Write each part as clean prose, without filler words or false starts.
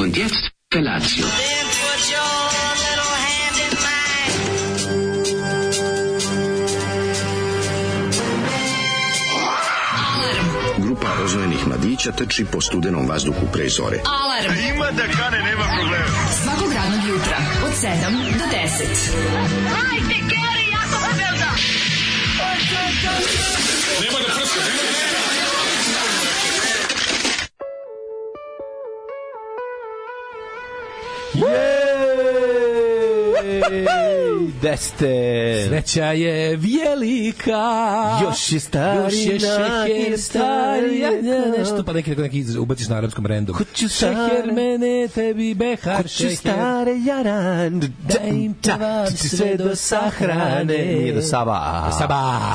Und jetzt Felatio. Grupa rozvojenih mladića trči po studenom vazduhu pre zore. Alarm! Ima da kane, nema problema. Svakog radnog jutra, od 7 do 10. Hajde, Geri, jako se velda! Nema da prska, nema da prska! Deste. Sreća je velika. Još je stari, šeher stari. Nešto pa neki ubaciš na arapskom random. Šeher mene tebi behar šeher. Stare jaran. Da im pevaš sve do sahrane. Nije do Saba.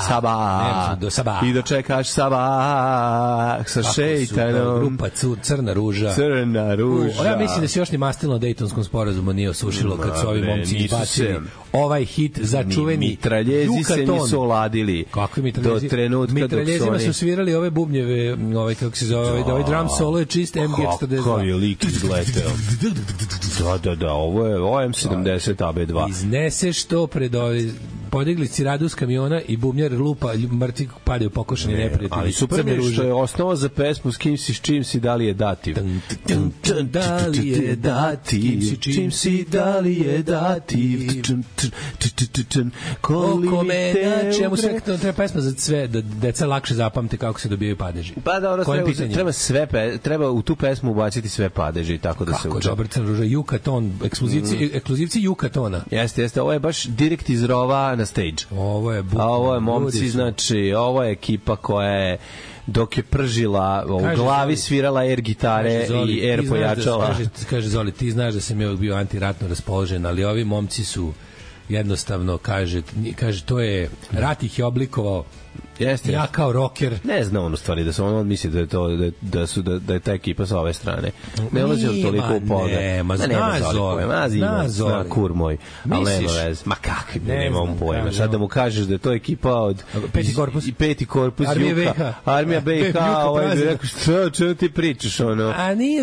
Saba. Do Saba. I dočekaš Saba sa šeitanom. Grupa Crna ruža. Crna ruža. Ja mislim da se još ni mastilno Dejtonskom sporazumu nije osušilo kad su ovi momci izbacili ovaj hit za čuveni mitraljezi se nisu oladili. Kakvi mitraljezi? Do trenutka mitraljezima su svirali ove bubnjeve, ovaj kako se zove, ovaj drum solo je čist MG42. Kako je lik izleteo. Da, ovo je M70 AB2. Izneseš to pred ovaj podigli ciradu s kamiona i bubnjar lupa, mrtvi padaju pokošeni neprijatelji. Ali super je što je osnova za pesmu s kim si, s čim si, da li je dativ. Da li je dativ, čim si, da li je dativ. Oko mene, čemu sve treba pesma za sve, da deca lakše zapamte kako se dobijaju padeži. Pa da, treba u tu pesmu ubaciti sve padeži, tako da se uče. Kako, dobar Crna ruža, Yukaton, ekskluzivci Yukatona. Jeste, ovo je baš direkt iz rova na stage. Ovo je momci, znači, ovo je ekipa koja je dok je pržila u glavi svirala air gitare i air pojačala. Kaže Zoli, ti znaš da sam ja bio antiratno raspoložen, ali ovi momci su jednostavno, kaže to je, rat ih je oblikovao Jeste. Ja kao rocker. Ne zna on u stvari da se on misli da je to da je ta ekipa sa ove strane. Ne ulazi on toliko u pogled. Nema zna kur moj. Ali nema veze. Ma kakvi, nema on pojma. Sad da mu kažeš da je to ekipa od Peti korpus Juka, Armija BiH, ovaj bi rekao što ti pričaš, ono.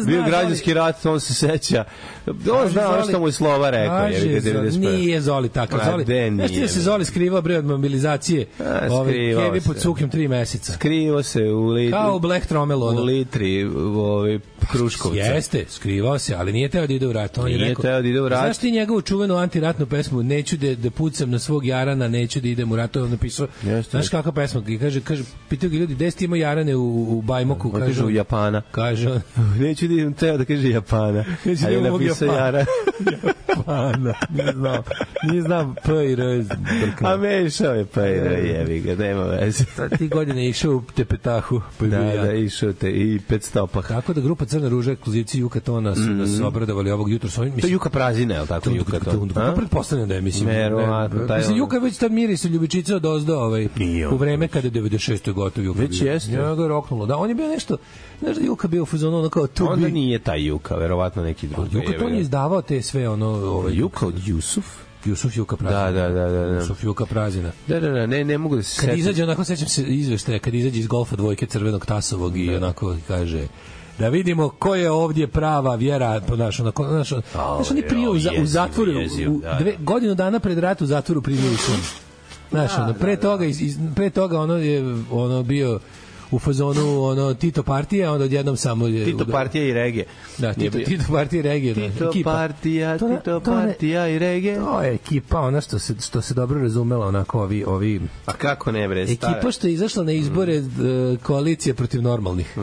Bio građanski rat, on se seća. On zna ono što mu je Slova rekao. Nije Zoli takav. Znaš ti da se Zoli skrivao bre od mobilizacije? Kevi pod sukim 3 meseca. Skrivao se u litri. Kao u Black Tromelu. U litri Kruškovca. Jeste, skrivao se, ali nije teo da ide u rat. Nije teo da ide u rat. Znaš ti njegovu čuvenu antiratnu pesmu Neću da pucam na svog Jarana, neću da idem u rat. To je on napisao. Znaš kakva pesma? Kaže, pitaju ga ljudi, gde ste imao Jarane u Bajmoku? Kaže u Japana. Kaže on. Neću da idem, teo da kaže Japana. A je napisao Jaran. Japana. Nije znam P i R. A mešao je P i R, jebi ga, nema veze. Ti godine išao u Tepetahu. Da, išao te i 500 pa. Kako da grupa Crna ruža, ekskluzivci Juka Tona su nas obradovali ovog jutra. To je Juka Prazina, je li tako Juka Tona? Pretpostavljam da je, mislim. Mislim, Juka već tad mirisu ljubičica od ozdo u vreme kada je 96. gotov Juka. Već jeste. Ja ga roknulo. Da, on je bio nešto, znaš da Juka bio u fazonu ono kao to. Onda nije taj Juka, verovatno neki drugi. Juka Ton je izdavao te sve ono... Juka od Jusuf? Jusuf Juka Prazina. Da. Jusuf Juka Prazina. Da, ne mogu da se setim. Kad izađe, onako sećam se izveštaja, kad izađe iz golfa dvojke Crvenog Tasovog i onako kaže da vidimo ko je ovdje prava vjera, znaš, oni prije u zatvoru, godinu dana pred rat u zatvoru primio sun. Znaš, pre toga ono je bio u fazonu ono Tito partija, onda odjednom samo Tito partija i regije. Da, Tito partija i regije. Tito partija i regije. To je ekipa, ona što se dobro razumela, onako ovi. A kako ne bre, stara. Ekipa što je izašla na izbore koalicije protiv normalnih.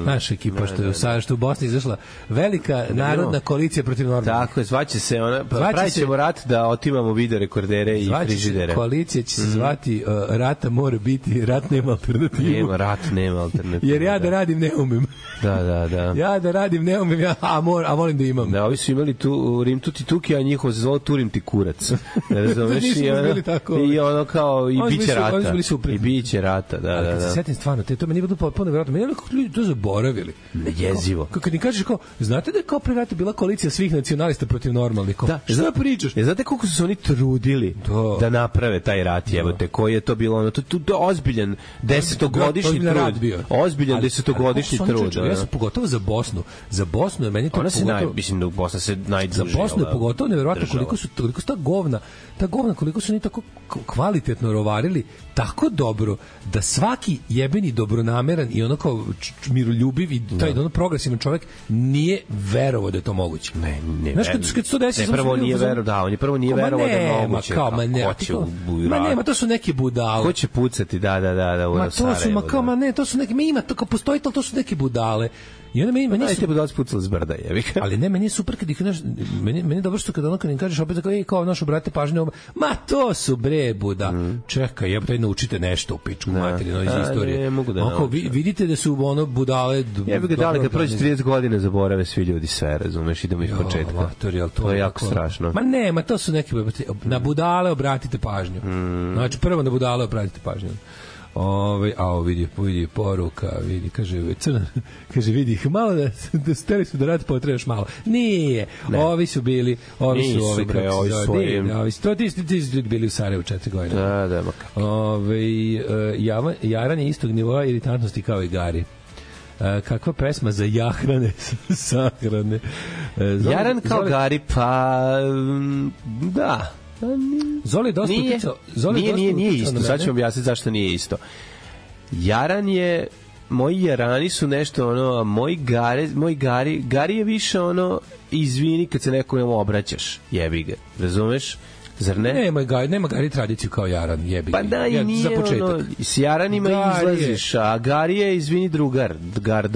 Naša ekipa što je u Bosni izašla velika narodna koalicija protiv normalnih. Tako je, zvaće se ona, pravićemo rat da otimamo video rekordere i frižidere. Koalicija će se zvati rata mora biti, rat nema alternativu. Nema rat, nema alternativu. Jer ja da radim ne umem. Da. Ja da radim ne umem, a volim da imam. Da, ovi su imali tu Rim tuti tuki, a njihovo se zvalo Turim ti kurac. Razumeš? I ono kao, i biće rata. I biće rata, da. Kad se setim stvarno, to meni je bilo potpuno vjerojatno. Meni je kako ljudi to zaboravili. Jezivo. Kad im kažeš kao, znate da je kao pre rata bila koalicija svih nacionalista protiv normalnih? Da, šta pričaš? Znate koliko su se oni trudili da naprave taj rat, jebote, koji je to bilo ono, to je ozbiljan 10-godišnji trud. Ozbiljan 10-godišnji trud. Ja sam pogotovo za Bosnu. Za Bosnu je meni to pogotovo... Mislim da u Bosna se najdruži. Za Bosnu je pogotovo nevjerojatno koliko su ta govna, koliko su oni tako kvalitetno rovarili, tako dobro, da svaki jebeni dobronameran i ono kao miroljubiv i taj ono progresivan čovjek nije verovao da je to moguće. Ne. Znaš, kad se to desi... Prvo nije verovao da je moguće. Ma to su neki budale. Ko će pucati, da, ma to su, to su neki, ima to kao postoji, ali to su neki budale. I onda meni su budale spucali s brda, jevika. Ali ne, meni je super kad ih meni je dobro što kad im kažeš opet kao našu brate pažnju, ma to su bre buda. Čekaj, jebote, naučite nešto u pičku materinu iz istorije. Ne mogu da naučim. Vidite da su ono budale. Jebika, da li kad prođe 30 godina zaborave svi ljudi sve, razumeš, idemo iz početka. To je jako strašno. Ma to su neki na budale obratite pažnju. Znači prvo na budale obratite pažnju. Vidi poruka, vidi, kaže vidi ih malo da steli su da rad potrebaš malo. Nije. Ovi su bili, ovi su ti bili u Sarajevu 4 godine. Da. Jaran je istog nivoa iritantnosti kao i Gari. Kakva pesma za jahrane, sahrane. Jaran kao Gari, pa da. Zoli dosta uticao. Nije isto. Sad ću objasniti zašto nije isto. Jaran je, moji jarani su nešto ono, moj Gari je više ono, izvini kad se nekom obraćaš, jebi ga, razumeš? Zar ne? Nema Gari tradiciju kao Jaran, jebi. Pa da, i nije ono, s Jaranima izlaziš, a Gari je, izvini, drugar, Gari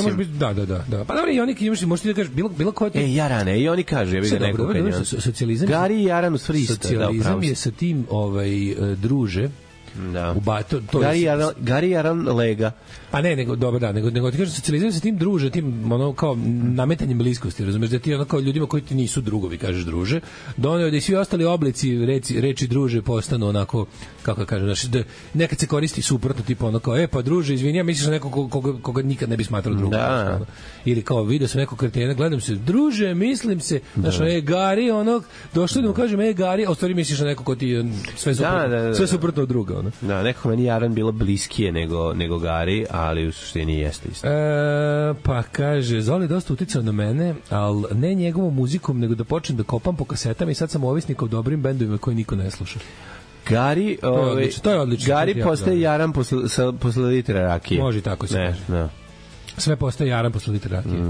može biti, da. Pa dobro, i oni možete da kažeš, bilo ko je... Jarane, i oni kažu, jebi ga neko. Socijalizam... Gari i Jaran u stvari isto. Socijalizam je sa tim druže, Da. Gari Jaran lega. Pa ne, nego dobro da, nego ti kažeš socijaliziram se tim druže, tim ono kao nametanjem bliskosti, razumeš da ti ono kao ljudima koji ti nisu drugovi kažeš druže, doneo da i svi ostali oblici reči druže postanu onako kako kažem, znači da nekad se koristi suprotno tipa ono kao pa druže, izvini, ja misliš na nekog koga nikad ne bi smatrao drugom. Da. Ili kao video sam nekog kretena, gledam se, druže, mislim se, znači Gari onog, došli da mu kažem Gari, a u stvari misliš na nekog ko ti sve suprotno, sve suprotno od druga, ono. Da, nekako meni Jaran bilo bliskije nego Gari, ali u suštini jeste isto. Pa kaže, Zoli dosta uticao na mene, ali ne njegovom muzikom, nego da počnem da kopam po kasetama i sad sam ovisnik o dobrim bendovima koji niko ne sluša. Gari, to je odlično. Gari postaje Jaran posle litra rakije. Može tako se kaže. Da. Sve postaje Jaran posle litra rakije.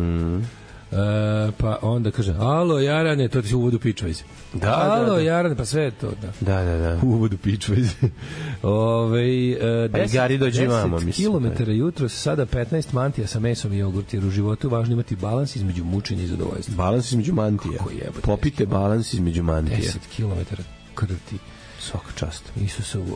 Pa onda kaže, alo Jarane, to ti se uvodu pičvajzi. Alo Jarane, pa sve je to. Da. Uvodu pičvajzi. Gari dođe imamo, 10 km jutro, sada 15 mantija sa mesom i jogurt, jer u životu važno imati balans između mučenja i zadovoljstva. Balans između mantija. Popite balans između mantija. 10 km krti. Svaka čast. Isusovu.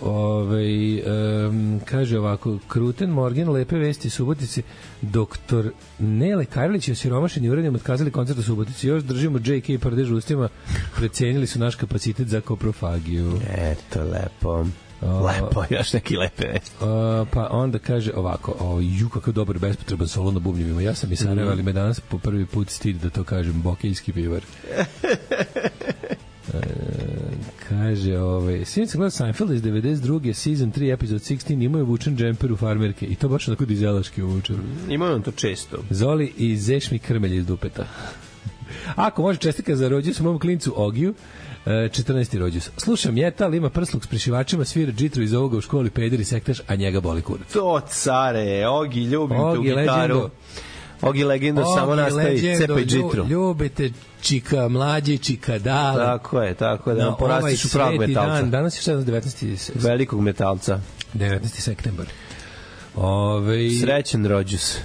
Kaže ovako, Kruten Morgan, lepe vesti Subotice, doktor Nele Karlić i osiromašeni urednjom otkazali koncert u Subotici. Još držimo J.K. prdež ustima, precenili su naš kapacitet za koprofagiju. Eto, lepo. Lepo, još neki lepe vesti. Pa onda kaže ovako, kakav dobar bespotreban solo na bubnjevima. Ja sam i Sarajeva, ali me danas po prvi put stid da to kažem, bokejski pivar. Kaže, svijem se gleda Seinfeld iz 92. season 3 episode 16, imaju vučen džemper u farmerke i to baš onako dizelaški uvučen. Imaju on to često. Zoli i zešmi krmelj iz dupeta. Ako može, čestika za rođus u mom klincu Ogiju, 14. rođus. Slušam metal, ima prsluk s prišivačima, svira džitru iz ovoga u školi, peder i sektaš, a njega boli kurac. To care, Ogi, ljubim te u gitaru. Ogi legendo, samo nastavi, cepaj džitru. Ljubite čika mlađe, čika dale. Tako je, da porastiš u pravog metalca. Danas je 19. Velikog metalca. 19. septembar. Srećen rođus,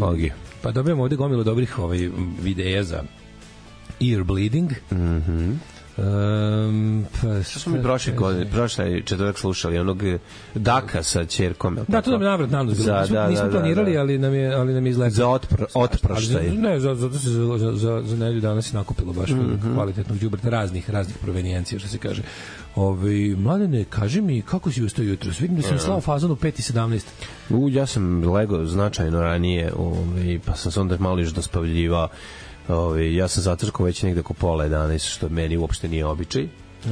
Ogi. Pa dobijamo ovde gomilu dobrih videja za ear bleeding. Što smo mi prošle četvrtak slušali onog Daka sa ćerkom. Da, to nam je navrat nanos bilo. Nismo planirali, ali nam je izletilo. Za otproštaj. Ne, zato se za nedelju danas je nakupilo baš kvalitetnog đubreta raznih provenijencija, što se kaže. Mladene, kaži mi kako si ustao jutros? Vidim da sam slao fazon u 5:17. Ja sam legao značajno ranije, pa sam se onda malo još dospavljivao. Ja sam zatrkao već negde oko 10:30, što meni uopšte nije običaj.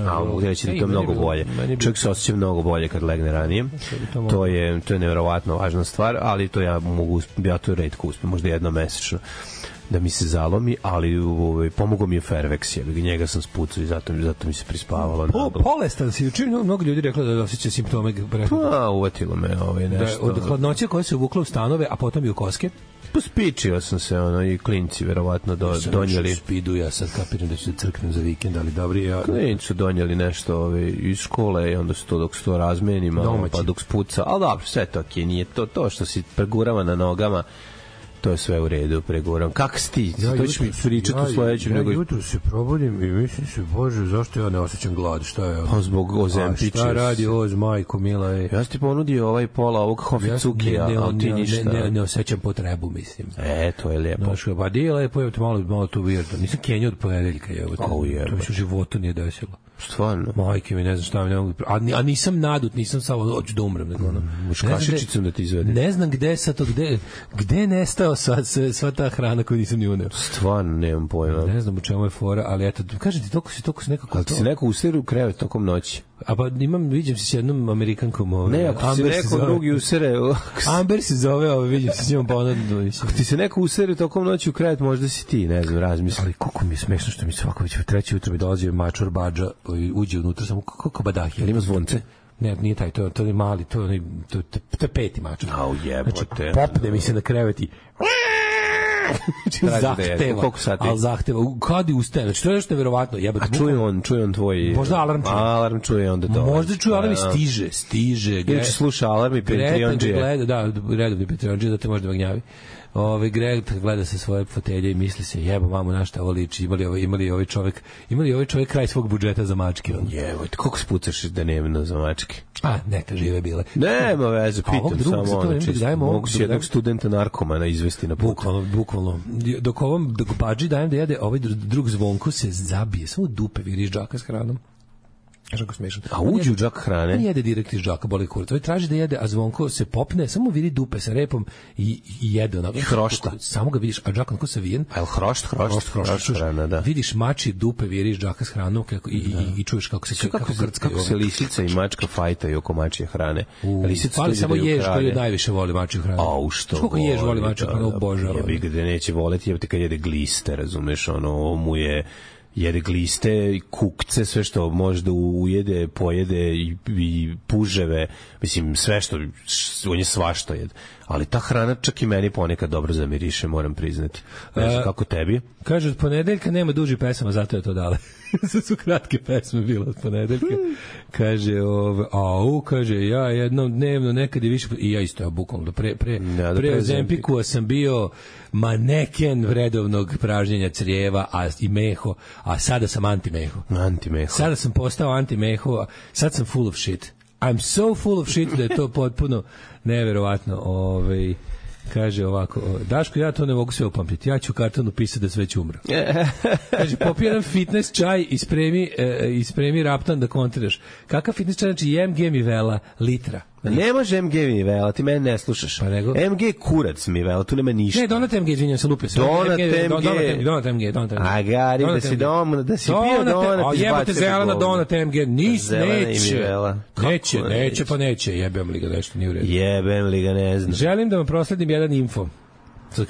A mogu reći da to je mnogo bolje. Čovjek se osjeća mnogo bolje kad legne ranije. To je nevjerovatno važna stvar, ali to ja to retko uspem, možda jednom mesečno da mi se zalomi, ali pomogao mi je Fairvex, njega sam spucao i zato mi se prispavalo. Bolestan si, učinio mnogo ljudi rekla da osjeća simptome. Pa, uvatilo me nešto. Od hladnoće koja se uvukla u stanove, a potom i u koske. Pospičio sam se, i klinci verovatno donijeli. Spidu, ja sad kapiram da ću da crknem za vikend, ali dobri. Klinci su donijeli nešto iz škole i onda su to dok se to razmenima, pa dok spuca, ali dobro, sve to okej, nije to što si pregurava na nogama, to je sve u redu, pregovoram. Kako si ti? To ćeš mi pričati u sledećem. Ja jutro se probudim i mislim se, Bože, zašto ja ne osjećam glad? Šta je? Pa zbog Ozempića. Šta radi Oz, majko, mila je? Ja ti ponudio pola ovog Hofizukija, ali ti ništa. Ne osjećam potrebu, mislim. To je lijepo. Pa di je lepo, malo tu virto. Nisam Kenja od ponedeljka, to mi se u životu nije desilo. Stvarno? Majke mi, ne znam šta mi ne mogu... A nisam nadut, nisam samo hoću da umrem. Kašičicom da ti izvedim. Ne znam gde sad to, gde je nestao sva ta hrana koju nisam ni uneo. Stvarno, nemam pojma. Ne znam u čemu je fora, ali eto, kažem ti, toliko si nekako... Ali ti se neko usere u krevet tokom noći? A pa viđem se s jednom Amerikankom. Ne, ako se neko drugi usere... Amber se zove, viđem se s njom pa onda... Ako ti se neko usere tokom noći u krevet, možda si ti, ne znam, razmisli. Ali koliko mi je smešno što mi svako već u 3 jutro mi dolazio mačor Badža, uđe unutra, samo kako Badahi. Ali ima zvonce? Ne, nije taj, to je mali, to je 5. mačor. Au jebote. Znači, popne mi se na krevet i... zahteva, kad i ustaje, znači to je nešto nevjerovatno. A čuje on tvoj... Možda alarm čuje onda to. Možda čuje alarm i stiže. Ili će sluša alarm i Patreonđije. Da, redovni Patreonđije da te može da gnjavi. Greg gleda sa svoje fotelje i misli se, jebo mamu, na šta ovo liči, imali ovaj čovjek kraj svog budžeta za mačke. Jevo, koliko spucaš dnevno za mačke? Neka žive bile. Nema veze, pitam samo mogu si jednog studenta narkomana izvesti na put. Bukvalno. Dok Badži dajem da jede, ovaj drug Zvonko se zabije, samo dupe viri iz džaka s hranom. Žako smešan. A uđe u džak hrane? On jede direkt iz džaka, boli kurac. Ovaj traži da jede, a Zvonko se popne, samo viri dupe sa repom i jede onako. I hrošta. Samo ga vidiš, a džak onako savijen. A je hrošt hrana, da. Vidiš mači dupe viri iz džaka s hranom i čuješ kako se krcka. Kako se lisica i mačka fajtaju oko mačje hrane. Lisica ali samo jež koji najviše voli mačju hranu. A što? Koliko jež voli mačju hranu, obožava. Ja bih gde neće voleti, jebate kad jede gliste, razumeš, ono mu je jede gliste, kukce, sve što može da ujede, pojede i puževe, mislim, sve što, on je svašta jede. Ali ta hrana čak i meni ponekad dobro zamiriše, moram priznati. Ne znam kako tebi. Kaže, od ponedeljka nema duži pesama, zato je to dale. Sve su kratke pesme bilo od ponedeljka. Kaže, kaže, ja jednom dnevno nekad je više, i ja isto, bukvalno, pre Ozempikua sam bio maneken vredovnog pražnjenja crijeva i meho, a sada sam anti-meho. Sada sam postao anti-meho, sad sam full of shit. I'm so full of shit da je to potpuno neverovatno. Kaže ovako, Daško, ja to ne mogu sve upamtiti, ja ću u kartonu pisati da sve ću umro. Kaže, popi jedan fitness čaj i spremi raptan da kontriraš. Kakav fitness čaj? Znači, MG mi vela litra. Ne može MG mi vela, ti mene ne slušaš. Pa nego? MG kurac mi vela, tu nema ništa. Ne, Donat MG, izvinjam se, lupio se. Donat MG. A gari, da si pio Donat, jebate zelena Donat MG, neće, jebem li ga, nešto nije u redu. Jebem li ga, ne znam. Želim da vam prosledim jedan info.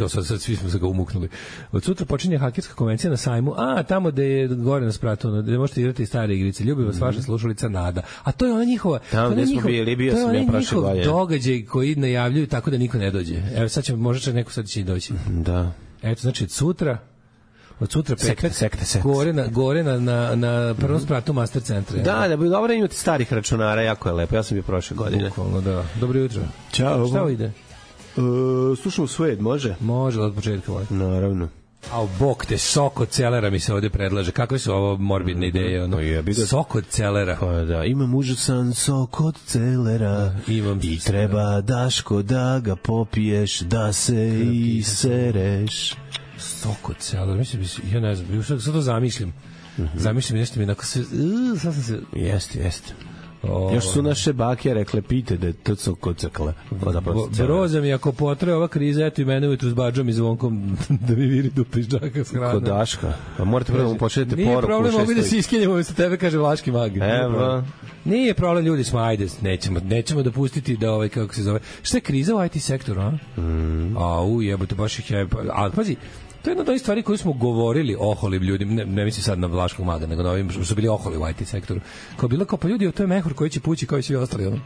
Sad svi smo se ga umuknuli. Od sutra počinje hakerska konvencija na sajmu, tamo gde je gore na spratu, gde možete igrati stare igrice. Ljubi vas vaša slušalica Nada. A to je ona njihova... Tamo gde smo bili, bio sam ja prošle godine. Događaj koji najavljuju tako da niko ne dođe. Evo sad će, možda će neko sad će i doći. Da. Eto, znači, od sutra petak, gore na prvom spratu Master centra. Da, bi dobro imati starih računara, jako je lepo. Ja sam bio prošle godine. Bukvalno, da. Dobro jutro. Ćao. Šta ovo ide? Slušamo Suede, može? Može, od početka. Naravno. A bok te, sok od celera mi se ovdje predlaže. Kakve su ovo morbidne ideje? Sok od celera. Pa da, imam užasan sok od celera i treba, Daško, da ga popiješ, da se isereš. Sok od celera, mislim, ja ne znam, sad to zamišljam. Zamišljam, nešto mi onako sve... Sad sam se... Jeste. Još su naše bake rekle, pite da je to sok cekle. Broza mi, ako potraje ova kriza, eto i mene ujutru s Badžom i Zvonkom da mi viri dupe iz džaka s hranom. Kod Daška. A morate prvo mu početi poruku. Nije problem, mogu da se iskenjamo umesto tebe, kaže Vlaški mag. Evo. Nije problem, ljudi smo, ajde, nećemo dopustiti da kako se zove. Šta je kriza u IT sektoru, a? Jebote, baš ih je... Ali, pazi, to je jedna od ovih stvari koju smo govorili oholim ljudima, ne mislim sad na Vlaškog maga, nego na ovim što su bili oholi u IT sektoru. Kao bilo kao, pa ljudi, to je mehur koji će pući kao i svi ostali. Ono.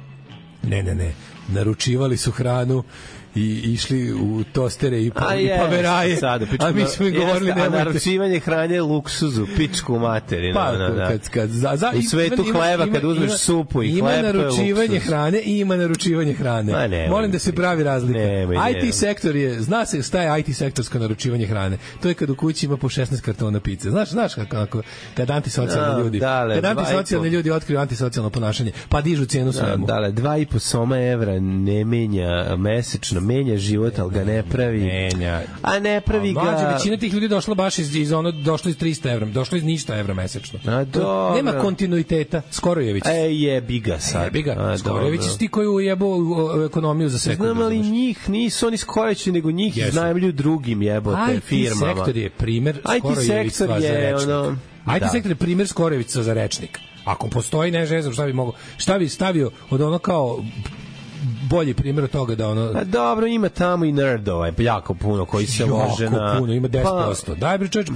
Ne. Naručivali su hranu i išli u tostere i paveraje. A mi smo im govorili nemojte. A naručivanje hrane je luksuzu, pičku materinu. U svetu hleba kad uzmeš supu i hleb, to je luksuz. Ima naručivanje hrane. Molim da se pravi razlika. IT sektor je, zna se šta je IT sektorsko naručivanje hrane. To je kad u kući ima po 16 kartona pice. Znaš kako kad antisocijalni ljudi otkriju antisocijalno ponašanje, pa dižu cijenu svemu. 2,5 soma evra ne menja mesečno, menja život, ali ga ne pravi. A ne pravi ga... Mlađe, većina tih ljudi došla baš došlo iz 300 evra, došlo iz ništa evra mesečno. Nema kontinuiteta. Skorojević. Jebi ga sad. Skorojević su ti koji ujebu ekonomiju za sekundu. Znam, ali njih nisu oni Skorojevići, nego njih iznajmljuju drugim jebote firmama. IT sektor je primer Skorojevića za rečnik. IT sektor je primer Skorojevića za rečnik. Ako postoji, ne znam šta bi stavio od ono kao bolji primjer od toga da ono... Dobro, ima tamo i nerdova, jako puno koji se može na... Jako puno, ima 10%. Daj bre čovječ,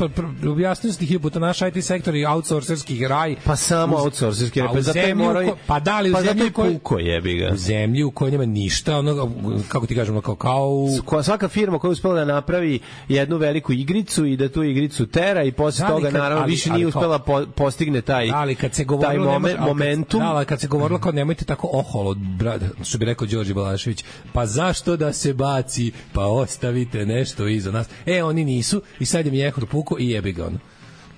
objasnio sam ti puta, naš IT sektor i outsourcerski raj... Pa samo outsourcerski raj, zato je morao... Pa da li u zemlji u kojoj... Puko jebi ga. U zemlji u kojoj nema ništa, ono, kako ti kažemo, kao... Svaka firma koja je uspela da napravi jednu veliku igricu i da tu igricu tera i posle toga, naravno, više nije uspela postigne taj momentum. Da, ali kad se govorilo kao nemojte tako oholo, što bi rekao rekao Đorđe Balašević, pa zašto da se baci, pa ostavite nešto iza nas. Oni nisu i sad je mjehur puko i jebi ga ono.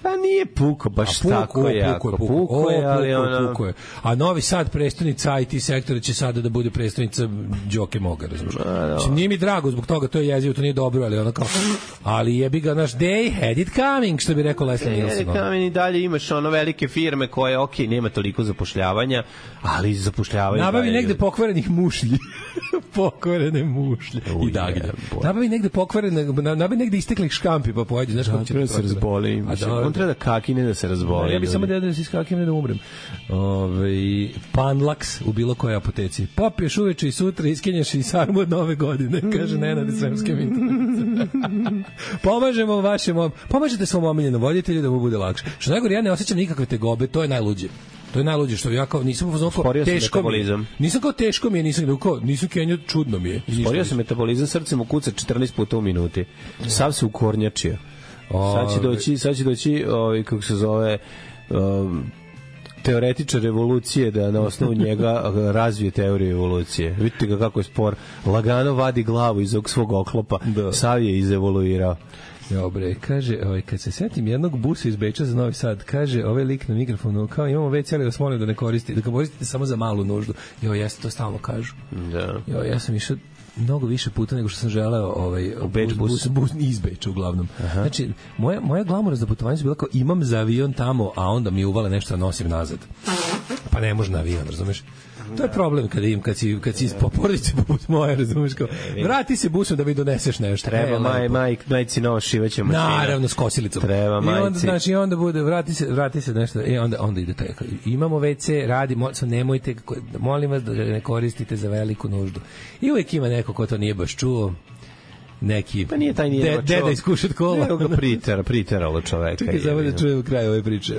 Pa nije puko, baš tako jako. Puko je, ali ono... A Novi Sad, prestonica IT sektora, će sada da bude prestonica Đoke Moga, razumiješ? Nije mi drago zbog toga, to je jezivo, to nije dobro, ali ono kao... Ali jebi ga, naš day had it coming, što bi rekao Leslie Nielsen. Had it coming i dalje imaš ono velike firme koje, okej, nema toliko zapošljavanja, ali zapošljavaju... Nabavi negde pokvarenih mušlji. Pokvarene mušlje i dagnje. Nabavi negde pokvarene, nabavi negde isteklih škampi, pa pojedi, znaš kako će... Treba se razboli. On treba da kakine da se razboli. Ja bih samo da se iskakine da umrem. Panlaks u bilo kojoj apoteci. Popiješ uveče i sutra iskenješ i sarmu od nove godine, kaže Nenad iz Sremske Mitrovice. Pomažete svom omiljenom voditelju da mu bude lakše. Što najgore, ja ne osjećam nikakve tegobe, to je najluđe. To je najluđe što ja kao nisam teško mi je. Nisam kao teško mi je, nisam kenio, čudno mi je. Sporio se metabolizam, srce mu kuca 14 puta u minuti. Sav se ukornjačio. Sad će doći kako se zove teoretičar evolucije da na osnovu njega razvije teoriju evolucije. Vidite ga kako je spor. Lagano vadi glavu iz ovog svog oklopa. Sav je izevoluirao. Dobre, kaže, kad se setim jednog busa iz Beča za Novi Sad, kaže ovaj lik na mikrofonu, kao imamo WC, ali vas molim da ne koristite, da ga koristite samo za malu nuždu. Ja to stalno kažu. Da. Ja sam išao mnogo više puta nego što sam želeo bus iz Beča uglavnom. Aha. Znači, moja glamoura za putovanje je bila kao imam za avion tamo, a onda mi uvale nešto da nosim nazad. Pa ne može na avion, razumeš? To je problem kad si po porodici poput moje, razumiješ, kao vrati se busom da mi doneseš nešto. Treba majci novo šivaće mašina. Naravno, s kosilicom. Treba majci. I onda bude, vrati se nešto, onda ide taj. Imamo WC, radi, nemojte, molim vas da ne koristite za veliku nuždu. I uvijek ima neko ko to nije baš čuo. Neki pa nije taj deda iskušat kola. Nego ga priteralo čoveka. Čekaj, samo da čujemo kraj ove priče.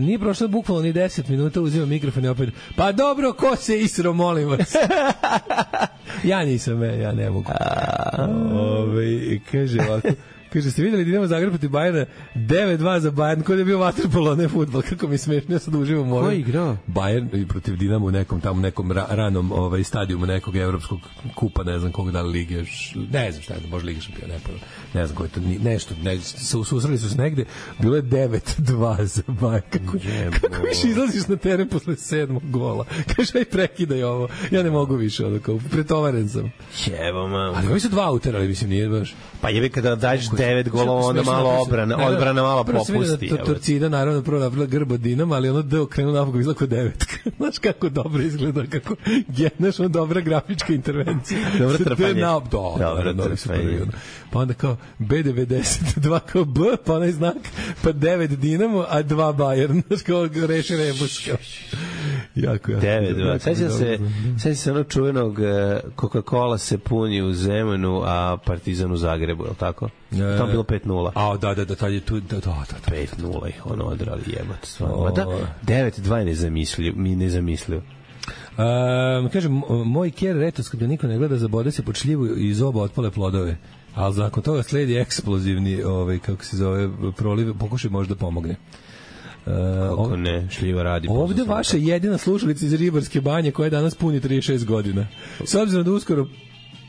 Nije prošlo bukvalno ni 10 minuta, uzimam mikrofon i opet, pa dobro, ko se isro, molim vas. Ja nisam, ja ne mogu. Kaže ovako, kaže, ste vidjeli Dinamo Zagreb protiv Bajera 9-2 za Bayern, kod je bio vaterpolo, ne fudbal, kako mi smešno, ja sad uživam Ko je igrao? Bayern protiv Dinamo u nekom ranom stadijumu nekog evropskog kupa, ne znam kog da li lige, ne znam šta je, može Liga šampiona, ne znam koji to, nešto, susreli su se negde, bilo je 9-2 za Bayern, kako više izlaziš na teren posle 7. gola, kaže, aj prekidaj ovo, ja ne mogu više, pretovaren sam. Jevo, mam. Ali ovi su 2 uterali, mislim, nije baš. Pa jebi kada daješ 9 golova, onda malo odbrana malo popusti. Torcida, naravno, prvo napravila grb od Dinama, ali ono deo krenu napokon izgleda kao 9. Znaš kako dobro izgleda, kako znaš, ono dobra grafička intervencija. Dobro trpanje. Dobro trpanje. Pa onda kao B92 kao B, pa onaj znak, pa 9 Dinamo, a 2 Bayern. Znaš kao reši rebus. Jako. 9-2. Sećam se onog čuvenog Coca-Cola se puni u Zemunu, a Partizan u Zagrebu, je li tako? Tamo bilo 5-0. A, da, tad je tu... 5-0 ih ono odrali, jebate stvarno. Da, 9-2 mi ne zamislio. Kaže, moj ker retoskop da niko ne gleda, zabode se pod šljivu i iz oba otpale plodove. Ali nakon toga sledi eksplozivni, kako se zove, proliv, pokušaj možda pomogne. Kako ne, šljiva radi. Ovde vaša jedina slušalica iz Ribarske banje koja danas puni 36 godina. S obzirom da uskoro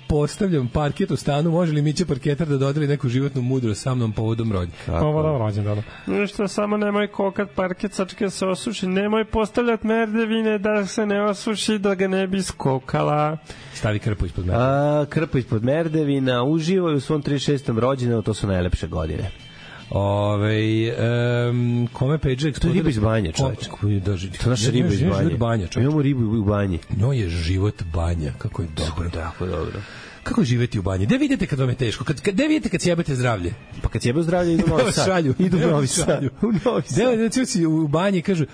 postavljam parket u stanu, može li Mića parketar da dodeli neku životnu mudrost sa mnom povodom rođenja? Povodom rođenja, da. Ništa, samo nemoj kokat parket, sačekaj se osuši, nemoj postavljati merdevine da se ne osuši, da ga ne bi skokala. Stavi krpu ispod merdevina. Krpu ispod merdevina, uživaj u svom 36. rođendanu, to su najlepše godine. Kome Page to je riba iz banje, čovječ. To naša riba iz banje. Imamo ribu u banji. No je život banja, kako je dobro. Tako dobro. Kako je živeti u banji? Gde vidite kad vam je teško? Gde vidite kad sjebete zdravlje? Pa kad sjebe zdravlje idu u Novi Sad. Idu u Novi Sad. Gde si u banji kažu,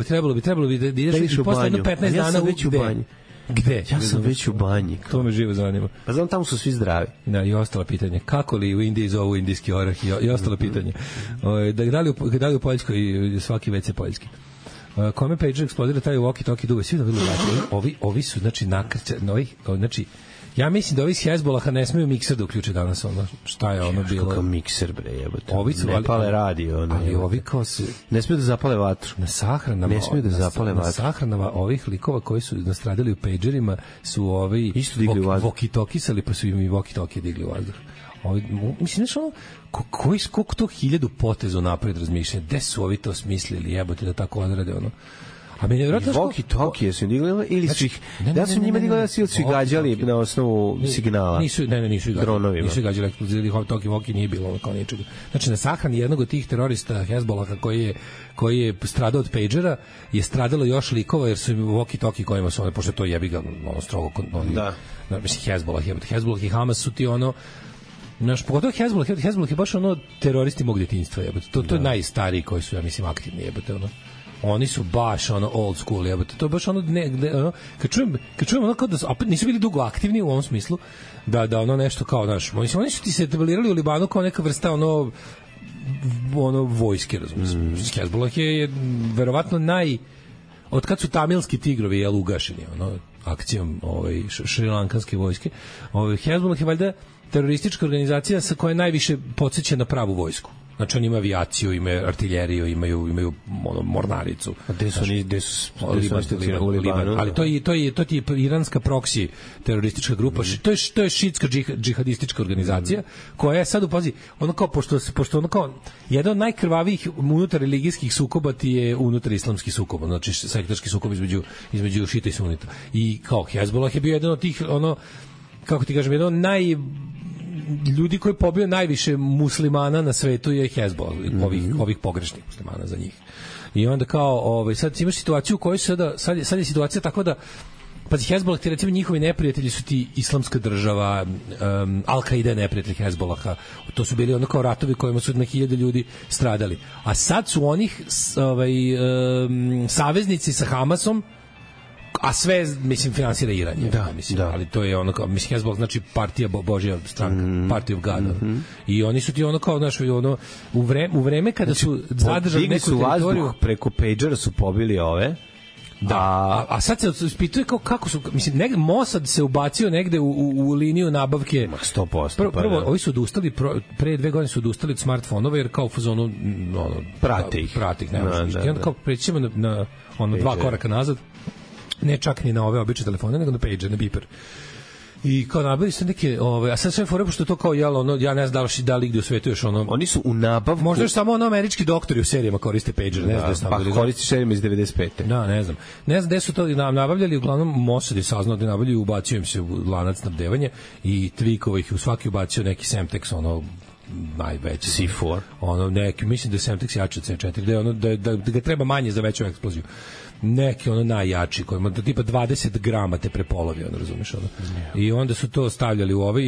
trebalo bi da ideš i posle jedno 15 dana u banji. Gde? Ja sam već u banji. To me živo zanima. Pa znam, tamo su svi zdravi. Da, i ostala pitanja. Kako li u Indiji zovu indijski orah i ostala pitanja. Da li u Poljskoj svaki WC poljski? Kome Page eksplodira taj walkie-talkie duve. Svi da vidu ovi su, znači, nakrća, znači, Ja mislim da ovi s Hezbolaha ne smeju mikser da uključe danas, ono, šta je ono bilo. Kako mikser, bre, jebote. Ovi su, ne pale radio, ono. Ali ovi kao se... Ne smeju da zapale vatru. Na sahranama... Ne smeju da zapale vatru. Na sahranama ovih likova koji su nastradili u pagerima su ovi... Isto digli u vazduh. Walkie-talkiesali, pa su im i walkie-talkie digli u vazduh. Mislim, znaš ono, koliko to 1000 poteza napred razmišljanja, gde su ovi to smislili, jebote, da tako odrade, ono. A meni je vjerojatno walkie-talkie su digli ili su ih da su njima digli da su ih gađali na osnovu signala. Nisu ih gađali. Nisu ih gađali eksplozivi, walkie nije bilo ono kao ničega. Znači na sahrani jednog od tih terorista Hezbolaha koji je stradao od pagera je stradalo još likova jer su im walkie-talkie kojima su one, pošto to jebi ga ono strogo mislim Hezbolah i Hamas su ti ono naš, pogotovo Hezbollah je baš ono teroristi mog detinjstva, jebote. To je najstariji koji su, ja mislim, aktivni, jebote, ono. Oni su baš ono old school, jebote. To je baš ono, ono kad čujem ono kao da su, opet nisu bili dugo aktivni u ovom smislu, da ono nešto kao, znaš, oni su ti se etablirali u Libanu kao neka vrsta ono vojske, razumiješ. Hezbollah je verovatno od kad su tamilski tigrovi ugašeni, ono, akcijom šrilankanske vojske, Hezbollah je valjda teroristička organizacija sa koja najviše podsjeća na pravu vojsku. Znači, oni imaju avijaciju, imaju artiljeriju, imaju mornaricu. A gde su u Libanu? Ali to je iranska proksi teroristička grupa. To je šiitska džihadistička organizacija koja je sad upazi, ono kao, pošto ono kao, jedan od najkrvavijih unutar religijskih sukoba ti je unutar islamskih sukoba, znači sektaški sukob između šita i sunita. I kao Hezbollah je bio jedan od tih, ono, kako ti kažem, jedan od ljudi koji pobio najviše muslimana na svetu je Hezbollah, ovih pogrešnih muslimana za njih. I onda kao, sad imaš situaciju u kojoj sad je situacija takva da pazi, Hezbollah, ti recimo njihovi neprijatelji su ti Islamska država, Al-Qaida je neprijatelj Hezbollaha, to su bili ono kao ratovi kojima su na 1000 ljudi stradali. A sad su onih saveznici sa Hamasom, a sve, mislim, finansira Iran. Ali to je ono kao, mislim, Hezbollah znači partija Božja stranka, Party of God. I oni su ti ono kao, znaš, ono, u vreme kada su zadržali neku teritoriju... Preko pagera su pobili ove... A sad se ispituje kako su, mislim, Mossad se ubacio negde u liniju nabavke. 100%. Prvo, ovi su odustali, pre 2 godine su odustali od smartfonova, jer kao u fazonu prate ih, ne možeš. I onda kao prećemo na 2 koraka nazad, ne čak ni na ove obične telefone, nego na pager, na beeper. I kao nabavili su neke, a sad sve fore, pošto to kao jelo, ono, ja ne znam da li gde u svetu još ono... Oni su u nabavku... Možda još samo ono američki doktori u serijama koriste pager, ne znam da su nabavili. Pa koristi serijama iz 95. Da, ne znam. Ne znam gde su to nabavljali, uglavnom Mossad je saznao da nabavljaju, ubacio im se u lanac snabdevanja i Twikova ih u svaki ubacio neki Semtex, ono, najveći. C4. Ono, neki, mislim da je Semtex jači od C4, da ga treba manje za veću eksploziju. Neki ono najjači kojima tipa 20 grama te prepolovi, ono, razumeš, ono. I onda su to stavljali u ove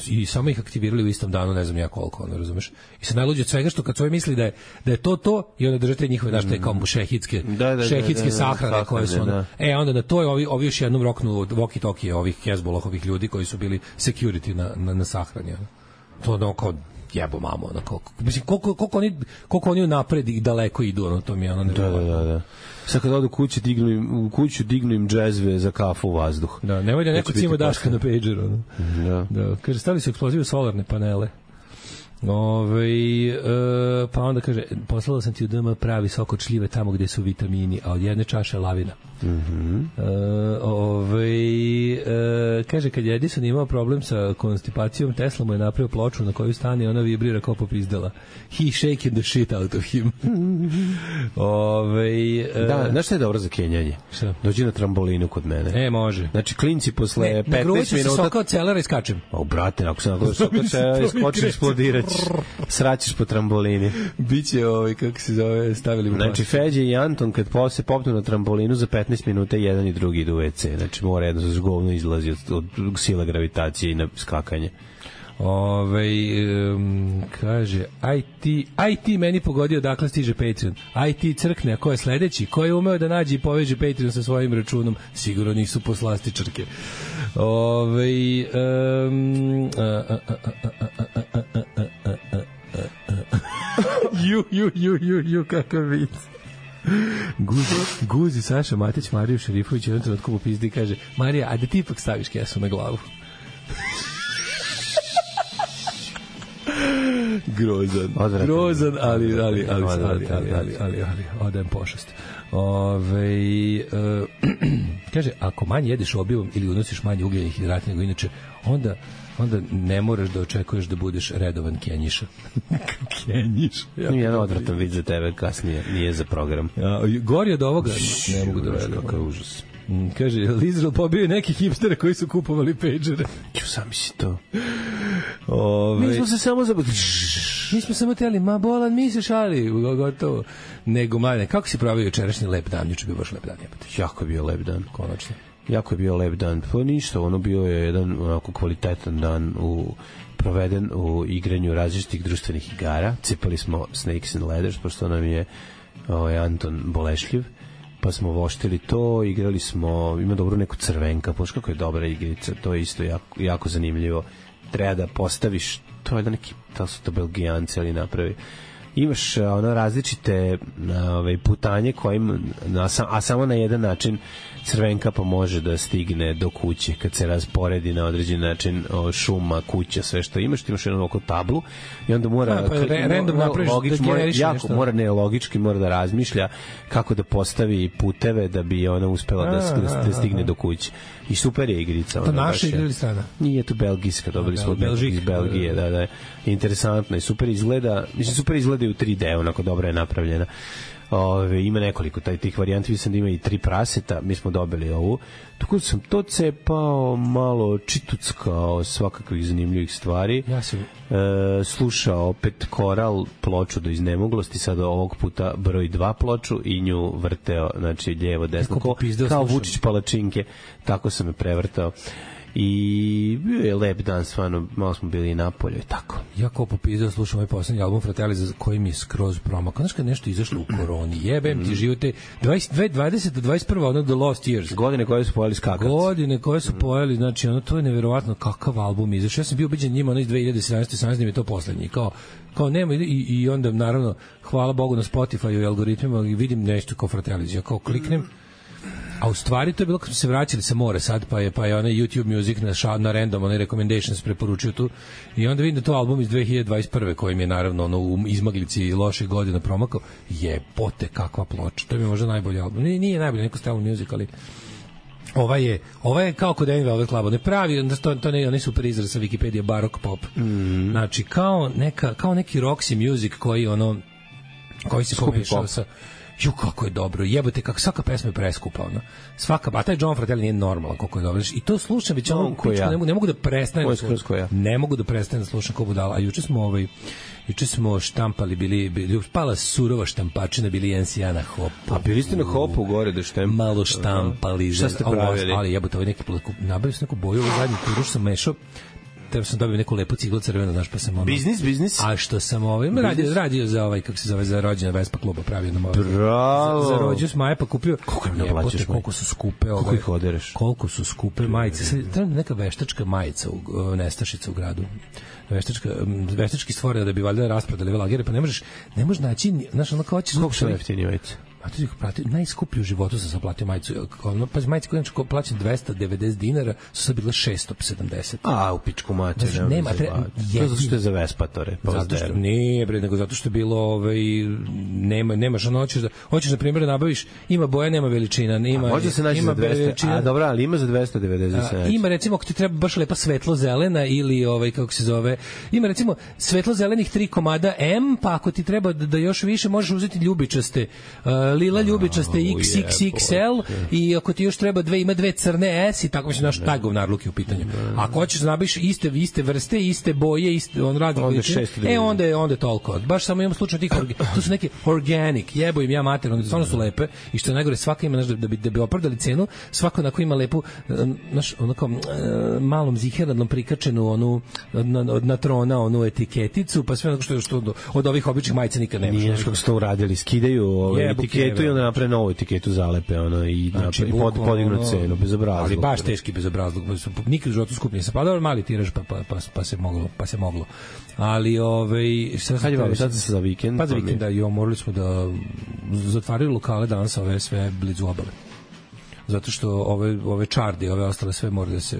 i samo ih aktivirali u istom danu, ne znam ja koliko, ono, razumeš. I se najluđe od svega što kad svoje misli da je to i onda držate njihove, znaš, te kao šehidske sahrane koje su, ono. Onda na to je ovi još jednom roknu walkie-talkie ovih Hezbollahovih ljudi koji su bili security na sahrani, ono. To ono kao jebo mamo, ono, mislim, koliko oni napred i daleko idu, ono, to mi je ono nevjerovatno. Da. Sad kad odu u kuću dignu im džezve za kafu u vazduh. Da, nemoj da neko cima daška na pageru. Ono. Da. Kaže, stavili su eksplozivu solarne panele. Pa onda kaže, poslala sam ti u DM pravi sok od šljive tamo gde su vitamini, a od jedne čaše lavina. Kaže, kad je Edison imao problem sa konstipacijom, Tesla mu je napravio ploču na koju stane i ona vibrira kao popizdala. He shaken the shit out of him. Da, znaš šta je dobro za kenjanje? Dođi na trambolinu kod mene. Može. Znači, klinci posle 15 minuta... Gruviću se soka od celera i skačem. Brate, ako se nagodaš soka skočiš, eksplodiraćeš. Sraćeš po trambolini. Biće kako se zove, stavili mu. Znači, Feđe i Anton kad se popnu na trambolinu za 15 minuta jedan i drugi idu u WC. Znači, mora jedno za govno izlazi od sila gravitacije i na skakanje. Kaže, IT meni pogodio dakle stiže Patreon. IT crkne, a ko je sledeći? Ko je umeo da nađe i poveže Patreon sa svojim računom? Sigurno nisu poslastičarke. Ju, kakav vic. Guzi Saša Matić Mariju Šerifović jedan trenutku popizdi i kaže, Marija, a da ti ipak staviš kesu na glavu? Grozan, ali odajem pošast. Kaže, ako manje jedeš obivom ili unosiš manje ugljenih hidrata nego inače, onda ne moraš da očekuješ da budeš redovan kenjiša. Kenjiš. Jedan odvratan vid za tebe kasnije, nije za program. Gori od ovoga, ne mogu da verujem. Kakav užas. Kaže, Lizral pobio neki hipstere koji su kupovali pagere. Sami si to. Mi smo se samo Mi smo samo teli, ma bolan, mi se šali, gotovo. Nego, mladine, kako si pravio jučerašnji lep dan? Juče bio baš lep dan, jebate. Jako je bio lep dan. Konačno. Jako je bio lep dan. Pa ništa, ono bio je jedan onako kvalitetan dan proveden u igranju različitih društvenih igara. Cipali smo Snakes and Ladders, pošto nam je Anton bolešljiv, pa smo voštili to, igrali smo, ima dobro neku crvenka, pošto kako je dobra igrica, to je isto jako zanimljivo. Treba da postaviš, to je da neki, da su to Belgijanci, ali napravi. Imaš različite putanje kojim, a samo na jedan način crvenka pa može da stigne do kuće kad se rasporedi na određen način šuma, kuća, sve što imaš, ti imaš jednu oko tablu i onda mora logički mora da razmišlja kako da postavi puteve da bi ona uspela da stigne do kuće. I super je igrica. To naša igra ili strana? Nije to belgijska, dobili smo iz Belgije, da. Interesantno i super izgleda, mislim super izgleda i u 3D, onako dobro je napravljena. Ima nekoliko tih varijanti, mislim da ima i 3 praseta, mi smo dobili ovu. Tako sam to cepao, malo čituckao svakakvih zanimljivih stvari. Ja sam slušao opet koral ploču do iznemoglosti, sad ovog puta broj 2 ploču i nju vrteo, znači lijevo, desno, kao Vučić palačinke, tako sam je prevrtao. I bio je lep dan, stvarno, malo smo bili i napolju i tako. Ja kao popizdao slušam ovaj poslednji album Fratelli, za koji mi je skroz promakao. Znaš kad nešto izašlo u koroni, jebem ti živote, 20 do 21. ono The Lost Years. Godine koje su pojeli skakavci. Godine koje su pojeli, znači ono, to je neverovatno kakav album izašao. Ja sam bio ubeđen njima, ono iz 2017. mi je to poslednji, kao nema i onda, naravno, hvala Bogu na Spotify i algoritmima i vidim nešto kao Fratelli. Ja kao kliknem, a u stvari to je bilo kad smo se vraćali sa more sad, pa je onaj YouTube Music na random, onaj recommendations preporučio tu i onda vidim da to album iz 2021. koji mi je naravno ono, u izmaglici loših godina promakao. Jebote, kakva ploča. To je mi možda najbolji album. Nije najbolji, neko Style Music, ali Ova je kao kod Envy Velvet Club, ne pravi, to ne super izraz sa Wikipedia, barok pop. Znači, kao neki Roxy Music koji se pomešao sa... kako je dobro, jebote, kako svaka pesma je preskupa, ono. Svaka, a taj John Fratelli nije normalan koliko je dobro. I to slušam već ono, ne mogu da prestanem. Ne mogu da prestanem da slušam ko budala. A juče smo štampali, bili pala surova štampačina, bili NCA na Hopu. A bili ste na Hopu gore da štem? Malo štampali. Šta ste pravili? Ali jebote, neki nabavio sam neku boju, zadnji turu sam mešao. Treba sam dobio neku lepu ciglu crvenu, znaš, pa sam ono... Biznis? A što sam radio za kako se zove, za rođendan Vespa kluba, pravio nam Bravo! Za rođus Maja, pa kupio... Koliko im naplaćaš? Koliko su skupe... Koliko ih odereš? Koliko su skupe majice. Treba neka veštačka majica, nestašica u gradu. Veštački stvorena da bi valjda rasprodali velagere, pa ne možeš naći, znaš, ono kao ćeš... Koliko su jeftini majice? Najskuplju u životu sam platio majicu. Pa majice koje plaćam 290 dinara su sad bile 670. A, u pičku mater. Zato što je za Vespatore. Nije, nego zato što je bilo nemaš ono, hoćeš na primjer da nabaviš, ima boja, nema veličina. Može se naći za 200, a dobro, ali ima za 290. Ima recimo, ako ti treba baš lepa svetlo-zelena ili kako se zove, ima recimo svetlo-zelenih 3 komada M, pa ako ti treba da još više možeš uzeti ljubičaste lila ljubičaste XXXL i ako ti još treba ima 2 crne S i tako mislim naš taj govnarluk je u pitanju. Ako hoćeš da nabaviš iste vrste, iste boje, on radi onda je toliko. Baš samo imam slučaj tih to su neke organic, jebo im ja mater, one stvarno su lepe i što je najgore svaka ima da bi opravdali cenu, svako onako ima lepu onako malom ziheradnom prikačenu onu na trona onu etiketicu, pa sve onako što od ovih običnih majica nikad nemaš. Nije što su uradili, skidaju etiketu i onda naprave novu etiketu zalepe i podignu cenu, bezobrazluk. Ali baš teški bezobrazluk. Nikad u životu skupnije se padao, mali tiraž pa se moglo. Ali kad je vam sad za vikend? Pa za vikend, morali smo da zatvarili lokale danas ove sve blizu obale. zato što ove čardi, ove ostale sve mora da se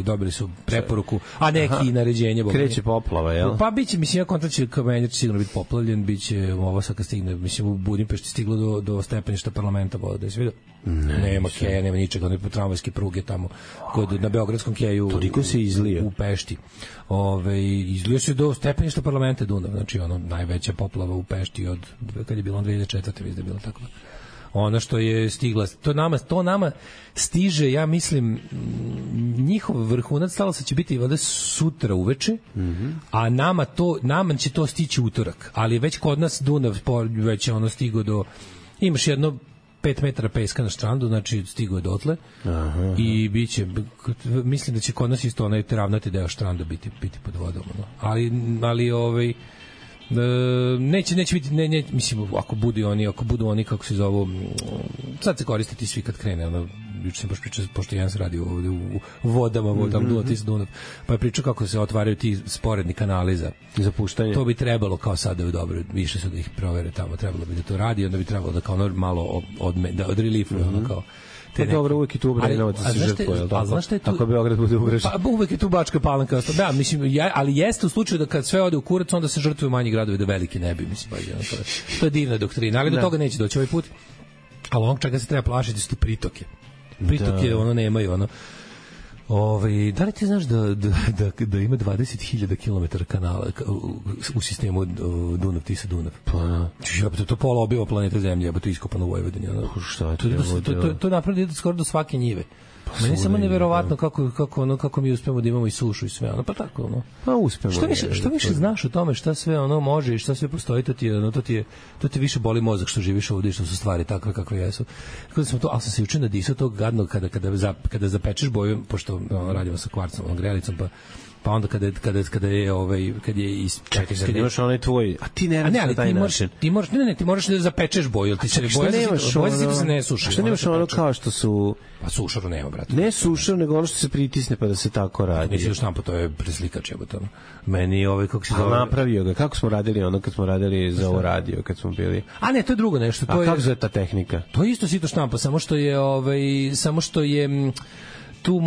dobili su preporuku, a neki naređenje. Kreće poplava, jel? Pa biće, mislim, ja kontra će Kamenjar sigurno biti poplavljen, biće ovo sad kad stigne, mislim, u Budimpešti stiglo do stepeništa parlamenta, da se vidio. Nema keja, nema ničega, one tramvajske pruge tamo na Beogradskom keju. Toliko se izlije u Pešti. Izlio se do stepeništa parlamenta Dunav, znači ono najveća poplava u Pešti od kad je bilo 2004. Mislim da je bilo tako. Ono što je stigla, to nama stiže, ja mislim, njihov vrhunac stalo se će biti valjda sutra uveče, a nama će to stići utorak, ali već kod nas Dunav već je ono stigo do, imaš jedno 5 metara peska na štrandu, znači stigo je dotle. Aha. I biće, mislim da će kod nas isto onaj ravnati deo štranda biti pod vodom, no. ali neće biti, mislim, ako budu oni kako se zovu, sad se koristiti svi kad krene, ono, juče sam baš pričao, pošto jedan se radi ovde u vodama Dunav, pa je pričao kako se otvaraju ti sporedni kanali za puštanje. To bi trebalo kao sada dobro, više su da ih provere tamo, trebalo bi da to radi, onda bi trebalo da kao malo od reliefu, ono kao te dobro, uvek je tu Obrenovac da se žrtvuje, jel tako? Ako Beograd bude ugrožen. Pa uvek je tu Bačka Palanka. Da, mislim, ali jeste u slučaju da kad sve ode u kurac, onda se žrtvuju manji gradovi, da veliki ne bi, mislim, to je divna doktrina, ali do toga neće doći ovaj put. Ali onog čega se treba plašiti su ti pritoke. Pritoke, ono, nemaju, ono. Da li ti znaš da ima 20.000 km kanala u sistemu Dunav-Tisa-Dunav? Pa, to pola obiva planeta Zemlje, to je iskopano u Vojvodini. Šta je to napravljeno skoro do svake njive. Meni je samo neverovatno kako mi uspemo da imamo i sušu i sve, ono, pa tako, ono. Pa uspemo. Što više znaš o tome šta sve ono može i šta sve postoji, to ti više boli mozak što živiš ovdje i što su stvari takve kakve jesu. Ali sam se juče nadisao tog gadnog kada zapečeš boju, pošto radimo sa kvarcom, grejalicom, pa onda kada je čekaj, kad imaš onaj tvoj, a ti ne radiš na taj način. Ti moraš da zapečeš boju, ti se boja se ne suši. A što nemaš ono kao što su... Pa sušaru nema, brate. Ne sušar, nego ono što se pritisne pa da se tako radi. Misliš štampo, to je preslikač, jebote. Meni kako se zove... napravio ga, kako smo radili ono kad smo radili za ovo radio, kad smo bili... A ne, to je drugo nešto. A kako zove ta tehnika? To je isto sito štampa, samo što je tu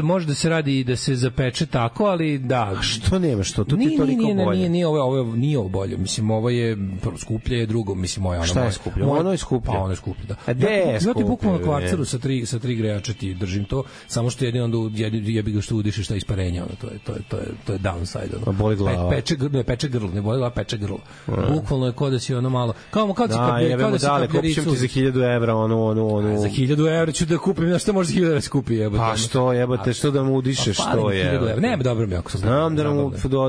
može da se radi i da se zapeče tako, ali da. A što nema, što? Tu ti toliko bolje. Nije ovo bolje. Mislim, ovo je skuplje, je drugo. Mislim, moja ono. Šta je skuplje? Ono je skuplje. Pa ono je skuplje, da. A gde je skuplje? Ja ti bukvalno kvarceru sa tri grejača ti držim to, samo što jedino onda jebi ga što udišeš šta isparenja, ono, to je downside, ono. Boli glava. Peče grlo, ne boli glava, peče grlo. Bukvalno je kod da si ono malo. Kao si kupim ti za 1.000 evra, ono. Za 1.000 evra ću da kupim, na šta može 1.000 evra skupi, jebote. Što jebote, što da mu udišeš, što je? Ne, dobro mi ako sam. Znam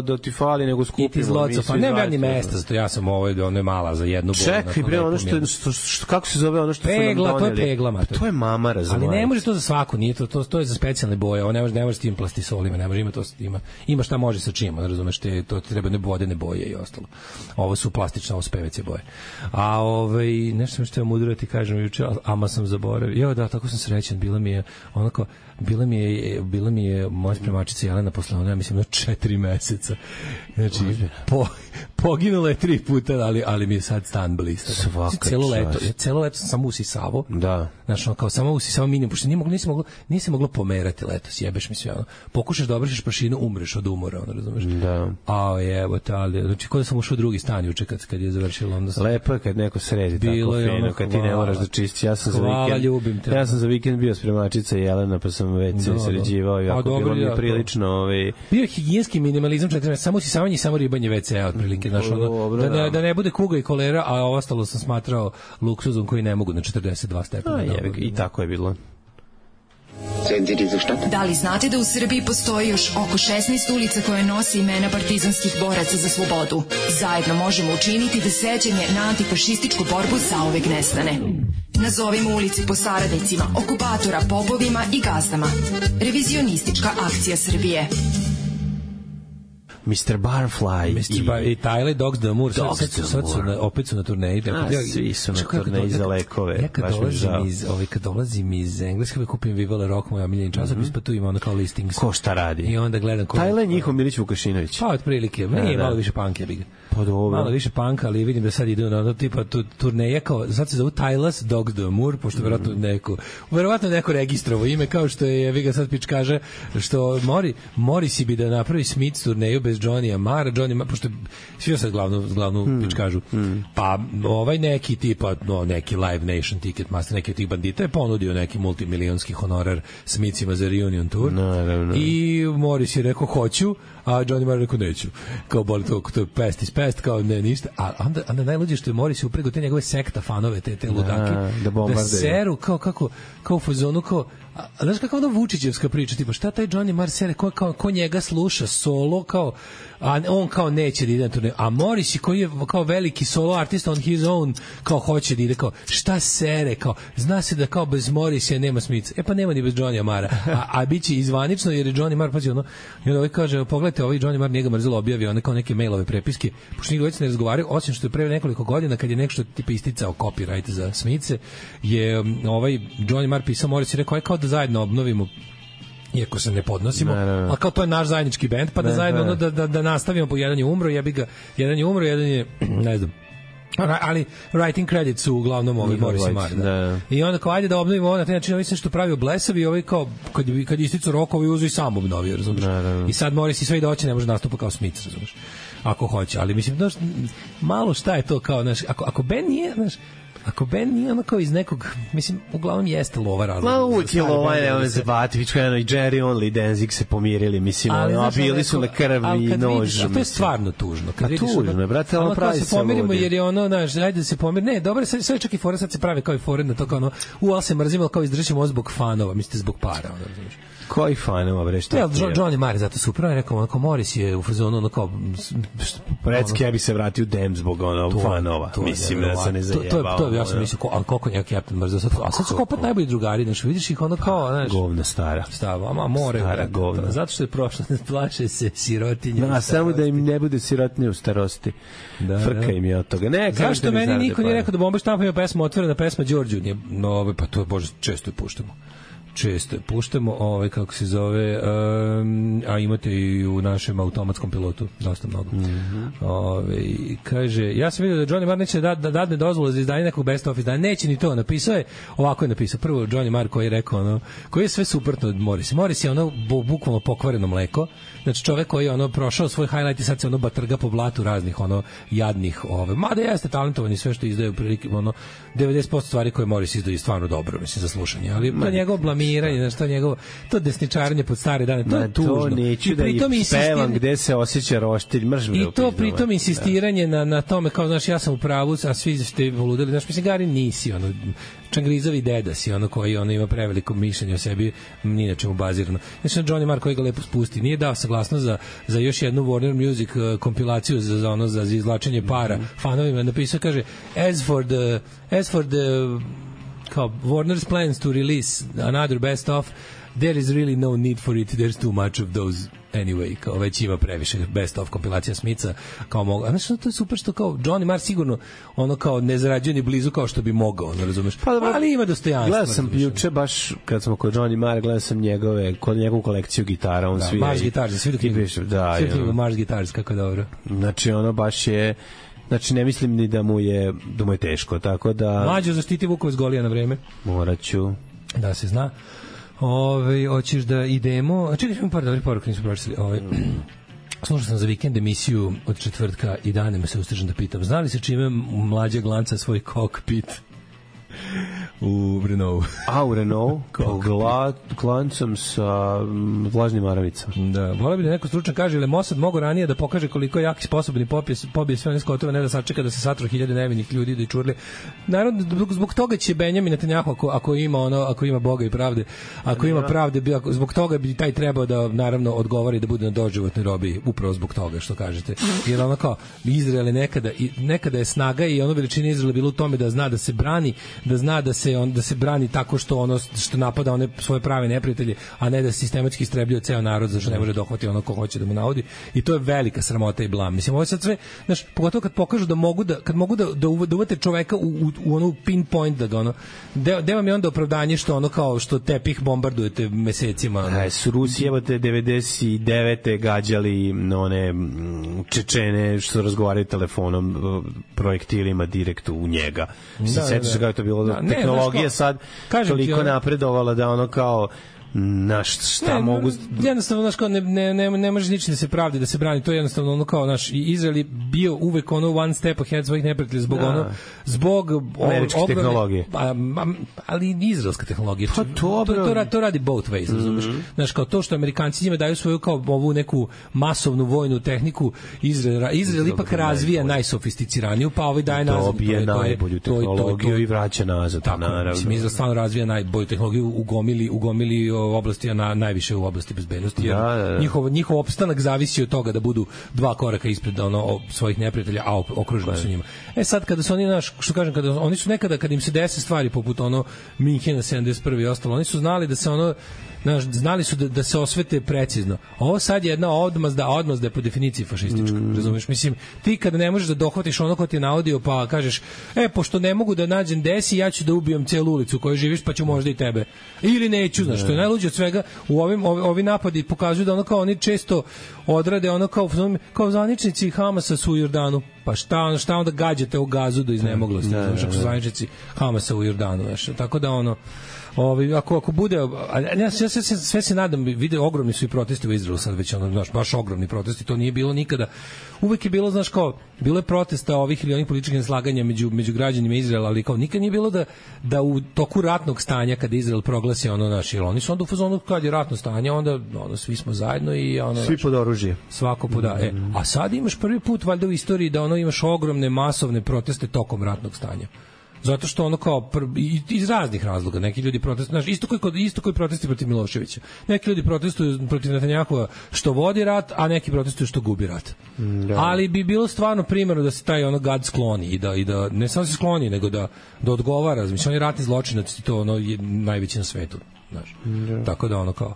da ti fali, nego skupimo. Pa ne ja ni mesta, zato ja sam ono je mala za jednu boju. Čekaj, bre, ono što kako se zove ono što su nam doneli? Pegla, to je pegla, mater. To je mama, razumiješ. Ali ne može to za svaku, nije to je za specijalne boje, ovo ne može s tim plastisolima, ne može, ima šta može sa čim, razumeš, to treba vodene boje i ostalo. Ovo su plastične, ovo su PVC boje. A nešto sam što ja mudro ti kažem juče, ama sam zaboravio. Jo, da, tako sam srećan, bila mi je moja spremačica Jelena posle ona, mislim, na 4 meseca. Znači, poginula je 3 puta, ali mi je sad stan blista. Celo leto sam samo usisavo. Da. Znači, kao samo usisavo minimum, pošto nije se moglo pomerati leto, sjebeš mi sve, ono. Pokušaš da obrišeš prašinu, umreš od umora, ono, razumeš? Da. Znači, kod da sam ušao u drugi stan juče kad je završilo, onda sam... Lepo je kad neko sredi tako fino, kad ti ne moraš da čistiš. Ja sam za vikend bio spremačica Jelena, pa sam već se sređivao i ako bilo mi je prilično... Bio je higijenski minimalizam, samo usisavanje i samo ribanje WC-a, otprilike, znaš, da ne bude kuga i kolera, a ostalo sam smatrao luksuzom koji ne mogu na 42 stepena. I tako je bilo. Da li znate da u Srbiji postoji još oko 16 ulica koje nose imena partizanskih boraca za slobodu? Zajedno možemo učiniti da sećanje na antifašističku borbu zauvek nestane. Nazovimo ulici po saradnicima, okupatora, popovima i gazdama. Revizionistička akcija Srbije. Mr. Barfly i Tyler Dogs d'Amour. Opet su na turneji. Svi su na turneji za lekove. Ja kad dolazim iz Engleske, kupim Viva La Rock, moj omiljeni časopis, pa tu ima onda kao listings. Ko šta radi? I onda gledam Tyler njihov Milić Vukašinović. Pa otprilike, nije malo više punk jebi ga. Pa dobro. Malo više punk, ali vidim da sad idu na tipa turneje kao sad se zove Tyler's Dogs d'Amour, pošto verovatno neko registrovao ime, kao što je Viga sad pič kaže što Morrissey bi da napravi Smith turneju bez Johnny Marra, pošto svi sad glavnu pič kažu. Pa ovaj neki tipa neki Live Nation Ticketmaster, neki od tih bandita je ponudio neki multimilionski honorar Smithima za reunion tour. Naravno. I Morris je rekao hoću, a Johnny Marr rekao neću. Kao boli to je pest is pest, kao ne ništa. A onda najluđe što je Morris upregao te njegove sekta fanove, te ludake, da seru kao u fazonu, kao znaš kako ona Vučićevska priča, tipa šta taj Johnny Marr sere, ko njega sluša solo, kao a on kao neće da ide na turneju, a Morris koji je kao veliki solo artist on his own, kao hoće da ide, kao šta sere, kao zna se da kao bez Morrisa nema Smitha, pa nema ni bez Johnny Marra, a biće izvanično jer je Johnny Marr, pazi ono, i onda ovaj kaže, pogledajte, ovaj Johnny Marr njega mrzelo objavio, one kao neke mailove prepiske, pošto njega već ne razgovaraju, osim što je pre nekoliko godina kad je nešto tipa isticao copyright za Smithe, je ovaj Johnny Marr pisao Morris i rekao, aj kao da zajedno obnovimo, iako se ne podnosimo, ali kao to je naš zajednički bend, pa da zajedno da nastavimo, po jedan je umro, jedan je ne znam, ali writing credits su uglavnom Morris i Marr. I onda kao ajde da obnovimo ovo na taj način, mislim što pravio Blesavi, ovaj kao kad isticao rok, ovaj uzu i sam obnovio, razumiješ? I sad Morris i sve i doće ne može nastupa kao Smith, razumiješ? Ako hoće, ali mislim, znaš, malo šta je to kao, znaš, ako band nije, znaš, ako band nije ono kao iz nekog, mislim, uglavnom jeste lova razloga. Ma uvijek je lova, ne se Bativić, kao i Jerry Only, Danzig se pomirili, mislim, a bili su na krvi i nož. A to je stvarno tužno. A tužno je, brate, ali pravi se pomirimo jer je ono, znaš, ajde da se pomirimo, ne, dobro, sve čak i fore, sad se pravi kao i fore na to, kao ono, ali se mrzimo, kao izdržimo zbog fanova, mislite, zbog para, ono, razumiješ. Koji fanova, bre, šta ti je? Johnny Marr je zato super, rekao, onako, Morris je u fazonu, ono kao... Recki, ja bi se vratio u Dem zbog fanova, mislim, da se ne zajebao. To je, ja sam mislio, ali koliko njega Captain mrzio, a sad su kao opet najbolji drugari, znaš, vidiš ih ono kao, znaš... Govna stara. Stava, more. Stara govna. Zato što je prošlo, ne plaše se sirotinje. Da, samo da im ne bude sirotinje u starosti. Frka im je od toga. Zašto meni niko nije rekao da Bomba štampa ima pesma, otvorena pesma Đorđu? No, pa to, bože, često je puštamo, kako se zove, a imate i u našem automatskom pilotu dosta mnogo. Kaže, ja sam vidio da Johnny Marr neće da dadne dozvolu za izdanje nekog best of izdanja, neće ni to, napisao je, ovako je napisao, prvo Johnny Marr koji je rekao, koji je sve suprotno od Morrisa. Morris je bukvalno pokvareno mleko, znači čovek koji je prošao svoj highlight i sad se batrga po blatu raznih jadnih, mada jeste talentovan i sve što izdaju prilike, 90% stvari koje Morris izdaju je stvarno dobro, mislim, za slušanje, ali to njegovo blamiranje, to desničarenje pod stare dane, to je tužno. To neću da ih spevam gde se osjeća roštilj, mržim. I to pritom insistiranje na tome, kao, znaš, ja sam u pravu, a svi ste voludeli, znaš, mislim, Gari nisi, čangrizovi deda si, koji ima preveliko mišljenje o sebi, ni na čemu bazirano. Znači, Johnny Marr koji ga lepo spusti, nije dao saglasnost za još jednu Warner Music kompilaciju za izvlačenje para fanovima, napisao, kaže, as for the kao Warner's plans to release another best of, there is really no need for it, there's too much of those anyway, kao već ima previše best of kompilacija Smitha, kao mogu, a znači to je super što kao Johnny Marr sigurno kao ne zarađuje ni blizu kao što bi mogao, razumeš, ali ima dostojanstvo. Gledao sam juče baš kad smo kod Johnny Marr, gledao sam njegovu kolekciju gitara, on svira Mars Guitars, svi knjigu Mars Guitars, kako dobro, znači baš je. Znači, ne mislim ni da mu je teško, tako da... Mlađo, zaštiti Vukove s Golija na vreme. Morat ću. Da se zna. Hoćeš da idemo... Čekaj, imam par dobrih poruka, nismo pročitali. Slušao sam za vikend emisiju od četvrtka i danima se ustežem da pitam. Znali se čime Mlađa glanca svoj kokpit? U Renault. A, u Renault? Klancom sa vlažnim maravicom. Da, volio bi da neko stručan kaže, ili Mossad mogo ranije da pokaže koliko je jak i sposobni pobije sve one skotove, ne da sačeka da se satru 1000 nevinih ljudi da i čurli. Naravno, zbog toga će Benjamin Netanjahu, ako ima Boga i pravde, ako ima pravde, zbog toga bi taj trebao da, naravno, odgovori da bude na doživotnoj robiji, upravo zbog toga što kažete. Jer kao, Izrael je nekada je snaga i veličina Izraela bila u tome da zna da se brani, da zna da se se brani tako što napada one svoje prave neprijatelje, a ne da sistematski istrebljuje ceo narod zašto ne može dohvati ono ko hoće da mu naudi, i to je velika sramota i blam. Mislim, ovo je sad sve, znaš, pogotovo kad pokažu da mogu da uvate čoveka u onu pinpoint, da ga ono, gde vam je onda opravdanje što ono kao što tepih bombardujete mesecima. Ono. Su Rusi, evo te 99. gađali one Čečene što razgovaraju telefonom, projektilima direkt u njega. Se setiš kako je to bilo? Tehnologija sad toliko napredovala da ono kao šta mogu... Jednostavno, znaš, kao ne može ničim da se pravdi, da se brani, to je jednostavno ono kao, naš Izrael je bio uvek ono one step ahead svojih neprijatelja zbog američke tehnologije. Ali izraelska tehnologija. Pa to radi both ways, razumeš? Znaš, kao to što Amerikanci njima daju svoju kao ovu neku masovnu vojnu tehniku, Izrael ipak razvija najsofisticiraniju, pa ovaj daje nazad. Dobije najbolju tehnologiju i vraća nazad, naravno. Mislim, Izrael stvarno razvija najbolju tehnologiju, ugomili oblasti, najviše u oblasti bezbednosti, jer njihov opstanak zavisi od toga da budu 2 koraka ispred svojih neprijatelja, a okruženi su njima. Sad kada su oni, što kažem, kada oni su nekada, kad im se dese stvari poput Minhena 71. i ostalo, oni su znali da se znali su da se osvete precizno. Ovo sad je jedna odmazda je po definiciji fašistička, razumeš? Mislim, ti kada ne možeš da dohvatiš ono ko ti je naudio, pa kažeš, pošto ne mogu da nađem desi, ja ću da ubijem celu ulicu u kojoj živiš, pa ću možda i tebe. Ili neću, znaš, što je najluđe od svega, ovi napadi pokazuju da ono kao oni često odrade ono kao zvaničnici Hamasa su u Jordanu. Pa šta onda gađate u Gazu do iznemoglosti, znaš, ako su zvaničnici Hamasa u Jordanu, znaš, tako da ono ako bude, ja sve se nadam, vide, ogromni su i protesti u Izraelu sad već, znaš, baš ogromni protesti, to nije bilo nikada. Uvek je bilo, znaš, kao, bilo je protesta ovih ili onih političkih neslaganja među građanima Izraela, ali kao nikad nije bilo da u toku ratnog stanja, kada Izrael proglasi jer oni su onda u fazonu kad je ratno stanje, onda svi smo zajedno i svi pod oružje. Svako podaje. A sad imaš prvi put valjda u istoriji da imaš ogromne masovne proteste tokom ratnog stanja. Zato što ono kao iz raznih razloga neki ljudi protestuju, isto koji protesti protiv Miloševića. Neki ljudi protestuju protiv Netanjahua što vodi rat, a neki protestuju što gubi rat. Ali bi bilo stvarno primerno da se taj gad skloni i da ne samo se skloni, nego da odgovara. Mislim, on je ratni zločinac i to je najveći na svetu, znaš. Tako da ono kao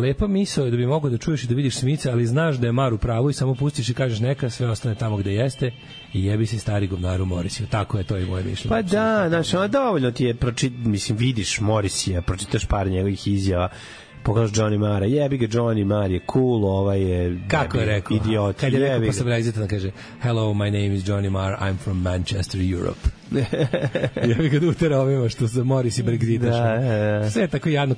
lepa misao je da bi mogao da čuješ i da vidiš Smica, ali znaš da je Mar u pravu i samo pustiš i kažeš neka, sve ostane tamo gde jeste i jebi se stari govnaru Morisiju. Tako je to i moje mišljenje. Pa da, znaš, dovoljno ti je vidiš Morisija, pročitaš par njegovih izjava, pogledaš Johnny Mara, jebi ga, Johnny Mar je cool, ovaj je kako je rekao, idiot. Kad je rekao posle Brexita, kaže hello, my name is Johnny Marr, I'm from Manchester, Europe. Jebi ga da utera ovima što se Morris i Brexitaš. Sve je tako jadno.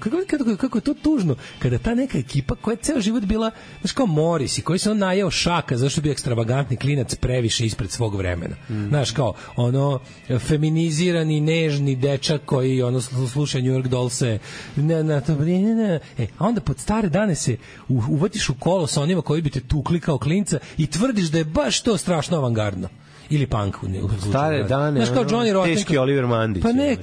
Kako je to tužno kada ta neka ekipa koja je ceo život bila, znaš, kao Morris i koji se najeo šaka zašto bi ekstravagantni klinac previše ispred svog vremena. Znaš, kao feminizirani, nežni dečak koji sluša New York Dollse, a onda pod stare dane se uvatiš u kolo sa onima koji bi te tukli kao klinca i tvrdiš da je baš to strašno avangardno. Ili punk u stare dane, znaš, kao Johnny Rotten, teški Oliver Mandić. Pa ne,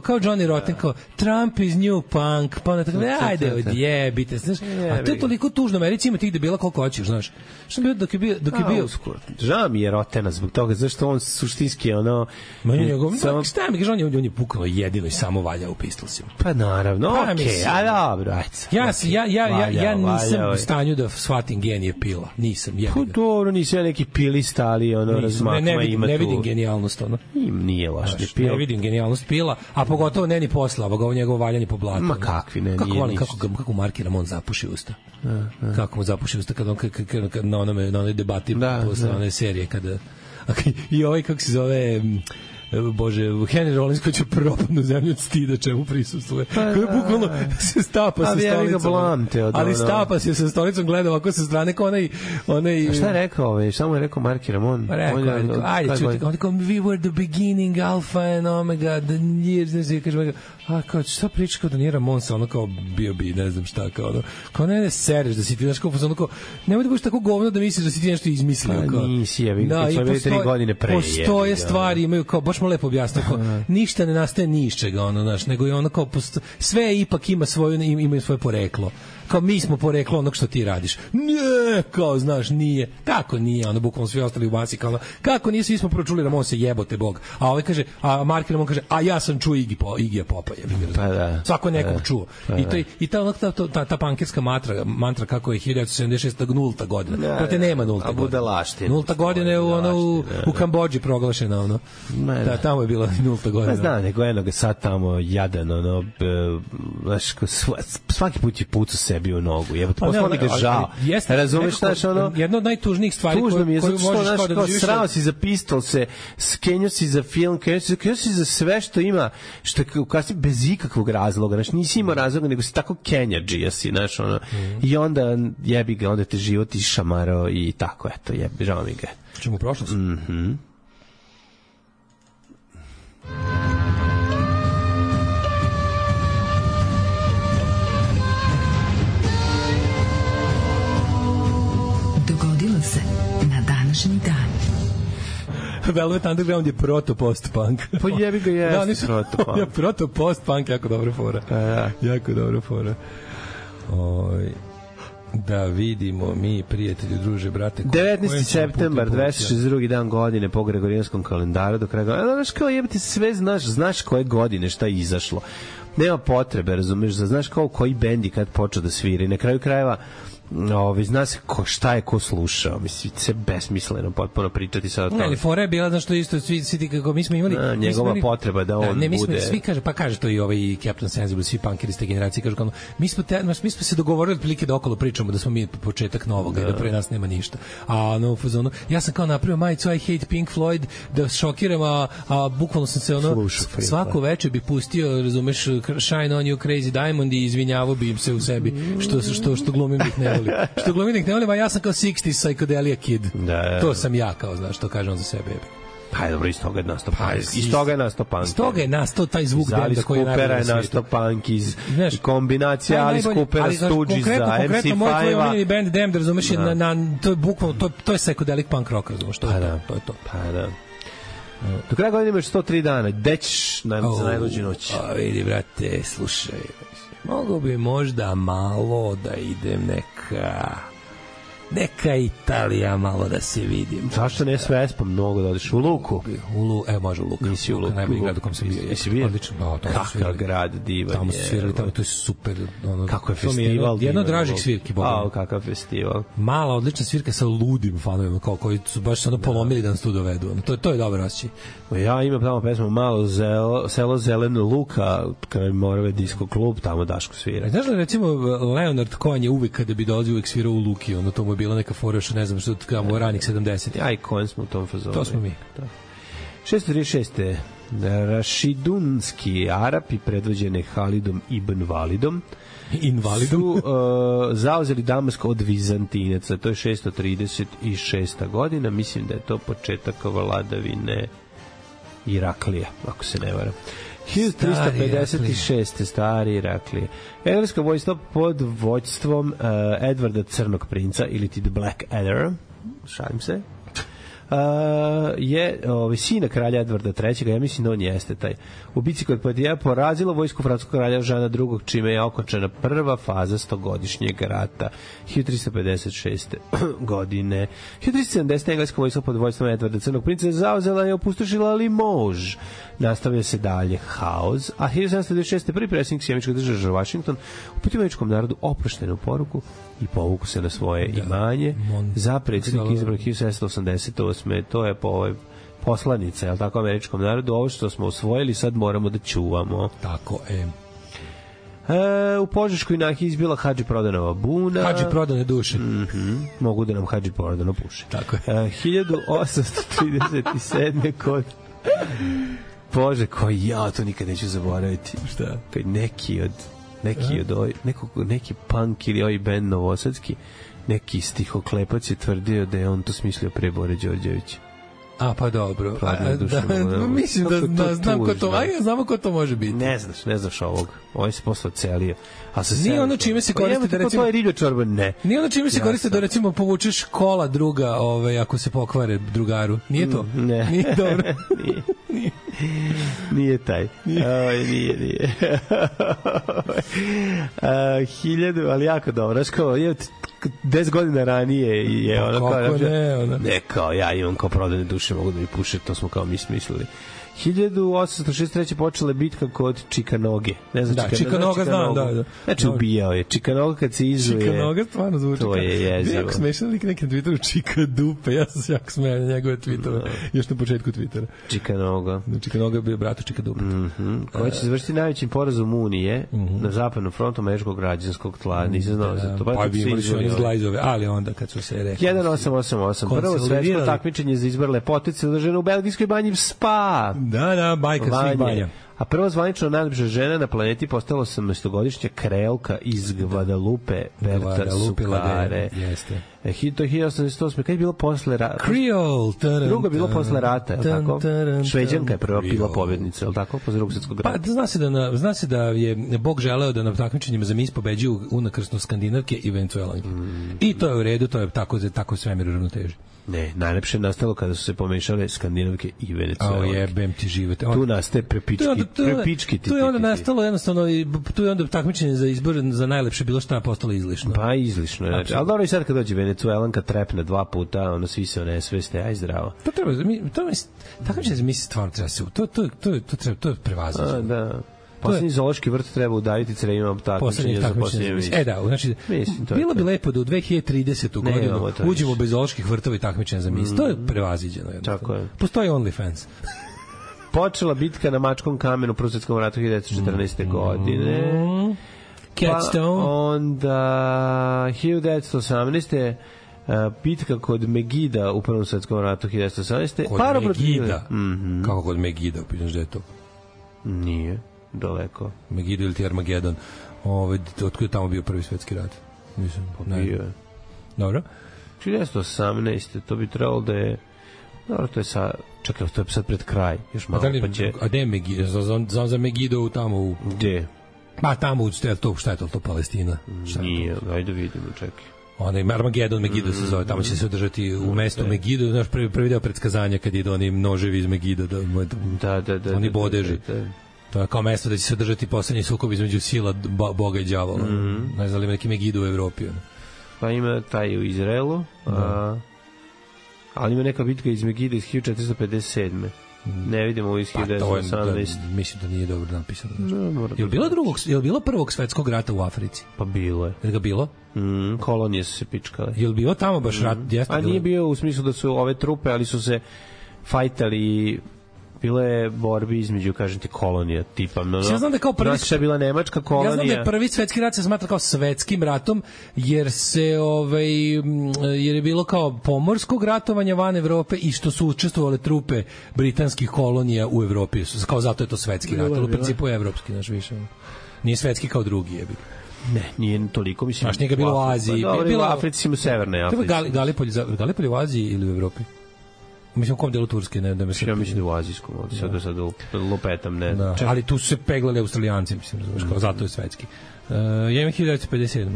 kao Johnny Rotten, kao Trump is new punk, pa onda tako, ajde, odjebite, znaš, a to je toliko tužno, Americi ima tih debila koliko hoćeš, znaš. Što bio dok je bio žao mi je Rotena zbog toga, zašto on suštinski šta mi kaže, on je bukvalno jedino i samo valja u Pistolsima. Pa naravno, okej, a dobro, ja nisam u stanju da shvatim genije Pila, nisam. Pa dobro, nisam neki pilista, ali ne vidim genijalnost nije loš ne vidim genijalnost Pila, a pogotovo ne ni posla ovo njegovo valjanje po blatu. Ma kakvi, ne, nije ništa. Kako markiram, on zapuši usta. Kako mu zapuši usta kad on na onoj debati posle one serije kada i ovaj kako se zove Bože, Henry Rollins koji će propadnu zemlju od stida čemu prisustvuje. Koji bukvalno se stapa sa stolicom. Ali stapa se sa stolicom, gleda ovako sa strane kao onaj... A šta je rekao? Samo je rekao Marky Ramon. Ajde, čuti. On je kao, we were the beginning, alpha and omega, the years, kaže, kao, šta priča kao da nije Ramon sa ono kao bio bi, ne znam šta, kao ne sereš da si ti, znaš, kao, nemoj da budeš tako govno da misliš da si ti nešto izmislio. Nisi, ja bih, kad smo bili 3 godine pre. Postoje stvari, imaju kao, baš mu lepo objasnio, ništa ne nastaje ni iz čega, znaš, nego je ono kao, sve ipak imaju svoje poreklo. kao mi smo poreklo onog što ti radiš. Ne, kao znaš, nije. Kako nije? Ono bukvalno svi ostali u masi kao kako nije, svi smo pročuli Ramon se jebote bog. A ovaj kaže, a Mark Ramon kaže, a ja sam čuo Igija Popa je. Pa da. Svako nekog čuo. I ta pankerska mantra kako je 1976 nulta godina. Pa te nema nulta godina. Nulta godina je u Kambodži proglašena ono. Da, tamo je bila nulta godina. Pa znam, nego jednog sad tamo jadan ono, znaš, svaki put je pucu sebi u nogu. Jebote, posle mi ga žao. Razumeš, znaš, ono... Jedna od najtužnijih stvari koju možeš kao da doživiš... Srao si za pistol se, skenio si za film, skenio si za sve što ima, što kasnije bez ikakvog razloga. Znaš, nisi imao razloga, nego si tako kenjadžija si, znaš, ono. I onda jebi ga, onda te život išamarao i tako, eto, jebi, žao mi ga. Čemu u prošlost? Dogodilo se na današnji dan. Velvet Underground je proto-post-punk. Pa jebi ga jeste proto-punk. Proto-post-punk, jako dobra fora. Jako dobra fora. Da vidimo mi, prijatelji, druže, brate. 19. septembar, 262. dan godine po Gregorijanskom kalendaru, do kraja godine. Znaš kao jebate, sve znaš koje godine šta je izašlo. Nema potrebe, razumeš, znaš kao koji bendi kad počeo da svira i na kraju krajeva zna se šta je ko slušao, mislim, se besmisleno potpuno pričati sad o tome. Ne, ali fora je bila, znaš što isto, svi kako mi smo imali... njegova potreba da on bude... Svi kaže, pa kaže to i ovaj Captain Sensible, svi punkeri iz te generacije, kažu kao, mi smo se dogovorili otprilike da okolo pričamo da smo mi početak novoga i da pre nas nema ništa. A no, fazonu, ja sam kao napravio majicu I hate Pink Floyd, da šokiram, a bukvalno sam se ono, svako veče bi pustio, razumeš, Shine on you Crazy Diamond i izvinjavao bi im se u sebi, što glumim da ih ne volim. Što glumim da ih ne volim, a ja sam kao 60s psychedelia kid. Da. To sam ja, kao, znaš, to kažem za sebe. Pa dobro, iz toga je nastao punk. Iz toga je nastao punk. Iz toga je nastao taj zvuk benda koji je najbolji na svijetu. Alice Coopera je nastao punk iz kombinacija Alice Coopera, Stooges za MC5-a. Konkretno, moj tvoj omiljeni band Damned, razumeš, to je bukvalno, to je psychedelic punk rock, razumeš, to je to. Pa da. Do kraja godine imaš 103 dana. Gde ćeš za najluđu noć? Vidi, brate, slušaj, mogu bi možda malo da idem neka Italija malo da se vidim. Zašto ne s Vespom mnogo da odeš u Luku? Može u Luku. Nisi u Luku. Najbolji grad u kom sam bio. Jesi bio? Odlično. Kakav grad divan je. Tamo su svirali, tamo to je super. Kako je festival. Jedno od dražih svirki. Kakav festival. Mala, odlična svirka sa ludim fanovima, koji su baš se polomili da nas tu dovedu. To je dobro osjećaj. Ja imam tamo pesmu Malo selo Zeleno Luka, kada je Morave disco klub, tamo Daško svira. Znaš li, recimo, Leonard Cohen je uvek kada bi dolazio uvek svirao u Luki, ono to mu je bila neka fora još, ne znam što, kao ranih 70. Ja i Cohen smo u tom fazonu. To smo mi. 636. Rašidunski Arapi predvođene Halidom ibn Validom su zauzeli Damasko od Vizantinaca. To je 636. godina. Mislim da je to početak vladavine Iraklija, ako se ne varam. 1356. Stari Iraklije. Engleska vojska pod vođstvom Edvarda Crnog princa ili ti The Black Adder, šalim se, je sina kralja Edvarda III. Ja mislim da on jeste taj. U bici kod Poitiers porazilo vojsku francuskog kralja Žana II. Čime je okončana prva faza 100-godišnjeg rata 1356. godine. 1370. engleska vojska pod vođstvom Edvarda Crnog princa zauzela i opustošila Limoges. Nastavlja se dalje haos, a 1726. prvi predsjednik sjemičkog države Washington uputio američkom narodu oproštenu poruku i povuku se na svoje imanje. Za predsjednik izabran 1788. To je po ovoj poslanica, je li tako, američkom narodu, ovo što smo osvojili sad moramo da čuvamo. Tako, u Požeškoj nahiji izbila Hadži Prodanova buna. Hadži Prodane duše. Mogu da nam Hadži Prodano puše. Tako je. 1837. kod Bože, koji ja to nikad neću zaboraviti. Šta? Kad neki punk ili ovaj band novosadski, neki stihoklepac je tvrdio da je on to smislio pre Bore Đorđevića. A, pa dobro. Mislim da znam ko to, znamo ko to može biti. Ne znaš ovog. Ovo se posle celio. Nije ono čime se koriste da recimo... To je riblja čorba, ne. Nije ono čime se koriste da recimo povučeš kola druga, ako se pokvare drugaru. Nije to? Ne. Nije dobro. Nije. Nije taj. Nije. 1000, ali jako dobro. Znaš kao, 10 godina ranije je ono kao... Kako ne, ono? Ne, kao ja imam kao prodane duše, mogu da mi puše, to smo kao mi smislili. 1863. počela bitka kod Čikanoge. Ne znam, da, Čikanoga znam, da. Znači, ubijao je. Čikanoga kad se izuje... Čikanoga stvarno zvuči. To je jezivo. Jako smešan lik nekim Twitteru Čikadupe. Ja sam se jako smijao na njegove Twittera. Još na početku Twittera. Čikanoga. Čikanoga je bio bratu Čikadupe. Koja će završiti najvećim porazom Unije na zapadnom frontu američkog građanskog tla. Nisam znao za to. Pa bi imali su oni zglajzove, ali onda kad su se rekli... 1888. Prvo svetsko takmičenje za izbor lepotice održano u belgijskoj banji Spa. Da, bajka svih banja. A prva zvanično najljepša žena na planeti postala 18-godišnja kreolka iz Guadalupe, Berta Sukare. Jeste. To je 1808. Kad je bilo posle rata? Creole. Drugo je bilo posle rata, je li tako? Šveđanka je prva bila pobednica, je li tako? Posle Drugog svjetskog rata. Pa zna se da je Bog želeo da na takmičenjima za mis pobeđuju unakrsno Skandinavke i Venecuelanke. I to je u redu, to je tako svemir u ravnoteži. Ne, najlepše je nastalo kada su se pomešale Skandinavke i Venecuelanke. Jebem ti živote. Tu nastaje prepički. Tu je onda nastalo jednostavno, tu je onda takmičenje za izbor za najlepše bilo šta postalo izlišno. Pa izlišno, znači. Ali dobro i sad kad dođe Venecuelanka trepne 2 puta, ono svi se onesveste, aj zdravo. To treba, takmičenje za mis stvarno treba se, to je prevaziđeno. Da. Poslednji zoološki vrt treba udaviti crevima takmičenja za posljednje misli. Da, znači, bilo bi lepo da u 2030. godinu uđemo bez zooloških vrtova i takmičenja za mis. To je prevaziđeno. Tako je. Postoji OnlyFans. Počela bitka na Mačkom kamenu u Prvom svetskom ratu 1914. godine. Catstone. Pa onda 1918. Bitka kod Megida u Prvom svetskom ratu 1918. Kod Megida? Kako kod Megida? Pitaš da je to? Nije. Daleko. Megiddo ili ti Armagedon. Otkud je tamo bio Prvi svetski rat? Mislim, bio je. Dobro. 1918. To bi trebalo da je... Dobro, to je sad... Čekaj, to je sad pred kraj. Još malo pa će... A gde je Megiddo? Za Megiddo tamo u... Gde? Pa tamo u... Šta je to Palestina? Nije, ajde vidimo, čekaj. Onda ima Armagedon, Megiddo se zove, tamo će se održati u mestu Megiddo, znaš, prvi deo predskazanja kad idu oni noževi iz Megiddo, da, oni bodeži. To je kao mesto da će se održati poslednji sukob između sila Boga i đavola. Ne znam li ima neki Megiddo u Evropi. Pa ima taj u Izraelu, ali ima neka bitka iz Megiddo iz 1457. Ne vidimo u iz 1918. Mislim da nije dobro napisano. Je li bilo prvog svetskog rata u Africi? Pa bilo je. Je li ga bilo? Kolonije su se pičkale. Je li bilo tamo baš rat? A nije bio u smislu da su ove trupe, ali su se fajtali. Bilo je borbi između, kažem ti, kolonija tipa. Ja znam da kao prvi... Znači je bila nemačka kolonija. Ja znam da je prvi svetski rat se smatra kao svetskim ratom, jer je bilo kao pomorskog ratovanja van Evrope i što su učestvovale trupe britanskih kolonija u Evropi. Kao zato je to svetski rat, ali u principu je evropski, znaš više. Nije svetski kao drugi jebi. Ne, nije toliko, mislim. Znaš, nije ga bilo u Aziji. Bilo u Africi, u Severnoj Africi. Galipolj u Aziji ili u Evropi? Mislim, u kom delu Turske, ne da me se... Ja mislim da u azijskom, sad lupetam, ne. Da. Ali tu su se peglali Australijanci, mislim, zato je svetski. Ja imam 1957.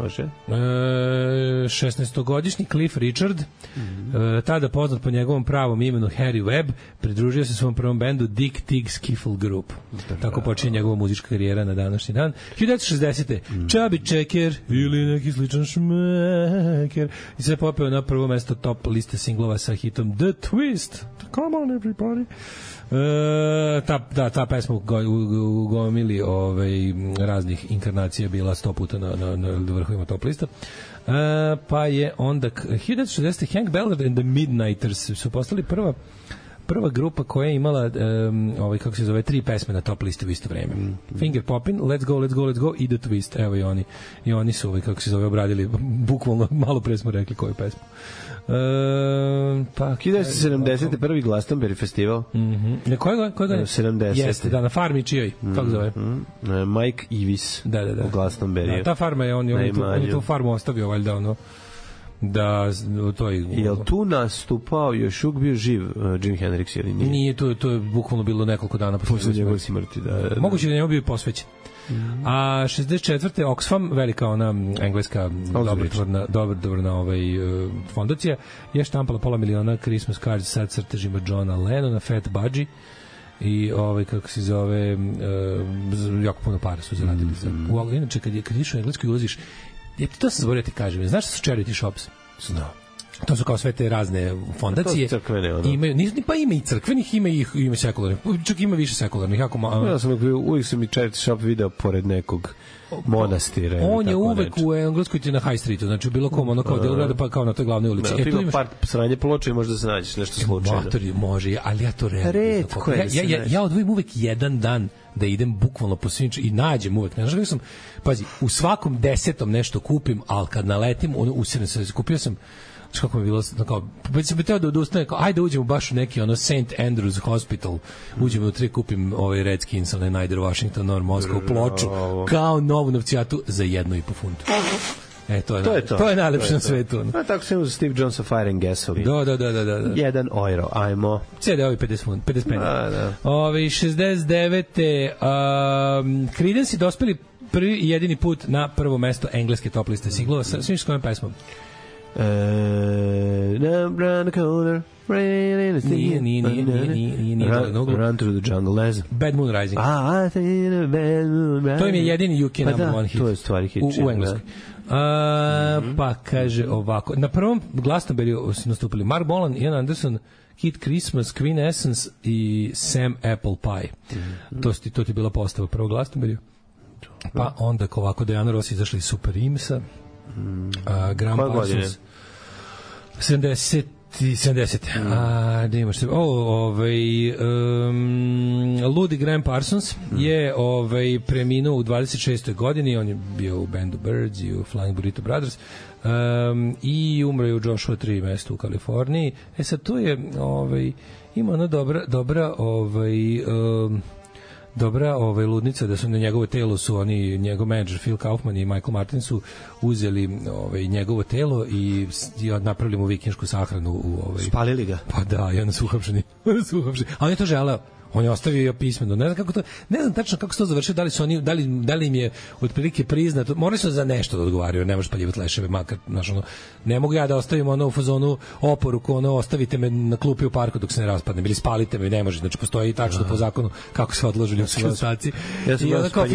Može. 16-godišnji Cliff Richard, tada poznat po njegovom pravom imenu Harry Webb, pridružio se svom prvom bendu Dick Tig Skiffle Group. Tako počinje njegova muzička karijera na današnji dan. 1960. Chubby Checker ili neki sličan šmeker i se popeo na prvo mesto top liste singlova sa hitom The Twist. Come on everybody. Ta pesma u gomili raznih inkarnacija bila 100 puta na vrhovima top lista. Pa je onda 1960. Hank Ballard and the Midnighters su postali prva grupa koja je imala kako se zove 3 pesme na top listi u isto vreme. Finger Poppin', Let's Go, Let's Go, Let's Go i The Twist. Evo i oni su kako se zove obradili, bukvalno malo pre smo rekli koju pesmu. Pa 1970. prvi Glastonbury festival. Koje ga? 70. Jeste, da, na farmi čijoj, kako zove? Mike Evis u Glastonbury. Da, ta farma je, on je tu farmu ostavio, valjda, ono, da to je... Jel tu nastupao, još uvijek bio živ Jim Hendrix ili nije? Nije, to je bukvalno bilo nekoliko dana posle njegove smrti, da. Moguće da njemu bio posvećen. A 64. Oxfam, velika ona engleska dobrotvorna fondacija, je štampala £500,000 Christmas cards sa crtežima Johna Lennona, Fat Budgie, i kako se zove, jako puno para su zaradili. Inače, kad ideš u Englesku i ulaziš, to sam zaboravio ti kažem, znaš šta su charity shops? Znao. To su kao sve te razne fondacije. Crkvene, ono. Pa ima i crkvenih, ima i sekularnih. Čak ima više sekularnih. Ja sam uvijek sam i charity shop video pored nekog monastira. On je uvek u Engleskoj na High Streetu, znači u bilo kom, ono kao delu grada, pa kao na toj glavnoj ulici. Tu ima par sranje ploče i možda se nađeš nešto slučajno. Motori može, ali ja to redko. Ja odvojim uvek jedan dan da idem bukvalno po svim i nađem uvek. Ne znam kako sam, pazi, u svakom 10. nešto kupim, ali kad naletim, usredno se kupio sam, kako mi je bilo, kao, već sam bi teo da odustane, kao, ajde uđemo baš u neki ono St. Andrews Hospital, uđemo u 3, kupim ovaj Redskins, onaj Nider Washington, Nor Moskva, ploču, kao novu novcijatu za 1,5 funtu. To je najlepše na svetu. Pa tako se uz Steve Jonesa Fire and Gasoline. Da. €1, ajmo. CD-ovi 50 peni. Ovi 69. Creedence dospeli prvi i jedini put na prvo mesto engleske top liste singlova sa svim s kojom pesmom. Nije Run Through the Jungle, ne znam. Bad Moon Rising. To im je jedini UK number one hit. To je stvari hit u Engleskoj. Pa kaže ovako, na prvom Glastonbury su nastupili Mark Bolan, Ian Anderson, Kid Christmas, Queen Essence i Sam Apple Pie. To ti je bila postava prvog Glastonbury. Pa onda ovako Diana Ross izašli iz Super Imsa, Graham Parsons 70. Da imaš se. Ludi Graham Parsons je preminuo u 26. godini. On je bio u bandu Birds i u Flying Burrito Brothers i umro je u Joshua Tree mestu u Kaliforniji. Sad tu je ima ona dobra ludnica da su na njegovo telo su oni, njegov menadžer Phil Kaufman i Michael Martin su uzeli njegovo telo i napravili mu vikinšku sahranu spalili ga. Pa da, i onda su uhapšeni. A on je to želeo. On je ostavio pismeno. Ne znam tačno kako se to završio, da li im je otprilike priznato. Morali su za nešto da odgovaraju, ne možeš paljivati leševe, makar, ne mogu ja da ostavim u fazonu oporuku, ostavite me na klupi u parku dok se ne raspadnem, ili spalite me, ne može, znači postoji tačno po zakonu kako se odlože ljudski ostaci. I onda kao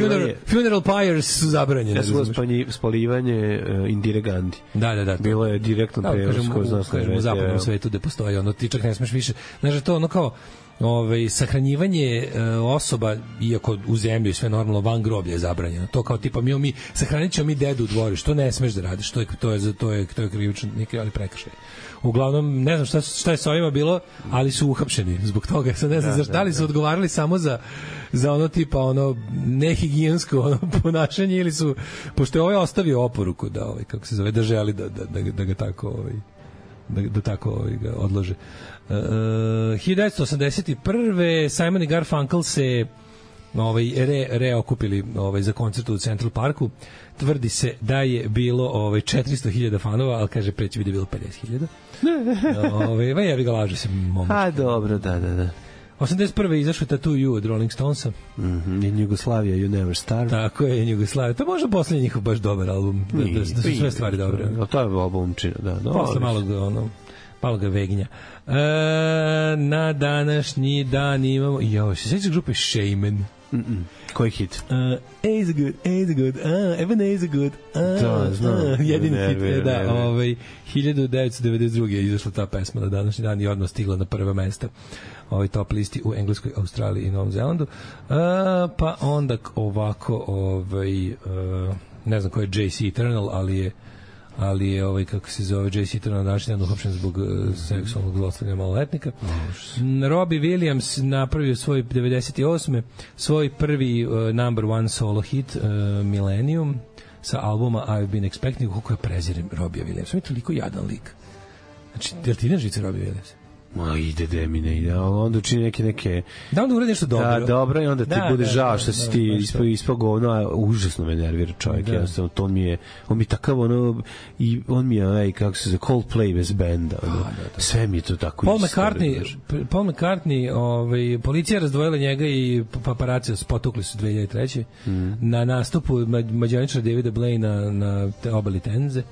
funeral pyres su zabranjene. Ja sam spaljivanje Indire Gandhi. Da. Bilo je direktno prevoz ko zna što je. U zapadnom svetu gde postoji, ti čak ne smeš više, znači to kao sahranjivanje osoba, iako u zemlji sve normalno, van groblja je zabranjeno. To kao tipa mi sahranit ćemo mi dedu u dvorištu, to ne smeš da radiš, to je krivično, ali prekršaj. Uglavnom, ne znam šta je sa ovima bilo, ali su uhapšeni zbog toga. Sad ne znam da li su odgovarali samo za ono tipa nehigijensko ponašanje, ili su, pošto je ovaj ostavio oporuku da kako se zove, da želi da ga tako da tako ga odlože. 1981. Simon i Garfunkel se reokupili za koncert u Central Parku. Tvrdi se da je bilo 400.000 fanova, ali kaže preći bi da je bilo 50.000. Ja bi ga lažu se momak. A dobro, da. 81. izašao Tattoo You od Rolling Stonesa. In Jugoslavia You Never Starve. Tako je, In Jugoslavia. To može poslednji njihov baš dobar album. Da su sve stvari dobre. To je albumčina, da. Posle malo ga vegnja. Na današnji dan imamo... se sjećaš grupe Shaman? Koji hit? A is good, Evan A is good. Da, znam. Jedini hit, da. 1992. je izašla ta pesma na današnji dan i odmah stigla na prva mesta top listi u Engleskoj, Australiji i Novom Zelandu. Pa onda ovako, ne znam ko je JC Eternal, ali je kako se zove, JC Eternal na današnji dan uhapšen zbog seksualnog zlostavljanja maloletnika. Robbie Williams napravio svoj 98. svoj prvi number one solo hit Millennium sa albuma I've Been Expecting. Kako je prezirem Robbie Williams, on je toliko jadan lik. Znači, jel ti ne žice Robbie Williams? Ma ide mi ne, onda učini neke... Da onda uradi nešto dobro. Da, dobro i onda ti bude žao što si ti ispao govno, a užasno me nervira čovjek. Jednostavno, on mi je takav ono, i on mi je, kako se zove, Coldplay bez benda. Sve mi je to tako Paul McCartney, policija razdvojila njega i paparaci potukli su 2003. Na nastupu mađaričara Davida Blaine na obali Tenze.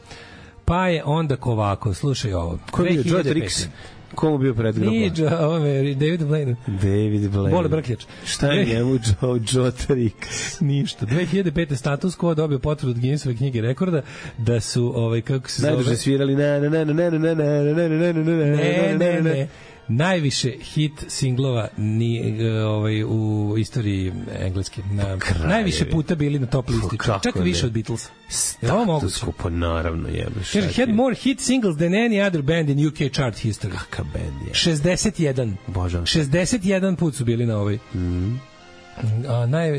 Pa je onda ovako, slušaj ovo. Ko je bio Joe Trix? Komu bio predgroba? Nije David Blaine. Bole Brkljač. Šta je njemu Joe Trix? Ništa. 2005. status quo dobio potvrdu od Guinnessove knjige rekorda da su, kako se zove... Najduže svirali ne. Najviše hit singlova u istoriji engleske. Najviše puta bili na top listi. Čak više od Beatles. Status quo, naravno jebeš. Had more hit singles than any other band in UK chart history. Kaka band je. 61. Božan. 61 put su bili na ovoj.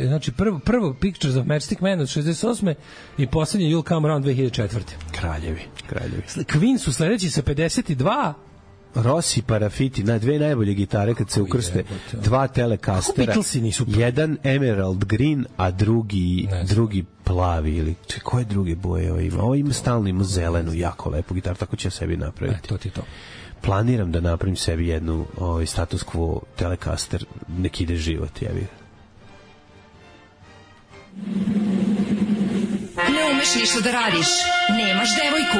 Znači prvo Pictures of Matchstick Man od 68. i poslednji You'll Come Around 2004. Kraljevi. Queen su sledeći sa 52. Rossi Parafiti, dve najbolje gitare kad se ukrste, dva Telecastera, jedan Emerald Green, a drugi plavi, ili koje druge boje ovo ima? Ovo ima stalno, ima zelenu, jako lepu gitaru, tako će sebi napraviti. To ti to. Planiram da napravim sebi jednu status quo Telecaster, nek ide život, jebi. Ne umeš ništa da radiš, nemaš devojku.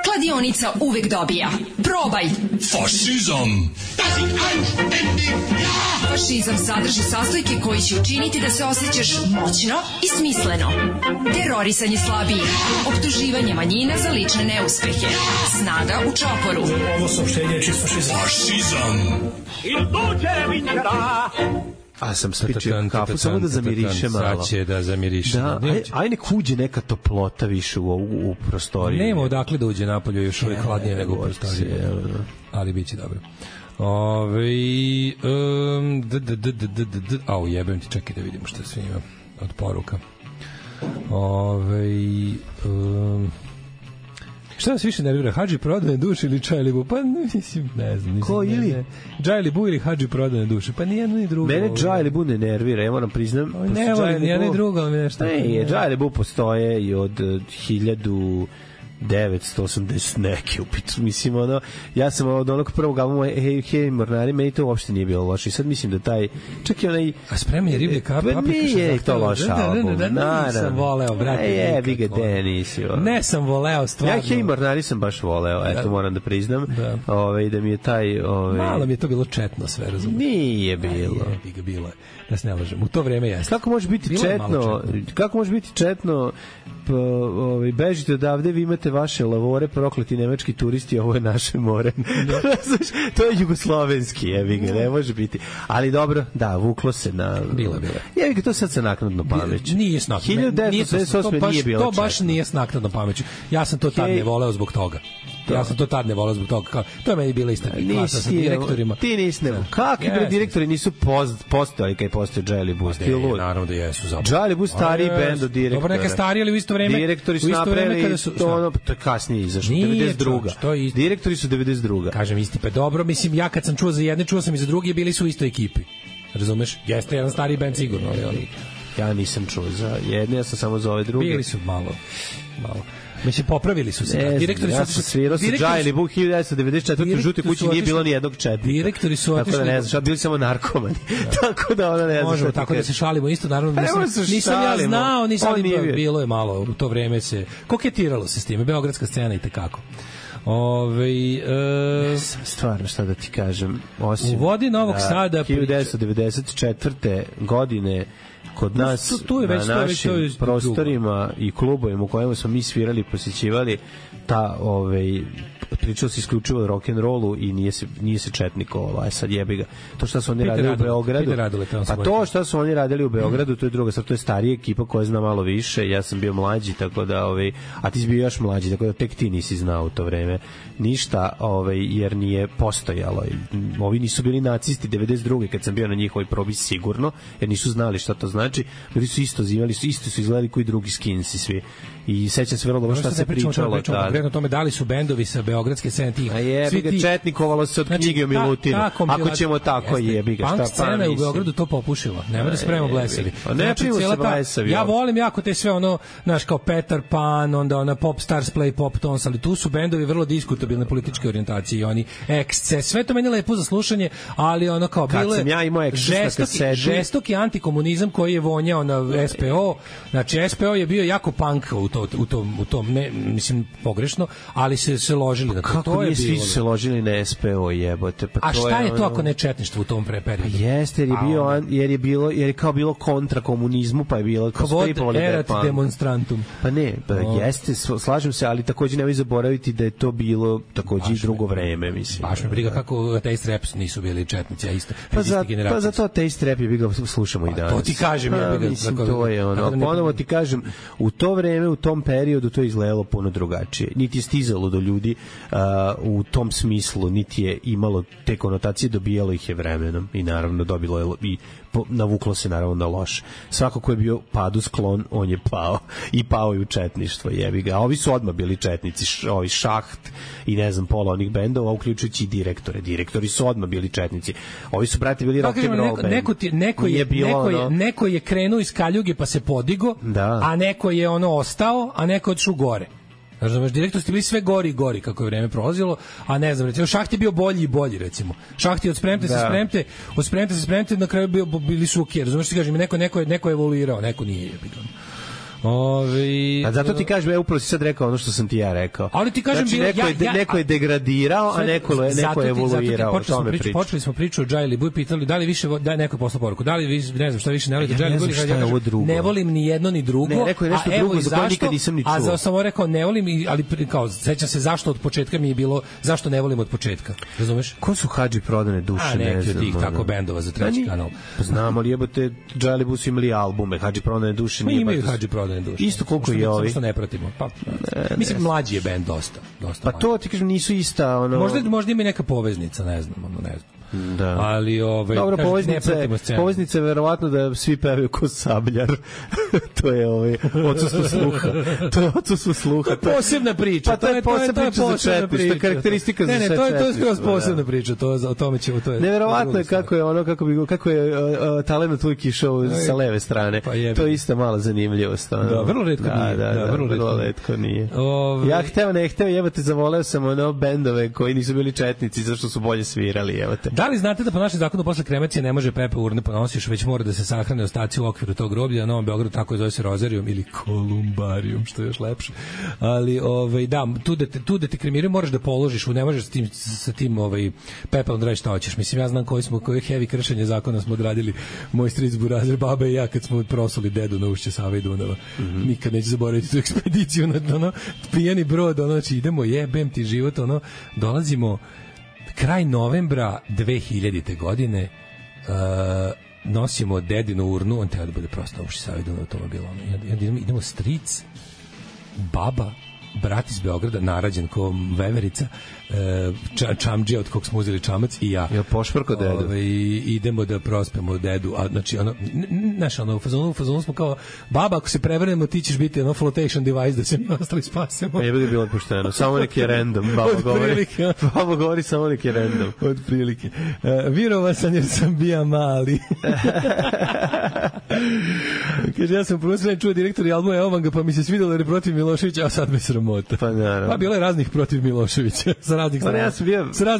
Kladionica uvek dobija. Probaj! Fašizam! Fašizam sadrži sastojke koji će učiniti da se osjećaš moćno i smisleno. Terorisanje slabijih, optuživanje manjina za lične neuspehe, snaga u čoporu. Ovo saopštenje je čist fašizam. Fašizam! A sam spičio kafu, samo da zamiriše malo. Sad će da zamiriše. Da, aj nek uđe neka toplota više u prostoriju. Nema odakle da uđe napolje, još uvijek hladnije nego u prostoriju. Ali bit će dobro. Jebem ti, čekaj da vidimo šta sve ima od poruka. Šta vas više nervira, Hadži prodane duše ili Džajlibu? Pa mislim, ne znam. Ko ili? Džajlibu ili Hadži prodane duše? Pa nijedno ni drugo. Mene Džajlibu ne nervira, ja moram priznam. Ne volim, nijedno ni drugo, ali mi nešto. Ne, Džajlibu postoje i od 1980 neke upitu. Mislim, ja sam od onog prvog albuma Hej mornari, meni to uopšte nije bilo loše. I sad mislim da taj, čak i onaj... A spremanje riblje paprika? Nije to loš album. Nisam voleo, brate. Jebi ga, nisi. Ne sam voleo, stvarno. Ja Hej mornari sam baš voleo, eto moram da priznam. Da mi je taj... Malo mi je to bilo četno sve, razumiješ? Nije bilo. Jebi ga, bilo je. Da se ne lažem. U to vreme jeste. Kako može biti četno? Bežite odavde, vi imate vaše lavore, prokleti nemački turisti, ovo je naše more. To je jugoslovenski, jebi ga, ne može biti. Ali dobro, da, vuklo se na... Bilo. Jebi ga, to sad sa naknadno pameću. Nije s naknadno. 1998 nije bilo četno. To baš nije s naknadno pameću. Ja sam to tad ne voleo zbog toga. To je meni bila ista klasa sa direktorima. Ti nisi ne. Kakvi direktori nisu postojali kad je postao Džajli Bus? Naravno da jesu. Džajli Bus stariji bend od direktora. Dobro, neka stariji, ali u isto vreme. Direktori su napravili to kasnije izašlo. 92. Direktori su 92. Kažem isti, pa dobro, mislim, ja kad sam čuo za jedne, čuo sam i za druge, bili su u istoj ekipi. Razumeš? Jeste jedan stariji bend sigurno, ali ja nisam čuo za jedne, ja sam samo za ove druge. Bili su malo. Mislim, popravili su se. Direktori su svirao sa Džajli Buk 1994. U žutoj kući nije bilo ni jednog četnika. Direktori su otišli. Tako da ne znam, bili samo narkomani. Tako da ona ne znam. Možemo tako da se šalimo isto, naravno. Nisam ja znao, bilo je malo. U to vreme se koketiralo se s time. Beogradska scena i tekako. Stvarno, šta da ti kažem, osim u vodi Novog Sada 1994. godine kod nas na našim prostorima i klubovima u kojima smo mi svirali, posjećivali pričao se isključivo o rock'n'rollu i nije se četnikovalo, sad jebi ga. To što su oni radili u Beogradu, to što su oni radili u Beogradu, to je druga stvar, to je starija ekipa koja zna malo više, ja sam bio mlađi, tako da, a ti si bio još mlađi, tako da tek ti nisi znao u to vreme ništa, jer nije postojalo. Ovi nisu bili nacisti 92. kad sam bio na njihovoj probi sigurno, jer nisu znali šta to znači, ljudi su isto zivali, isto su izgledali koji drugi skinsi svi. I sećam se vrlo dobro šta se pričalo. Konkretno tome, da li su bendovi sa Beograda beogradske scene tih. A jebi ga, četnikovalo se od knjige o Milutinu. Ako ćemo tako, jebi ga, šta pa. Punk scena je u Beogradu to popušila. Nema da spremamo blesavi. Ne piju se blesavi. Ja volim jako te sve ono, znaš, kao Peter Pan, onda ona Pop Stars Play Pop Tons, ali tu su bendovi vrlo diskutabilne političke orijentacije i oni Excess, sve to meni lepo za slušanje, ali ono kao bilo je žestoki antikomunizam koji je vonjao na SPO. Znači SPO je bio jako punk u tom ne, mislim pogrešno, ali se ložili na to. Kako nije svi se ložili na SPO, jebote? Pa a šta je to ako ne četništvo u tom periodu? Pa jeste, jer je kao bilo kontra komunizmu, pa je bilo kao Kvod erat demonstrantum. Pa ne, jeste, slažem se, ali takođe nemoj zaboraviti da je to bilo takođe i drugo vreme, mislim. Baš me briga kako Taste Raps nisu bili četnici, a isto. Pa zato Taste Rap je ga slušamo i danas. To ti kažem, to je ono. Ponovo ti kažem, u to vreme, u tom periodu to je izgledalo puno drugačije. Niti je stizalo do ljudi u tom smislu, niti je imalo te konotacije, dobijalo ih je vremenom i naravno dobilo je i navuklo se naravno na loše. Svako ko je bio padu sklon, on je pao i pao i u četništvo, jebi ga. A ovi su odmah bili četnici, ovi Šaht i ne znam pola onih bendova, uključujući i direktore. Direktori su odmah bili četnici. Ovi su, brate, bili rock and roll band. Neko je krenuo iz kaljuge pa se podigo, a neko je ono ostao, a neko otišao gore. Znaš, direktor ste bili sve gori i gori kako je vreme prolazilo, a ne znam, recimo, Šaht je bio bolji i bolji, recimo. Šaht je od spremte se spremte, na kraju bili su okej, razumiješ što ti kažem, neko je evoluirao, neko nije jebigan. A zato ti kažem, upravo si sad rekao ono što sam ti ja rekao. Ali ti kažem, znači, neko je degradirao, a neko je evoluirao. Počeli smo priču o Džajli Buj, pitali da li više, da neko je poslao poruku, da li vi, ne znam šta više ne volite Džajli Buj, ne volim ni jedno ni drugo. Ne, rekao je nešto drugo, za to nikad nisam ni čuo. A za samo rekao ne volim, ali kao sećam se zašto od početka mi je bilo, zašto ne volim od početka. Razumeš? Ko su Hadži prodane duše, ne znam. Neki od tih tako bendova za treći kanal. Znamo li jebote, Džajli Buj su imali albume, Hadži prodane duše nije. Imaju Hadži prodane duše. Isto koliko je ovi. Što ne pratimo. Pa mislim mlađi je bend dosta. Pa to ti kažem nisu ista ono. Možda ima neka poveznica, ne znam. Da. Ali dobro, poveznica je verovatno da svi pevaju ko Sabljar. To je odsustvo sluha. To je odsustvo sluha. To je posebna priča. Pa to je posebna priča. To je karakteristika za sve. To je skroz posebna priča. O tome ćemo, to je. Neverovatno je kako je talent tvoj išao sa leve strane. To je isto mala zanimljivost. Da, vrlo retko nije. Da, vrlo retko nije. Ja ne hteo, jebate, zavoleo sam bendove koji nisu bili četnici zašto su bolje svirali, jebate. Da li znate da po našem zakonu posle kremacije ne može pepe urne ponosiš, već mora da se sahrane ostaci u okviru tog groblja, na Novom Beogradu tako je zove se rozarijom ili kolumbarijom, što je još lepše. Ali da, tu da te kremiraju moraš da položiš, ne možeš sa tim pepelom da radiš šta hoćeš. Mislim, ja znam koje heavy kršenje zakona smo odradili moj stric Burazer, baba i ja kad smo prosuli dedu na ušće Save i Dunava. Nikad neću zaboraviti tu ekspediciju na pijani brod, znači idemo, jebem ti život, dolazimo kraj novembra 2000. godine, nosimo dedinu urnu, on treba da bude prosto uši Savidu na automobilu. Idemo stric, baba, brat iz Beograda, narađen ko veverica, čamdžija od kog smo uzeli čamac i ja. Ja pošprko dedu. Idemo da prospemo dedu. A, znači, u fazonu smo kao, baba, ako se prevrnemo, ti ćeš biti flotation device da se mi ostali spasemo. Ne bude bilo pošteno. Samo neki je random, baba govori. Baba govori samo neki je random. Od prilike. Virova sam jer sam bija mali. Kaže, ja sam prvo čuo direktor albuma Evo vam ga, pa mi se svidjelo jer je protiv Miloševića, a sad me sramota. Pa naravno. Pa bilo je raznih protiv Miloševića. Sa raznih strana.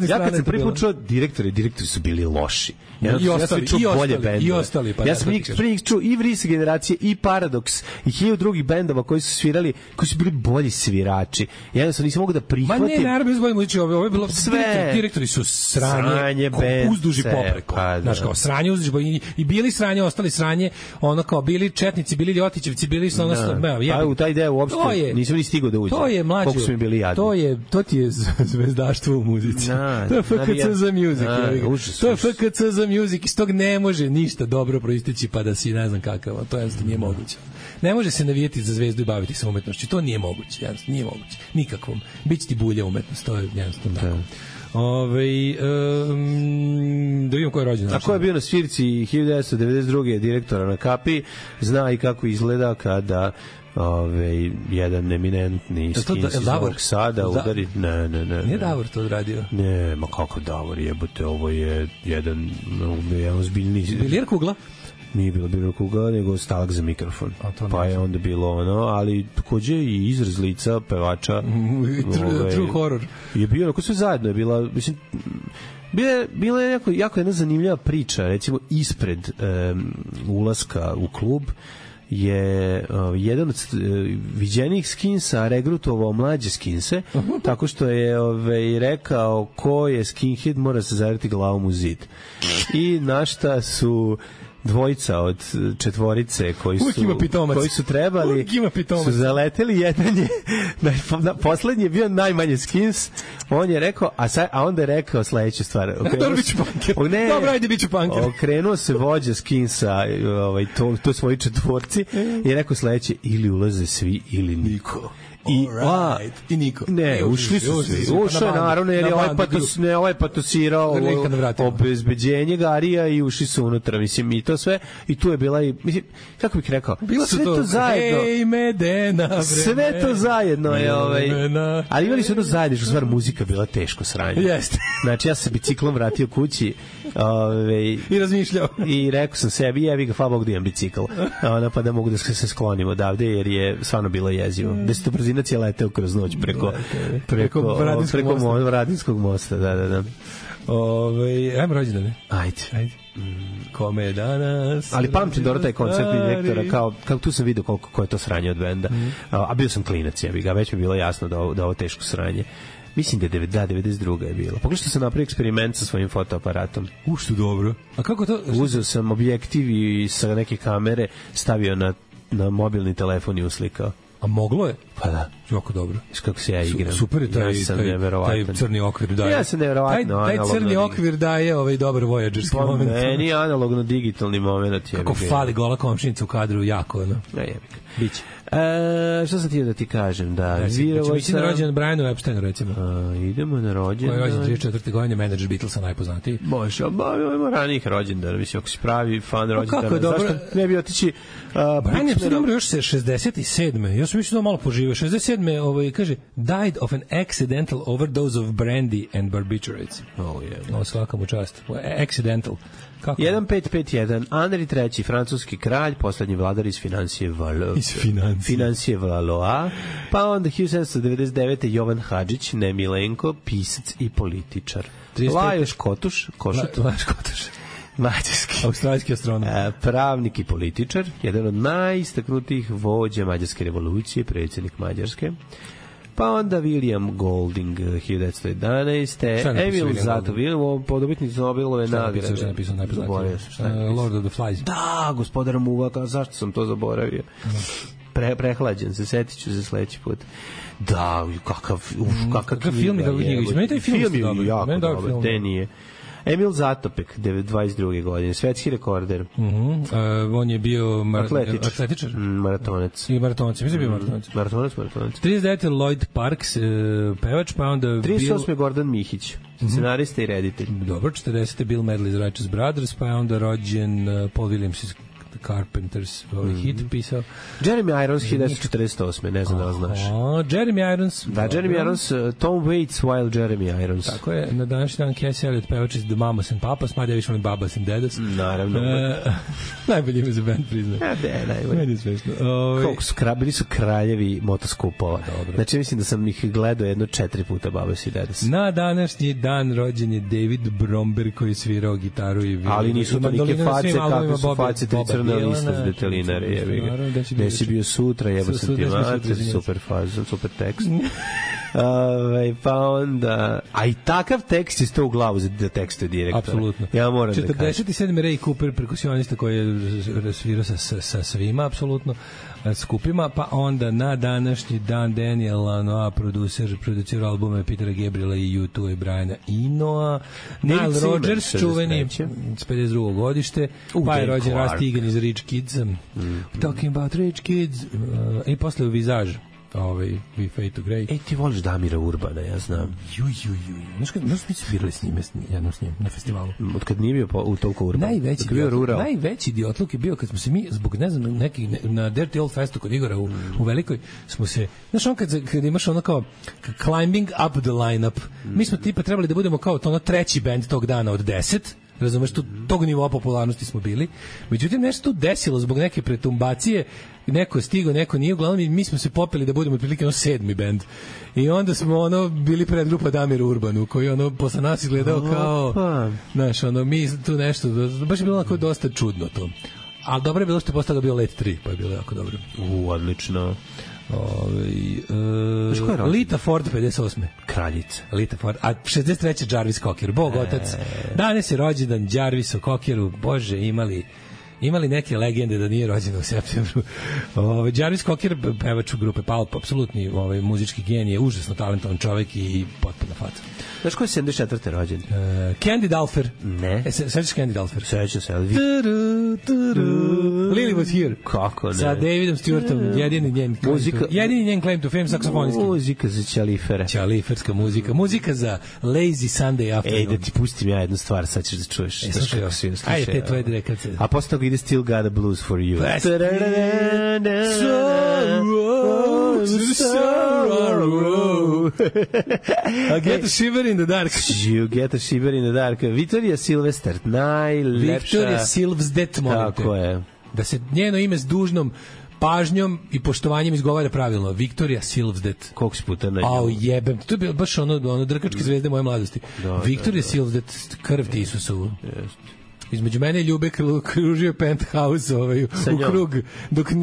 Ja kad sam prvi put čuo direktori su bili loši. Ja sam čuo bolje bendove. Ja sam prvi čuo i Vris generacije, i Paradoks, i 1000 drugih bendova koji su svirali, koji su bili bolji svirači. Jednostavno nisam mogu da prihvatim. Ma ne, naravno, bez bolje, ovo je bilo sve. Direktori su sranje uzduži popreko. Znaš, kao sranje uzduži, i bili sranje, ostali sranje, ono kao bili četnici, bili ljotićevci, bili su pa u taj deo uopšte nisam ni stigao da uđem. To je mlađe. Koliko su mi bili jadni. To ti je zvezdaštvo u muzici. To je FKC za music. To je FKC za music. Iz tog ne može ništa dobro proisteći pa da si ne znam kakav. To jednostavno nije moguće. Ne može se navijeti za zvezdu i baviti se umetnošću. To nije moguće. Jednostavno nije moguće. Nikakvom. Biće ti bulja umetnost. To je jednostavno tako. Da vidimo ko je rođen. A ko je bio na svirci 1992. direktora na Kapi, zna i kako izgleda kada jedan eminentni skins iz Novog Sada udari. Ne. Nije Davor to odradio? Ne, ma kako Davor, jebote, ovo je jedan ozbiljni... Bilijer kugla? Nije bilo Bilijer kugla, nego stalak za mikrofon. Pa je onda bilo ono, ali takođe i izraz lica pevača. True horror. Je bio, onako sve zajedno je bila, mislim... Bila je jako jedna zanimljiva priča, recimo ispred ulaska u klub je jedan od viđenih skinsa regrutovao mlađe skinse, tako što je rekao ko je skinhead mora se zavrti glavom u zid. I na šta su dvojica od četvorice koji su trebali su zaleteli, jedan je poslednji je bio najmanje skins, on je rekao a onda je rekao sledeću stvar, dobro, ajde biću punker, okrenuo se vođa skinsa to svoji četvorci i rekao sledeće, ili ulaze svi ili niko. I niko. Ne, ušli su svi. Ušao je naravno jer je ovaj patosirao obezbeđenje Garija i ušli su unutra, mislim, i to sve. I tu je bila i, mislim, kako bih rekao, sve to zajedno. Hej, Medena, vreme. Sve to zajedno je, ali imali su jedno zajedničko stvar, muzika bila teško sranje. Jeste. Znači, ja sam se biciklom vratio kući i razmišljao. I rekao sam sebi, jevi ga, hvala Bog da imam bicikl. Pa da mogu da se sklonim odavde, jer je stvarno bilo jezivo. Brzinac je leteo kroz noć preko Vradinskog mosta. Da. Ajmo rođendane. Ajde. Kome je danas? Ali pamtim dobro taj koncert direktora, kao tu sam vidio koliko je to sranje od benda. A bio sam klinac, jebi ga, već mi je bilo jasno da ovo teško sranje. Mislim da je 92. je bilo. Pogledaj što sam napravio eksperiment sa svojim fotoaparatom. Što dobro. A kako to? Uzeo sam objektiv i sa neke kamere stavio na mobilni telefon i uslikao. A moglo je? Pa da. Jako dobro. Kako se ja igram. Super je taj crni okvir daje. Ja sam neverovatno. Taj crni okvir daje dobar voyagerski moment. Meni analogno digitalni moment. Kako fali gola komšinica u kadru, jako. Biće. Što sam ti da ti kažem? Mislim na rođendan Brianu Epsteinu, recimo. Idemo na rođendan. Koji je rođen 34. godine, menadžer Beatlesa najpoznatiji. Može, ima ranih rođendana. Mislim, ako si pravi fan rođendana, kako je dobro? Zašto ne bi otići... Brian Epstein umro još 67. Ja sam mislio da malo poživio. 67. Kaže, died of an accidental overdose of brandy and barbiturates. Svaka mu čast. Accidental. 1551. Henri III, francuski kralj, poslednji vladar iz Financije Valois. Pa onda 1799. Jovan Hadžić, ne Milenko, pisac i političar. Lajos Kotuš. Mađarski. Australijski astronom. Pravnik i političar, jedan od najistaknutijih vođa Mađarske revolucije, predsjednik Mađarske. Pa onda William Golding 1911. Emil Zato, podobitnik Nobelove nagrade. Šta je napisao najpoznatije? Lord of the Flies. Da, gospodar Muvaka, zašto sam to zaboravio? Prehlađen se, setit ću se sledeći put. Da, kakav film je kako knjiga. Meni taj film je jako dobar, te nije. Emil Zatopek, 22. godine, svetski rekorder. On je bio atletičar. Maratonac. I maratonac, mislim bio maratonac. Maratonac. 39. Lloyd Parks, pevač, pa onda 38. Gordon Mihić, scenarista i reditelj. Dobro, 40. Bill Medley iz Righteous Brothers, pa je onda rođen Paul Williams iz Carpenters, hit pisao. Jeremy Irons 1948. Ne znam da li znaš. Jeremy Irons. Da, Jeremy Irons, Tom Waits while Jeremy Irons. Tako je, na današnji dan Casey Elliot pevač iz The Mamas and Papas, mada ja više volim Babas and Dedas. Naravno. Najbolji ime za band, priznam. Najbolji. Meni je smešno. Koliko su bili su kraljevi motoskupova. Znači, mislim da sam ih gledao 4 puta Babas i Dedas. Na današnji dan rođen je David Bromberg koji je svirao gitaru i violinu. Ali nisu tolike face kakve su face crna lista s detelinare, jebi ga. Gde si bio sutra, jebo sam ti mater, super fazon, super tekst. Pa onda... A i takav tekst je sto u glavu za tekstu direktora. Apsolutno. Ja moram da kažem. 47. Ray Cooper, perkusionista koji je svirao sa svima, apsolutno, skupima, pa onda na današnji dan Daniel Lanois, producir albume Petera Gabriela i U2 i Briana Enoa, Nile Rodgers, čuveni, 52. godište, pa je rođen Rusty Egan iz Rich Kids, Talking about Rich Kids, i posle u Vizaž. We Fade to Grey. Ti voliš Damira Urbana, ja znam. Znaš mi su birali s njime, jednom s njim, na festivalu. Od kad nije bio u toliko Urban. Najveći idiotluk je bio kad smo se mi, zbog, ne znam, na Dirty Old Festu kod Igora u Velikoj, smo se, znaš kad imaš ono kao climbing up the lineup, mi smo tipa trebali da budemo kao to ono treći band tog dana od 10, razumeš, tog nivoa popularnosti smo bili. Međutim, nešto tu desilo zbog neke pretumbacije, neko je stigao, neko nije, uglavnom mi smo se popeli da budemo otprilike 7. bend. I onda smo bili predgrupa Damir Urbanu, koji posle nas izgledao kao, znaš, mi tu nešto, baš je bilo onako dosta čudno to. Ali dobro je bilo što je postao bio Let 3, pa je bilo jako dobro. Odlično. Lita Ford 58. Kraljica. Lita Ford. A 63. Jarvis Cocker. Bog otac. Danas je rođendan Jarvisu Cockeru. Bože, imali neke legende da nije rođen u septembru. Jarvis Cocker, pevač u grupe Pulp, apsolutni muzički genije, užasno talentovan čovjek i potpuno faca. Znaš ko je 74. rođen? Candy Dulfer. Ne. Sećaš Candy Dulfer? Sećam se. Lily Was Here. Kako ne? Sa Davidom Stewartom, jedini njen claim to fame, saksofonijski. Muzika za ćalifere. Ćaliferska muzika. Muzika za lazy Sunday afternoon. Da ti pustim ja jednu stvar, sad ćeš da čuješ. Ajde, te tvoje direkace. A posle toga ide Still Got a Blues for You. I get a shiver in the dark. You get a shiver in the dark. Victoria Silvester, najlepša. Victoria Silvsdet, molim te. Tako je. Da se njeno ime s dužnom pažnjom i poštovanjem izgovara pravilno. Victoria Silvsdet. Koliko si puta na nju? Au, jebem. To je bilo baš ono drkačke zvezde moje mladosti. Victoria Silvsdet, krv ti Isusovu. Između mene i Ljube kružio penthouse u krug,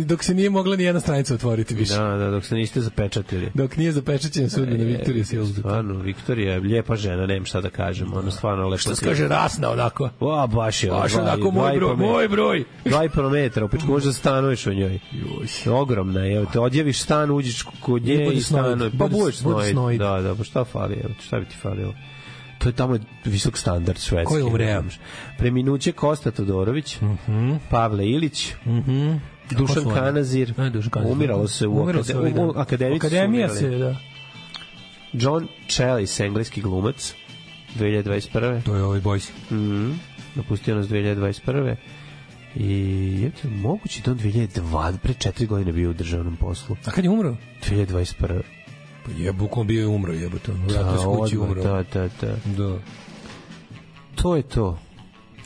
dok se nije mogla ni jedna stranica otvoriti više. Da, dok se niste zapečatili. Dok nije zapečaćena sudbina Viktorije Silvsdet. Stvarno, Viktorija je lijepa žena, nemam šta da kažem. Ona stvarno lepo. Što se kaže rasna onako? Baš je. Baš onako moj broj. 2,5 metra, opet možda stanuješ u njoj. Ogromna je. Te odjeviš stan, uđeš kod nje i stanuješ. Pa budeš snoid. Da, pa šta fali? Šta bi ti falilo? To je tamo visok standard švedski. Ko je umreo? Preminuće Kosta Todorović, Pavle Ilić, Dušan Kanazir, umiralo se u akademici. Akademija se, da. John Challis, engleski glumac, 2021. To je ovaj Boys. Napustio nas 2021. I je to moguće da on 2002, pre 4 godine bio u državnom poslu. A kad je umro? 2021. Bukom bio je umro, jebote. Vratno s kući umro. Da. To je to.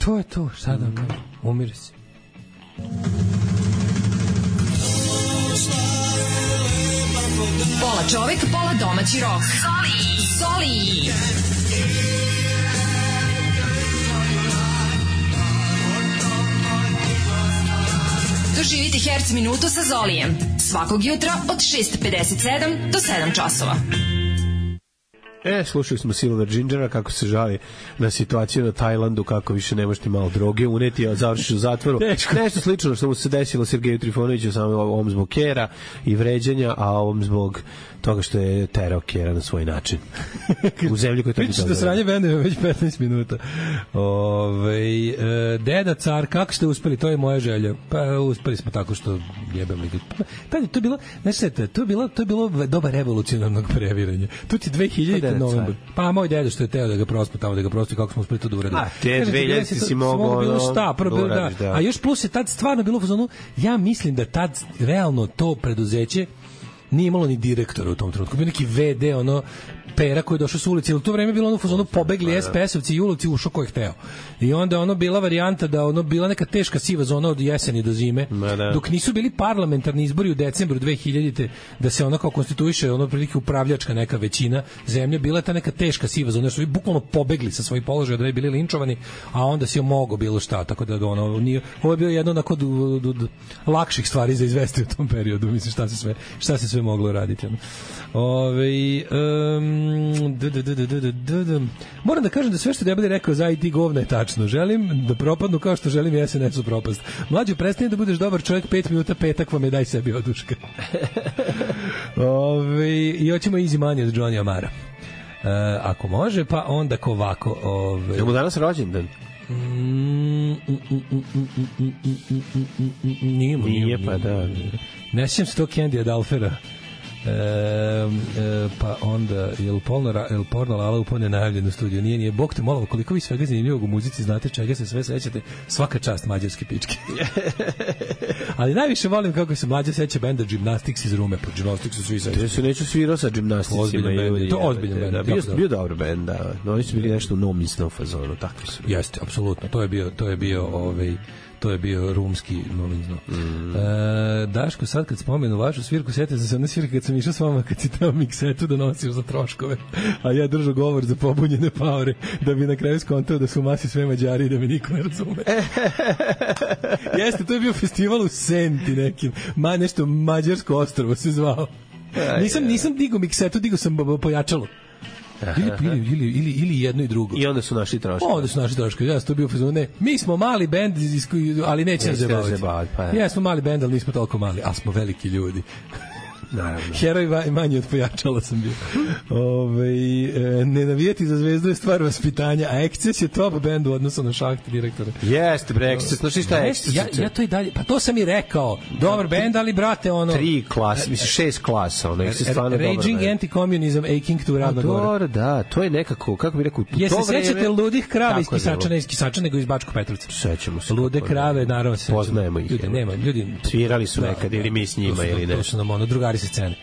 To je to, šta da kažem? Umire se. Pola čovek, pola domaći rock. Zoli! Doživite Herc minutu sa Zolijem. Svakog jutra od 6:57 do 7 časova. Slušali smo Silver Gingera kako se žali na situaciju na Tajlandu, kako više ne možete malo droge uneti, a završiš u zatvoru. Nešto slično što mu se desilo Sergeju Trifonoviću, samo ovom zbog kera i vređanja, a ovom zbog toga što je terao kera na svoj način. U zemlji koja je to priča da sranje benduje već 15 minuta. Deda car, kako ste uspeli? To je moja želja. Pa uspeli smo tako što jebem li. Pa to je bilo, znači to je bilo doba revolucionarnog previranja. Tu ti 2000 novembar. Pa moj deda što je teo da ga prospu tamo, da ga prosti, kako smo uspeli to da uradimo. A te 2000 si mogao bilo šta, da. A još plus je tad stvarno bilo u fazonu, ja mislim da tad realno to preduzeće nije imalo ni direktora u tom trenutku. Bio neki VD, Pera koji je došao s ulici, ili to vreme bilo pobegli SPS-ovci i ulici ušao ko je hteo. I onda bila varijanta da bila neka teška siva zona od jeseni do zime, dok nisu bili parlamentarni izbori u decembru 2000-te, da se kao konstituiše prilike upravljačka neka većina zemlje, bila je ta neka teška siva zona, su bukvalno pobegli sa svojih položaja da bi bili linčovani, a onda si mogo bilo šta, tako da ovo je bilo jedno od lakših stvari za izvesti u tom periodu, mislim šta se sve moglo raditi. Moram da kažem da sve što Debeli rekao za IT govna je tačno. Želim da propadnu kao što želim SNS-u propast. Mlađo, prestani da budeš dobar čovjek, 5 minuta petak vam je, daj sebi oduška. I hoćemo Easy Money od Johnny Amara. Ako može, pa onda ko ovako. Je mu danas rođendan? Nije, pa da. Ne sjećam se to Candy Adalfera. Pa onda jel porno Lala upone najavljen u studiju? Nije. Bog te molao, koliko vi svega zanimljivog u muzici znate, čega se sve sećate, svaka čast mađarske pičke. Ali najviše volim kako se mlađa seća benda Gymnastics iz Rume. Po Gymnastics su svi sećaju. Ja se neću svirao sa Gymnasticsima. To ozbiljan bend. Bio dobar bend, da. Oni su bili nešto u nomisnom fazonu, takvi su. Jeste, apsolutno. To je bio rumski novinzno. Daško, sad kad spomenu vašu svirku, sjetio sam se one svirke kad sam išao s vama, kad si tamo miksetu donosio za troškove, a ja držao govor za pobunjene paore, da bi na kraju skontao da su u masi sve Mađari i da me niko ne razume. Jeste, to je bio festival u Senti nekim, nešto Mađarsko ostrvo se zvao. Nisam digao miksetu, digao sam pojačalo. Ili jedno i drugo. I onda su našli troškovi. Ja sam to bio fazon, ne, mi smo mali bend, ali neće nas zabaviti. Ja smo mali bend, ali nismo toliko mali, ali smo veliki ljudi. Naravno. Heroj manje od pojačala sam bio. Ne navijeti za Zvezdu je stvar vaspitanja, a Excess je top band u odnosu na Šahti direktora. Jeste, bre, Excess, znaš šta je Excess? Ja to i dalje, pa to sam i rekao. Dobar band, ali brate, ono... 3 klase, mislim 6 klasa, ono, Excess stvarno dobar band. Raging Anti-Communism, Aching to Ravna Gora. Dobro, da, to je nekako, kako bi rekao... Jeste sećate ludih krava iz Kisača, nego iz Bačkog Petrovca? Sećamo se. Lude krave, naravno se sećamo. Poznajemo ih. Ljudi svirali su nekad ili mi s njima ili ne. To su nam drugari sa scene.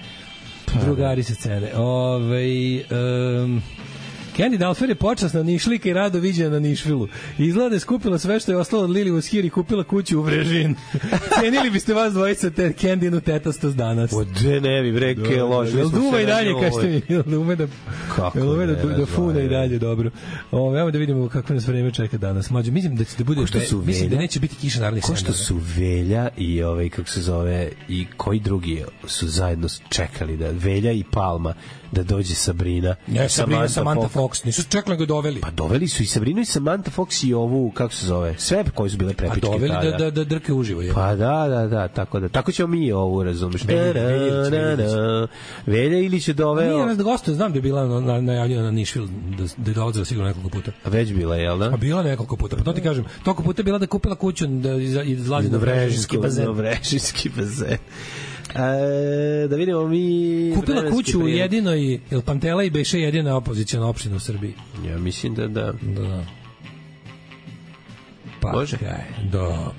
Candy Dalfer je počasna Nišlika i rado viđena na Nišvilu. Izgleda je skupila sve što je ostalo od Lili Voshir i kupila kuću u Vrežin. Cenili biste vas dvojica te Candynu tetastos danas. Ode ne bi, breke, loži. Jel duva i dalje, kažete mi? Jel ume da fune i dalje, dobro. Evo da vidimo kako nas vreme čeka danas. Mlađo, mislim da će da bude... Mislim da neće biti kiša narednih 7 dana. Ko što su Velja i kako se zove, i koji drugi su zajedno čekali da Velja i Palma da dođe Sabrina. Ne, Sabrina, Samantha Fox, nisu čekali ga doveli. Pa doveli su i Sabrinu i Samantha Fox i ovu, kako se zove, sve koje su bile prepičke tada. A doveli da drke uživo. Je. Pa da, tako ćemo mi ovu, razumeš. Velja ili će doveo... Nije nas da gostuje, znam da je bila najavljena na Nišvil, da je dolazila sigurno nekoliko puta. A već bila, jel da? A bila nekoliko puta, pa to ti kažem, toliko puta je bila da kupila kuću, da izlazi na Vrežinski bazen. Da vidimo mi... Kupila kuću u jedinoj, ili Pantela i Beše jedina opozicijona opština u Srbiji. Ja mislim da. Pa, može? Da.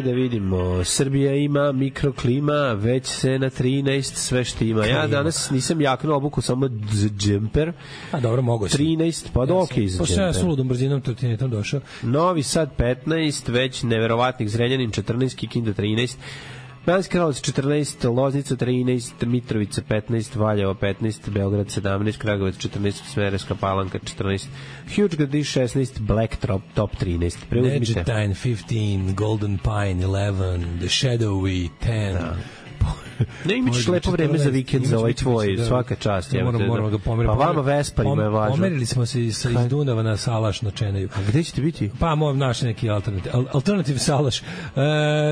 Da vidimo, Srbija ima mikroklima, već se na 13 sve što ima. Ja danas nisam jaknuo obuku, samo džemper. A dobro, mogo si. 13, pa da okej za džemper. Pošto ja suludom brzinom trotinetom došao. Novi Sad 15, već neverovatnih Zrenjanin 14, Kikinda 13, Banjska Karlovac 14, Loznica 13, Mitrovica 15, Valjevo 15, Beograd 17, Kragujevac 14, Smederevska Palanka 14, Huge Gradiš 16, Black Top 13. Preuzmite. Neđetajn 15, Golden Pine 11, The Shadowy 10. Da. Ne imaš lepo vreme za vikend za ovaj tvoj, svaka čast. Moramo ga pomeriti. Pa vama Vesparima je važno. Pomerili smo se iz Dunava na Salaš na Čeneju. A gde ćete biti? Pa naš neki alternativ Salaš.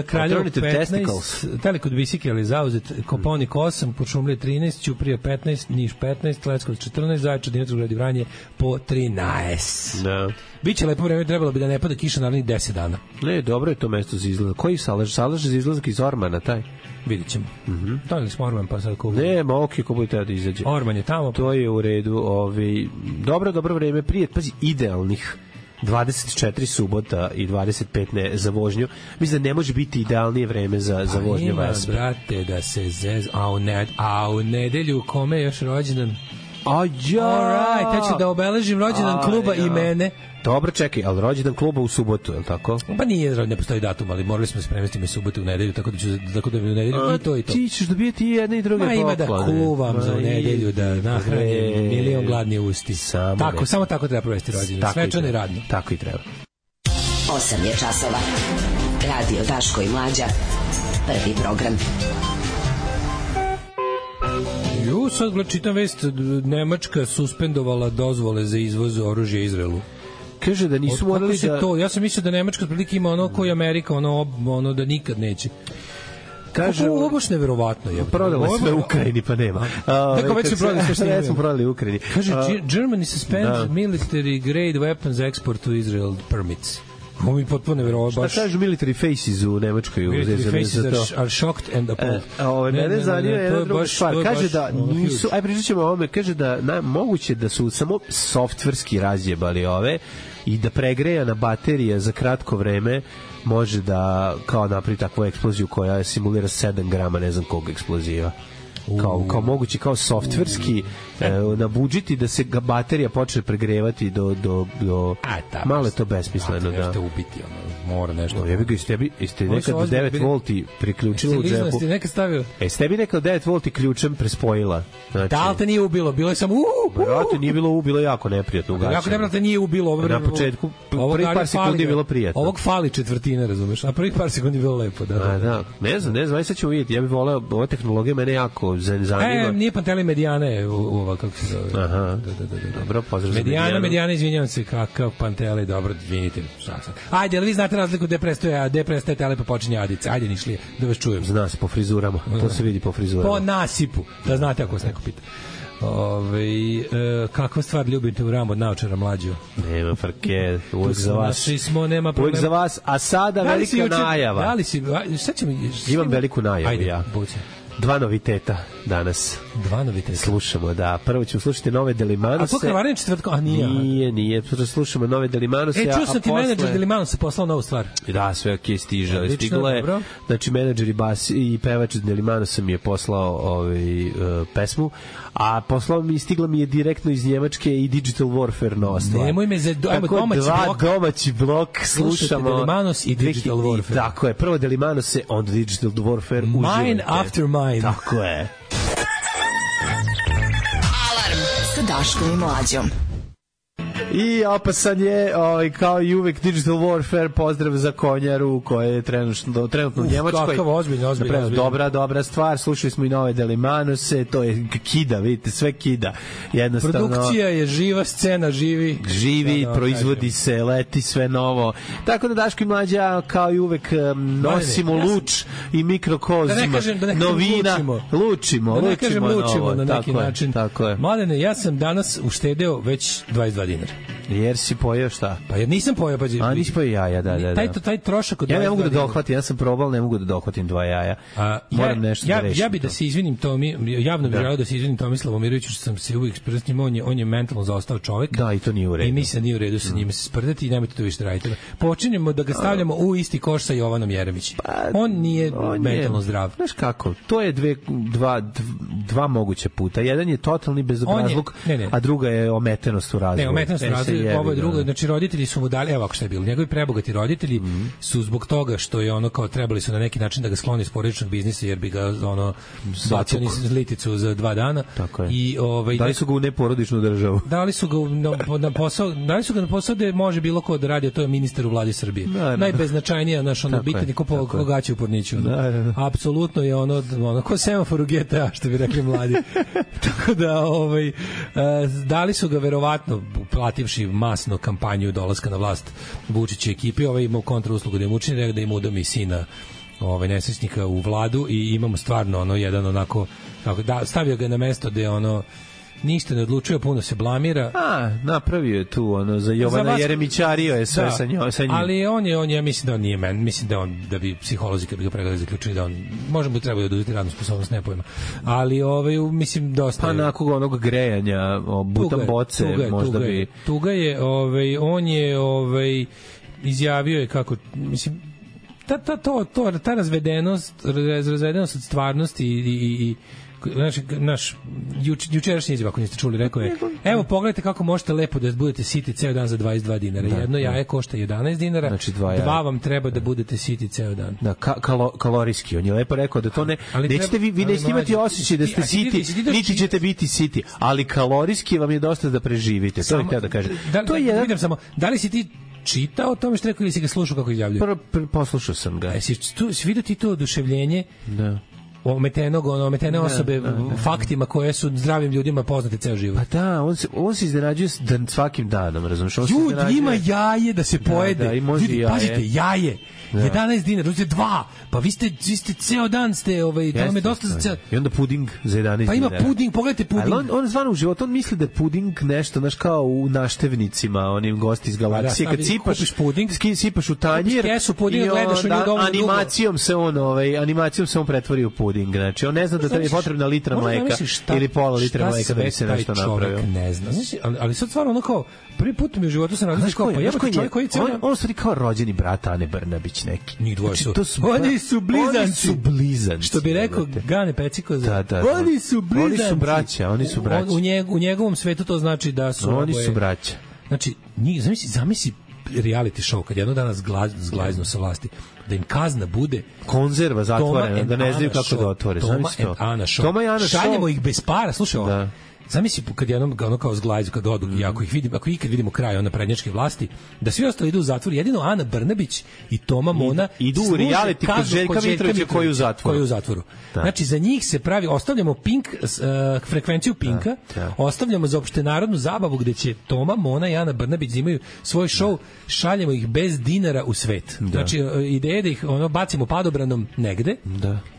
Kraljevo 15, Telekod Bisike ali zauzet, Kopaonik 8, Kuršumlija 13, Ćuprija 15, Niš 15, Leskovac 14, Zaječar, Dimitrovgrad i Vranje po 13. Da. Biće lepo vreme, trebalo bi da ne pada kiša narednih 10 dana. Ne, dobro je to mesto za izlazak. Koji Salaš? Salaš za izlazak iz Ormana, taj? Vidit ćemo. Donili smo Orman, pa sad kubu. Ne, ok, ko bude da izađe. Orman je tamo. To je u redu. Dobro vreme. Prije, pazi, idealnih 24 subota i 25 za vožnju. Mislim da ne može biti idealnije vreme za vožnju Vespa. Brate, da se a u nedelju kome je još rođendan? Ja. Alright, ja ću da obeležim rođendan kluba i mene. Dobro, čekaj, ali rođendan kluba u subotu, je li tako? Pa nije, ne postoji datum, ali morali smo se premestiti u subotu u nedelju, tako da bi u nedelju i to. Ti ćeš dobijeti i jedne i druge poklone. Ima da kuvam za u nedelju, da nahranim milion gladni usti. Samo tako treba provesti rođendan, svečano i radno. Tako i treba. 8 je časova. Radio Daško i Mlađa. Prvi program. Sad čitam vest, Nemačka suspendovala dozvole za izvoz oružja Izraelu. Kaže da nisu morali da... Ja sam mislio da Nemačka otprilike ima ono koji Amerika, ono da nikad neće. Kaže, ovo baš neverovatno je. Prodali sve u Ukrajini, pa nema. Neko već su prodali sve što smo prodali u Ukrajini. Kaže, Germany suspends military grade weapons export to Israel permits. Ovo mi potpuno neverovatno. Šta kažu military faces u Nemačkoj? Military faces are shocked and appalled. Mene zanima jedna druga stvar. Kaže da nisu, pričat ćemo o ovome, kaže da moguće da su samo softverski razjebali ove i da pregrejana baterija za kratko vreme može da kao napravi takvu eksploziju koja simulira 7 grama ne znam kog eksploziva. Kao moguće, kao softverski nabuđiti da se baterija počne pregrevati do malo je to besmisleno. Da nešto ubiti, mora nešto. Ja bih ga ste nekad 9 volti priključili u džepu. Ste bi nekad 9 volti ključem prespojila. Da li te nije ubilo? Bilo je samo brate, nije bilo ubilo, jako neprijatno ugašeno. Jako neprijatno nije ubilo. Na početku, prvih par sekundi je bilo prijatno. Ovog fali četvrtina, razumeš? A prvih par sekundi je bilo lepo. Da. Ne znam, aj sad ćemo vidjeti. Ja bih voleo, ova tehnologija mene jako zanima. Nije Panteli Medijane, kako se zove. Aha, dobro, pozdrav za Medijana, izvinjavam se, kakav Panteli, dobro, izvinite. Ajde, ali vi znate razliku gde prestaje tele pa počinje Adica. Ajde, Nišlije, da vas čujem. Zna se po frizurama, to se vidi po frizurama. Po nasipu, da znate ako vas neko pita. Kakva stvar ljubite u Rambo od naočara mlađu? Nema frke, uvek za vas. Nema problema. Uvek za vas, a sada velika najava. Da li si, šta ćemo... Imam veliku najavu, ajde, ja. Buće. 2 noviteta danas. 2 noviteta? Slušamo, da. Prvo ćemo slušati nove Delimanose. A to krvaranje četvrtkom? A nije. Nije. Slušamo nove Delimanose. Čuo sam ti menadžer Delimanose poslao novu stvar. Da, sve ok, stiglo je. Znači, menadžer i pevač Delimanosa mi je poslao pesmu, a stigla mi je direktno iz Njemačke i Digital Warfare nova stvar. Nemoj me domaći blok slušamo. Delimanos i Digital Warfare. Tako je, prvo Delimanose, onda Digital Warfare. Mine after mine. Tako je. Alarm sa Daškom i Mlađom. I opasan je, kao i uvek, Digital Warfare, pozdrav za Konjaru, koja je trenutno u Njemačkoj. Kakav ozbiljno. Dobra stvar, slušali smo i nove Delimanose, to je kida, vidite, sve kida. Jednostavno, produkcija je živa, scena živi, proizvodi se, leti sve novo. Tako da Daško i Mlađa, kao i uvek, nosimo luč i mikrokozma. Novina, lučimo na neki način. Mladene, ja sam danas uštedeo već 22 dinara. Jer si pojeo šta? Pa jer nisam pojeo, A nisi pojeo jaja, da. Taj trošak od 22 ja ne mogu da dohvatim, ja sam probao, ne mogu da dohvatim 2 jaja. Moram nešto da rešim. Ja bih da se izvinim, javno bih želeo da se izvinim Tomislavu Miroviću, što sam se uvijek sprdao s njim, on je mentalno zaostao čovjek. Da, i to nije u redu. I mislim da nije u redu sa njime se sprdati i nemojte to više raditi. Počinjemo da ga stavljamo u isti koš sa Jovanom Jeremićem. On nije mentalno zdrav. Znaš kako, to je dva moguća puta. Jedan je totalni bezobrazluk, a druga je ometenost u razvoju. Ne, ometenost u razvoju, ovo je drugo. Znači, roditelji su mu dali, evo ako šta je bilo, njegovi prebogati roditelji su zbog toga što je kao trebali su na neki način da ga skloni iz porodičnog biznisa, jer bi ga bacio niz liticu za 2 dana. Tako je. I dali su ga u neporodičnu državu. Dali su ga na posao gde može bilo ko da radi, a to je ministar u vladi Srbije. Najbeznačajnija bitan ko gaće u porniću. Apsolutno je ko semafor u GTA, što bi rekli mladi. Tako da dali su ga verovatno plativši masno kampanju dolaska na vlast Vučić i ekipi, imao kontrauslugu da im učini, da im udomi sina nesrećnika u vladu i imamo stvarno jedan onako, stavio ga na mesto gde ništa ne odlučuje, puno se blamira. Napravio je tu za Jovana Jeremićario je sve sa njim. Ali on je, mislim da on nije mislim da bi psiholozi kad bi ga pregledali zaključili da on, možda bi trebao da oduzeti radnu sposobnost, ne pojma. Ali mislim dosta. Pa nakon onog grejanja, butan boce, možda bi. Tuga je, on je izjavio je kako, mislim, ta razvedenost od stvarnosti i naš jučerašnji izjava, ako niste čuli, rekao je, evo pogledajte kako možete lepo da budete siti ceo dan za 22 dinara. Jedno jaje košta 11 dinara, znači 2 vam treba da budete siti ceo dan. Da, kalorijski. On je lepo rekao da to ne, nećete vi nećete imati osjećaj da ste siti, niti ćete biti siti, ali kalorijski vam je dosta da preživite. To je htio da kažem. To je vidim samo, da li si ti čitao o tome što rekao ili si ga slušao kako izjavljuje? Poslušao sam ga. Si vidio ti to oduševljenje? Da. Ometene osobe faktima koje su zdravim ljudima poznate ceo život. Pa da, on se iznenađuje svakim danom, razumiješ? Ima jaje da se pojede. Da, i može jaje. Pazite, jaje. 11 dinara, uzete 2. Pa vi ste ceo dan ste, to vam je dosta za ceo. I onda puding za 11 dinara. Pa ima puding, pogledajte puding. Ali on zvano u životu, on misli da je puding nešto, znaš, kao u naštevnicima, onim gosti iz galaksije, kad sipaš u tanjir i animacijom se on pretvori u puding. Znači, on ne zna da tebi je potrebna litra mleka ili pola litra mleka da bi se nešto napravio. Ne zna. Ali sad stvarno ono kao, prvi put mi u životu sam razmišljao kao, pa jebate čovjek koji cijel... On stvari kao rođeni brat Ane Brnabić neki. Njih dvoje su. Oni su blizanci. Što bi rekao Gane Peciko. Da. Oni su blizanci. Oni su braća. U njegovom svetu to znači da su... Oni su braća. Znači, zamisli reality show kad jedno dana zglajznu sa vlasti, da im kazna bude konzerva zatvorena, da ne znaju kako da otvore. Toma i Ana show. Šaljemo ih bez para, slušaj ovo. Zamisli kad jednom ono kao zglajzu, kad odu, i ako ikad vidimo kraj ona prednjačke vlasti, da svi ostali idu u zatvor, jedino Ana Brnabić i Toma Mona idu u reality kod Željka Mitrovića koji je u zatvoru. Znači, za njih se pravi, ostavljamo Pink, frekvenciju Pinka, ostavljamo za opštenarodnu zabavu gde će Toma Mona i Ana Brnabić imaju svoj show, šaljemo ih bez dinara u svet. Znači, ideja da ih bacimo padobranom negde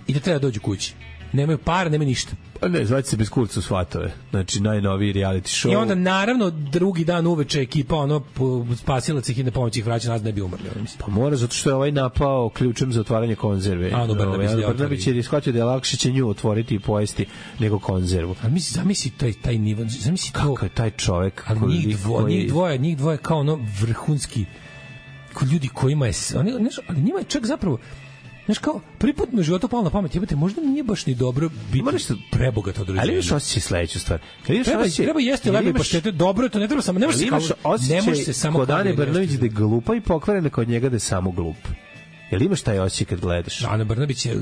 i da treba dođu kući. Nemaju para, nemaju ništa. Pa ne, zvaće se bez kurca u svatove. Znači, najnoviji reality show. I onda, naravno, drugi dan uveče ekipa, spasilac ih i na pomoć ih vraća nazad, ne bi umrli. Pa mora, zato što je ovaj napao ključem za otvaranje konzerve. Ano Brnabić je shvatio da je lakše će nju otvoriti i pojesti nego konzervu. Ali zamisli taj nivo, zamisli to. Kako je taj čovek? Ali njih dvoje kao vrhunski, kao ljudi kojima je, ali njima je čak zapravo, znaš kao, prvi put mi u životu palo na pamet, jebate, možda nije baš ni dobro biti prebogat od rođenja. Ali imaš osjećaj sledeću stvar. Treba jesti lepo i paštete, dobro je to, ne treba samo, ne može se samo kod Ane Brnabić da je glupa i pokvarena kod njega da je samo glup. Jel imaš taj osjećaj kad gledaš? Ana Brnabić je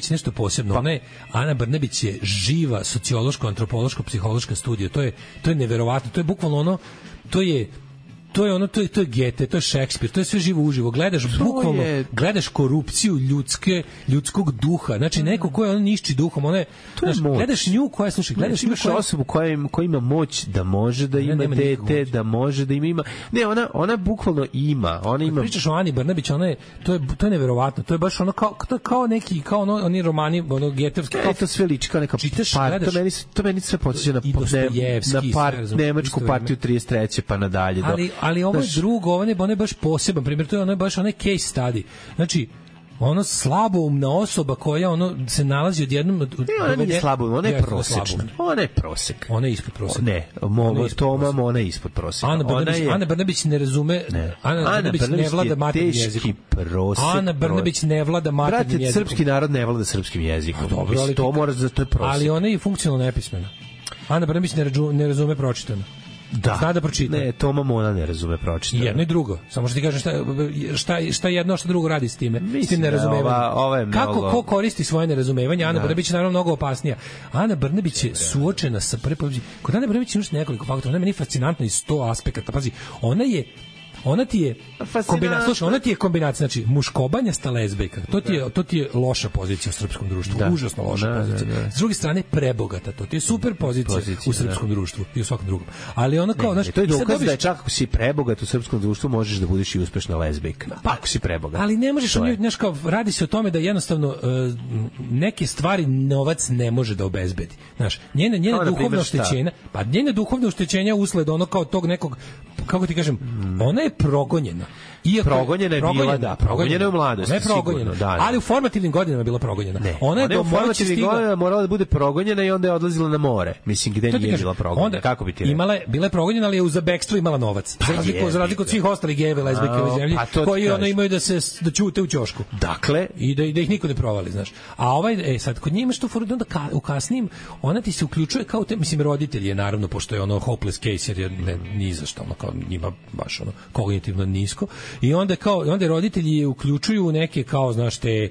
nešto posebno. Ana Brnabić je živa sociološko, antropološko, psihološka studija. To je neverovatno. To je bukvalno ono, to je Gete, to je Šekspir, to je sve živo uživo. Gledaš korupciju ljudskog duha. Znači neko ko je nišči duhom, gledaš nju koja imaš osobu koja ima moć da može da ima dete, da može da ima. Ne, ona bukvalno ima. Ona ima. Pričaš o Ani Brnabić, to je neverovatno. To je baš kao neki oni romani, getevski. To sve liči kao neka part. To meni sve podsjeća na nemačku partiju 33. pa nadalje. Ali ovo je drugo, ovo je baš poseban primjer, to je baš onaj case study. Znači, slaboumna osoba koja se nalazi odjednom... Ona nije slaboumna, ona je prosečna. Ona je prosek. Ona je ispod proseka. Ne, ona je ispod proseka. Ana Brnabić ne razume... Ana Brnabić ne vlada maternjim jezikom. Ana Brnabić ne vlada maternjim jezikom. Brate, srpski narod ne vlada srpskim jezikom. Dobro, ali to mora da to je prosek. Ali ona je funkcionalno nepismena. Ana Brnabić ne razume pročitano. Da. Zna da pročita. Ne, Toma Mona ne razume pročitano. Jedno i drugo. Samo što ti kažem šta jedno, šta drugo radi s time. S tim nerazumevanjem. Kako ko koristi svoje nerazumevanje? Ana Brnabić je naravno mnogo opasnija. Ana Brnabić je suočena sa kod Ane Brnabić imaš nekoliko faktora. Ona je meni fascinantna iz 100 aspekata. Pazi, ona ti je kombinacija, slušaj, ona ti je kombinacija, znači muškobanja sta lezbejka. To ti je loša pozicija u srpskom društvu, užasno loša pozicija. S druge strane prebogata, to ti je super pozicija u srpskom društvu i u svakom drugom. Ali ona kao, znači, to je dokaz da je čak ako si prebogat u srpskom društvu možeš da budeš i uspešna lezbejka. Ako si prebogat. Ali ne možeš, znači kao radi se o tome da jednostavno neke stvari novac ne može da obezbedi. Znaš, njena duhovna oštećenja, pa njena duhovna oštećenja usled ono kao tog nekog, kako ti kažem, ona je progonjena. Progonjena je bila, da. Progonjena je u mladosti, sigurno. Ali u formativnim godinama je bila progonjena. Ona je u formativnim godinama morala da bude progonjena i onda je odlazila na more. Mislim, gde nije bila progonjena. Kako bi ti rekao? Bila je progonjena, ali je za bekstvo imala novac. Za razliku od svih ostalih gejeva, lezbijke u zemlji, koji imaju da ćute u ćošku. Dakle. I da ih niko ne provali, znaš. A sad, kod njima što onda u kasnim, ona ti se uključuje kao te, mislim, roditelji je naravno, pošto je ono hopeless case, jer je ni za što, kao njima baš kognitivno nisko. I onda roditelji je uključuju neke kao, znaš, te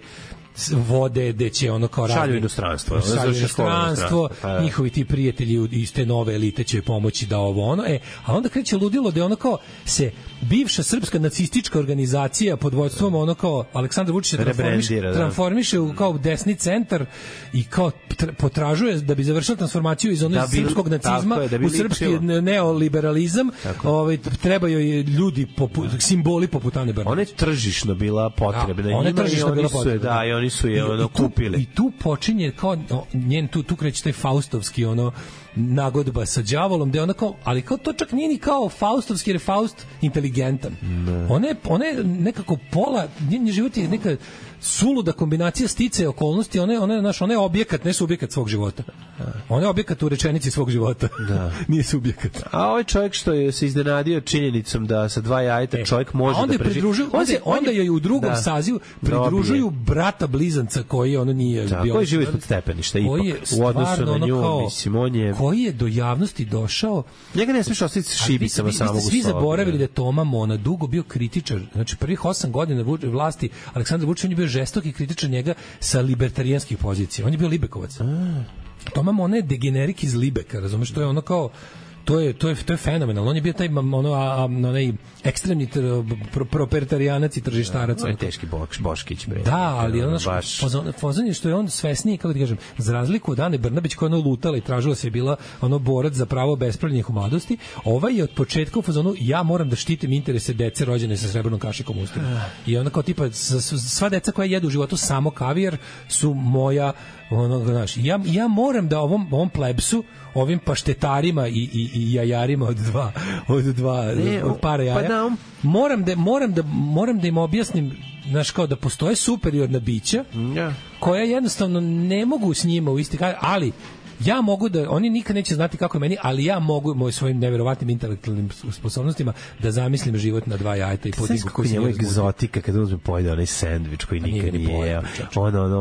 vode, gde će ono kao šalju inostranstvo, njihovi ti prijatelji iz te nove elite će pomoći da ovo ono, a onda kreće ludilo da ono kao se bivša srpska nacistička organizacija pod vođstvom ono kao Aleksandar Vučić transformiše u kao desni centar i kao potražuje da bi završila transformaciju iz onog srpskog nacizma u srpski neoliberalizam, trebaju ljudi simboli poput Ane Brnabić. Ona je tržišno bila potrebna i oni su je kupili. I tu počinje kao njen tu kreće taj faustovski nagodba sa đavolom, gde ona kao, ali kao to čak nije ni kao faustovski, jer je Faust inteligentan. Ona je nekako pola, njen život je neka suluda kombinacija sticaja okolnosti, ona je objekat, ne subjekat svog života. Ona je objekat u rečenici svog života. Nije subjekat. A ovaj čovjek što je se iznenadio činjenicom da sa 2 jajeta čovjek može da preživi. Onda je u drugom sazivu pridružuju brata blizanca koji ono nije bio. Koji živi ispod stepeništa ipak. U odnosu na nju, mislim, on je... Koji je do javnosti došao... Njega ne smiješ ostaviti s šibicama samog u sobi. Svi zaboravili da je Toma Mona dugo bio kritičar. Znači, prvih 8 godina vlasti Aleksandar Vučić, on je bio žestoki kritičar njega sa libertarijanskih pozicija. On je bio libekovac. Toma Mona je degenerik iz Libeka, razumeš? To je ono kao... To je fenomenalno. On je bio taj onaj ekstremni propertarijanac i tržištarac. On je teški Boškić. Da, ali ono fazon je što je on svesniji, kako ti kažem, za razliku od Ane Brnabić koja je lutala i tražila se je bila borac za pravo bespravljenih u mladosti, ovaj je od početka u fazonu ja moram da štitim interese dece rođene sa srebrnom kašikom u ustima. I ona kao tipa sva deca koja jedu u životu samo kavijar su moja ja moram da ovom plebsu, ovim paštetarima i jajarima od para jaja, moram da im objasnim, znaš, kao da postoje superiorna bića koja jednostavno ne mogu s njima u isti ali ja mogu da, oni nikad neće znati kako je meni, ali ja mogu svojim neverovatnim intelektualnim sposobnostima da zamislim život na 2 jajeta i podigu koji se njemu egzotika kada uzme pojede onaj sendvič koji nikad nije jeo.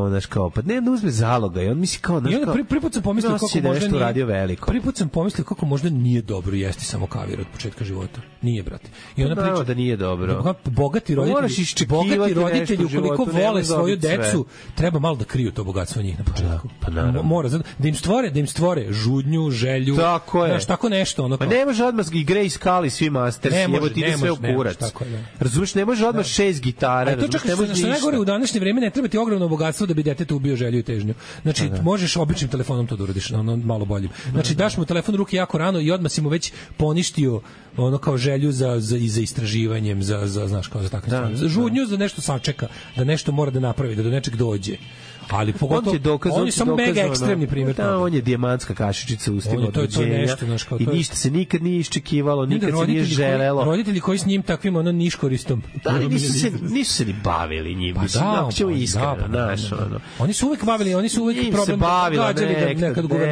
Znaš kao, pa ne da uzme zaloga i on misli kao, znaš kao, prvi put sam pomislio kako možda nije radio veliko. Prvi put sam pomislio kako možda nije dobro jesti samo kavir od početka života. Nije, brate. I ona priča da nije dobro. Bogati roditelji ukoliko vole svoju decu, treba malo da kriju to bogatstvo njih na početku. Mora da im stvore žudnju, želju, znaš, tako nešto. Pa ne može odmah i Grace Kelly, svi Masters, evo ti ide sve u kurac. Razumiješ, ne može odmah 6 gitara, razumiješ, ne može ništa. Najgore, u današnje vreme ne treba ti ogromno bogatstvo da bi detetu ubio želju i težnju. Znači, možeš običnim telefonom to da uradiš, malo boljim. Znači, daš mu telefon u ruke jako rano i odmah si mu već poništio kao želju za istraživanjem, znaš, kao za takve stvari. Za žudnju, za nešto sačeka, da nešto mora da napravi, da do nečeg dođe. Ali pogotovo on je samo mega ekstremni primjer. On je dijamantska kašičica u ustima od rođenja i ništa se nikad nije iščekivalo, nikad se nije želelo. Roditelji koji s njim takvim niškoristom. Da, nisu se ni bavili njim. Oni su uvek bavili, oni su uvek problem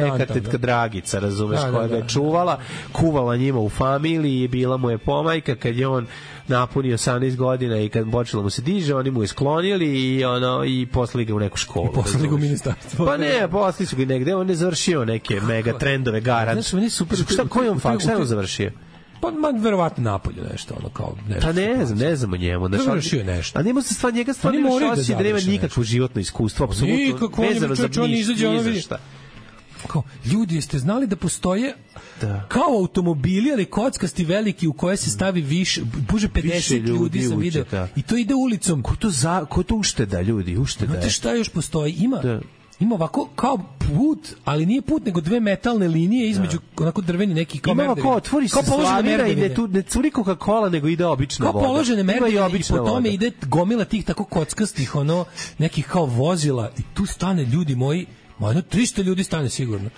nekad tetka Dragica, razumeš, koja ga je čuvala, kuvala njima u familiji, bila mu je pomajka kad je on napunio 18 godina i kad počelo mu se diže, oni mu je sklonili i poslali ga u neku školu. I poslali ga u ministarstvo. Pa ne, poslali su ga negde, on je završio neke mega trendove, garant. Znaš, meni super. Koji on fakt? Šta je on završio? Pa verovatno napolju nešto, kao nešto. Pa ne znam o njemu. Završio nešto. A nema se njega stvarno šosi da nema nikakvo životno iskustvo, apsolutno vezano za ništa. Kao, ljudi, jeste znali da postoje kao automobili, ali kockasti veliki u koje se stavi više 50 ljudi sam video i to ide ulicom. Ko to ušteda, ljudi? Znate šta još postoji? Ima ovako kao put, ali nije put, nego 2 metalne linije između onako drveni neki kao merdevine. Ima otvori se slavira i ne curi Coca-Cola, nego ide obična voda. Kao položene merdevine i po tome ide gomila tih tako kockastih, nekih kao vozila i tu stane, ljudi moji, jedno 300 ljudi stane sigurno.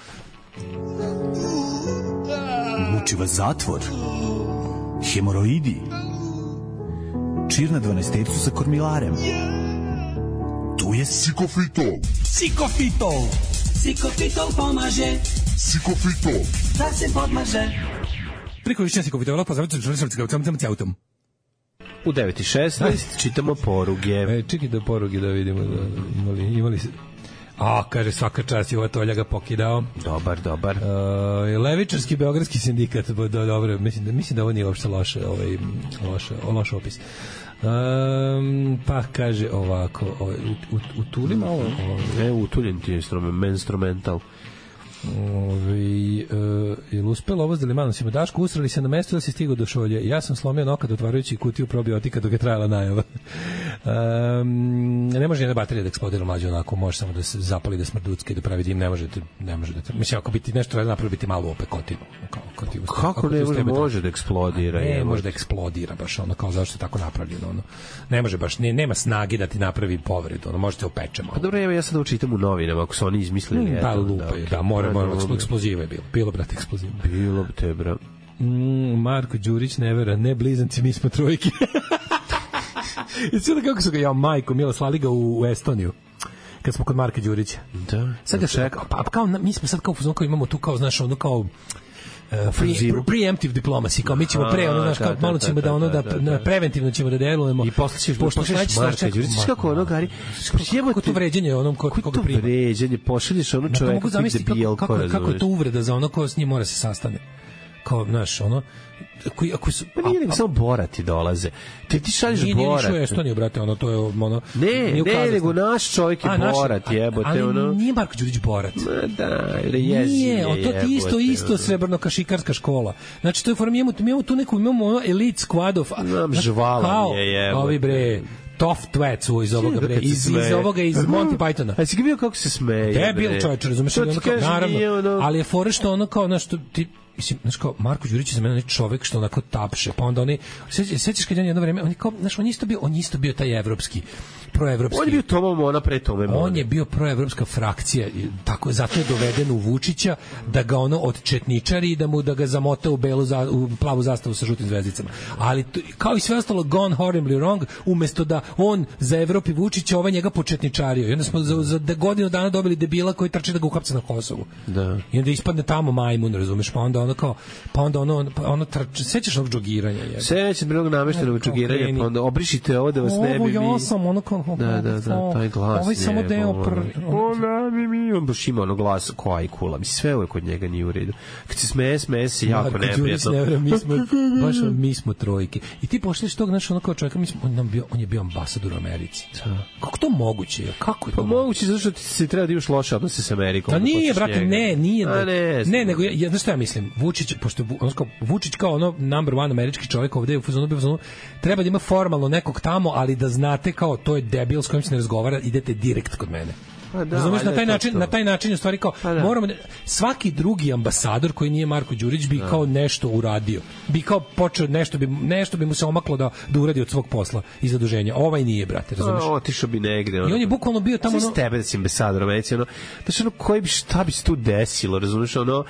Muči vas zatvor, hemoroidi, čir na 12-tercu sa kormilarem. Tu je Sikofitol. Sikofitol pomaže. Sikofitol. Da se podmaže. Priko višnja Sikofitola pozdravite sa autom. U 9:16 čitamo poruge. Čekaj da poruge da vidimo. Imali se... kaže, svaka čast je ova Tolja ga pokidao. Dobar. Levičarski beogradski sindikat, dobro, mislim da ovo nije uopšte loš opis. Pa kaže ovako, utuli malo. Utuljen ti je instrumental. Je uspelo ovo s Delimanosima? Daško, usrali se na mesto da si stigao do šolje. Ja sam slomio nokat otvarajući kutiju probiotika dok je trajala najava. Ne može jedna baterija da eksplodira mlađe onako, može samo da se zapali, da smrducka i da pravi dim, ne može da mislim, ako biti nešto radi napravi biti malo opekotinu. Kako ne može da eksplodira? Ne može da eksplodira baš ono, kao zašto je tako napravljeno ono. Ne može baš, nema snage da ti napravi povredu, ono, možete opečemo. Pa dobro, ja sad učitam u novinama, ako su oni izmislili. Da, mora eksploziva je bilo, brate, eksploziva. Bilo te, bra. Marko Đurić ne vera, ne blizanci, mi smo trojke. I sada kako su ga, majko, mila, slali ga u Estoniju, kad smo kod Marka Đurića. Da. Sad ga čekao. Pa kao, mi smo sad kao fuzon, kao imamo tu kao, znaš, ono kao preemptive diplomacy, kao mi ćemo znaš, kao malo ćemo da ono, da preventivno ćemo da delujemo. I posle ćeš Marka Đurića, kako ono, Gari, kako to vređenje onom koga prima. Kako to vređenje, pošalješ ono čoveka koji debil, kako je to uvreda za ono ko s njim mora se sastane. Kao, znaš, ono, ako su... Pa nije nego samo Borati dolaze. Ti šalješ Borat. Nije nišao Estoniju, brate, ono, to je ono... Ne, nego naš čovjek je Borat, jebote, ono... Ali nije Marko Đurić Borat. Da, jezi je, jebote. Nije, to ti isto srebrno-kašikarska škola. Znači, to je form, imamo tu neku, imamo elite squad of... Žvalan je, jebote. Ovi, bre... Tough Twats iz ovoga bre, iz ovoga iz Monty Pythona. A si ga bio kako se smeje? Debil čovječ, razumeš? Naravno, ali je fora što ono kao, znaš, ti... Mislim, znaš kao, Marko Đurić je za mene čovek što onako tapše, pa onda oni, sećaš kad je jedno vreme, on je kao, znaš, on isto bio taj evropski, proevropski. On je bio Toma Mona pre Tome Mona. On je bio proevropska frakcija, tako, zato je doveden u Vučića da ga ono odčetničari i da ga zamota u plavu zastavu sa žutim zvezdicama. Ali, kao i sve ostalo, gone horribly wrong, umesto da on za Evropi Vučića, ovaj njega početničario. I onda smo za godinu dana dobili debila koji trče da ga uhapse na Kosovu. Da. I onda ispadne tamo majmun, razumeš, pa onda ono sećaš onog džogiranja je. Sećam bilo nameštenog džogiranja, pa onda obrišite ovo da vas ne bi. Ja sam ono kao da, taj glas. Ovaj samo deo on baš ima ono glas ko ajkula. Mislim, sve ovo kod njega nije u redu. Kad se smeje se jako neprijatno. Mi smo trojke. I ti pošliš tog, znaš, ono kao čovjeka, on je bio ambasador u Americi. Kako to moguće? Kako je to? Pa moguće zato što ti se treba da imaš loše odnose sa Amerikom. Pa nije, brate, nije. Ne, nego znaš šta ja mislim? Vučić, pošto Vučić kao ono number one američki čovjek ovde u fazonu, treba da ima formalno nekog tamo, ali da znate kao to je debil s kojim se ne razgovara, idete direkt kod mene. Razumeš, na taj način u stvari kao moramo svaki drugi ambasador koji nije Marko Đurić bi kao nešto uradio. Bi kao počeo nešto bi mu se omaklo da uradi od svog posla i zaduženja. Ovaj nije, brate, razumeš? Otišao bi negde. I on je bukvalno bio tamo s tebe da si ambasador Americi, ono, znači ono koji bi šta bi se tu desilo, razumeš, ono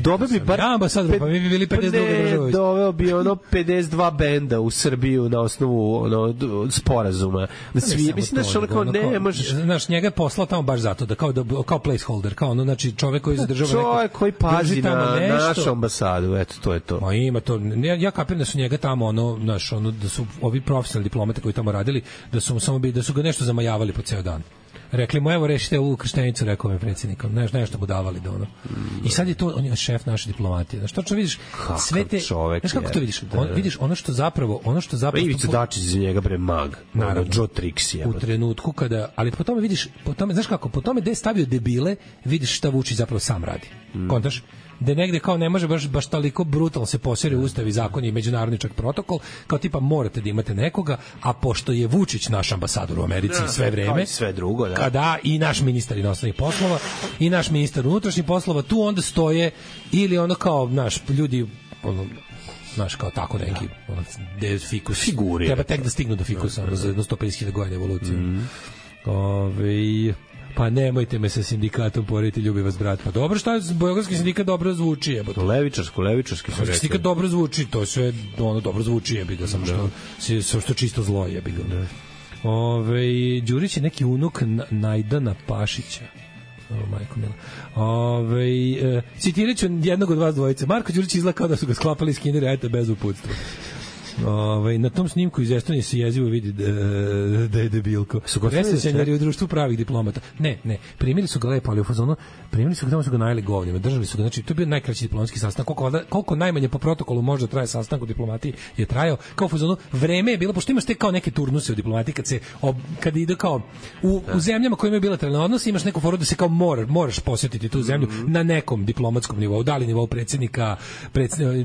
doveo bi bar ambasador, pa mi bi bili 52 države. Doveo bi ono 52 benda u Srbiju na osnovu ono sporazuma. Da svi mislim da ono kao ne možeš, znaš, njega je poslao tamo baš zato da kao placeholder, kao ono, znači čovjek koji zadržava čovjek koji pazi na našu ambasadu, eto to je to. Ma ima to, ja kapiram da su njega tamo ono, znaš, ono da su ovi profesionalni diplomate koji tamo radili, da su samo da su ga nešto zamajavali po ceo dan. Rekli mu, evo, rešite ovu krštenicu, rekao mi predsjednik, nešto mu davali da ono. I sad je to, on je šef naše diplomatije. Znaš, točno vidiš sve te... Znaš kako to vidiš? Vidiš ono što zapravo... Ivica Dačić za njega bre mag. Naravno. Joe Trix je. U trenutku kada... Ali po tome vidiš, znaš kako, po tome gde je stavio debile, vidiš šta Vučić zapravo sam radi. Kontaš? Da negde kao ne može baš toliko brutalno se posere ustav i zakon i međunarodni čak protokol, kao tipa morate da imate nekoga, a pošto je Vučić naš ambasador u Americi sve vreme, sve drugo, da. Kada i naš ministar inostranih poslova i naš ministar unutrašnjih poslova, tu onda stoje ili ono kao naš ljudi ono, znaš, kao tako neki fikus figuri. Treba tek da stignu do fikusa za 150.000 godina evolucije. Pa nemojte me sa sindikatom porediti, ljubi vas brat. Pa dobro, šta je beogradski sindikat dobro zvuči, jebote. Levičarski su rekli. Sindikat dobro zvuči, to sve ono dobro zvuči, jebi ga, samo što čisto zlo, jebi ga. Đurić je neki unuk Najdana Pašića. Majko mila. Citirat ću jednog od vas dvojice. Marko Đurić izgleda kao da su ga sklapali iz Kindera, eto, bez uputstva. Na tom snimku iz Estonije se jezivo vidi da je debilko. Presrećen jer je u društvu pravih diplomata. Ne, primili su ga lepo, ali u fazonu, primili su ga, tamo su ga najeli govnima, držali su ga, znači to je bio najkraći diplomatski sastanak, koliko najmanje po protokolu može traje sastanak u diplomatiji je trajao, kao u fazonu, vreme je bilo, pošto imaš te kao neke turnuse u diplomatiji, kad ide kao u zemljama koje imaju bilateralne odnose, imaš neku foru da se kao moraš posjetiti tu zemlju na nekom diplomatskom nivou, da li nivou predsjednika,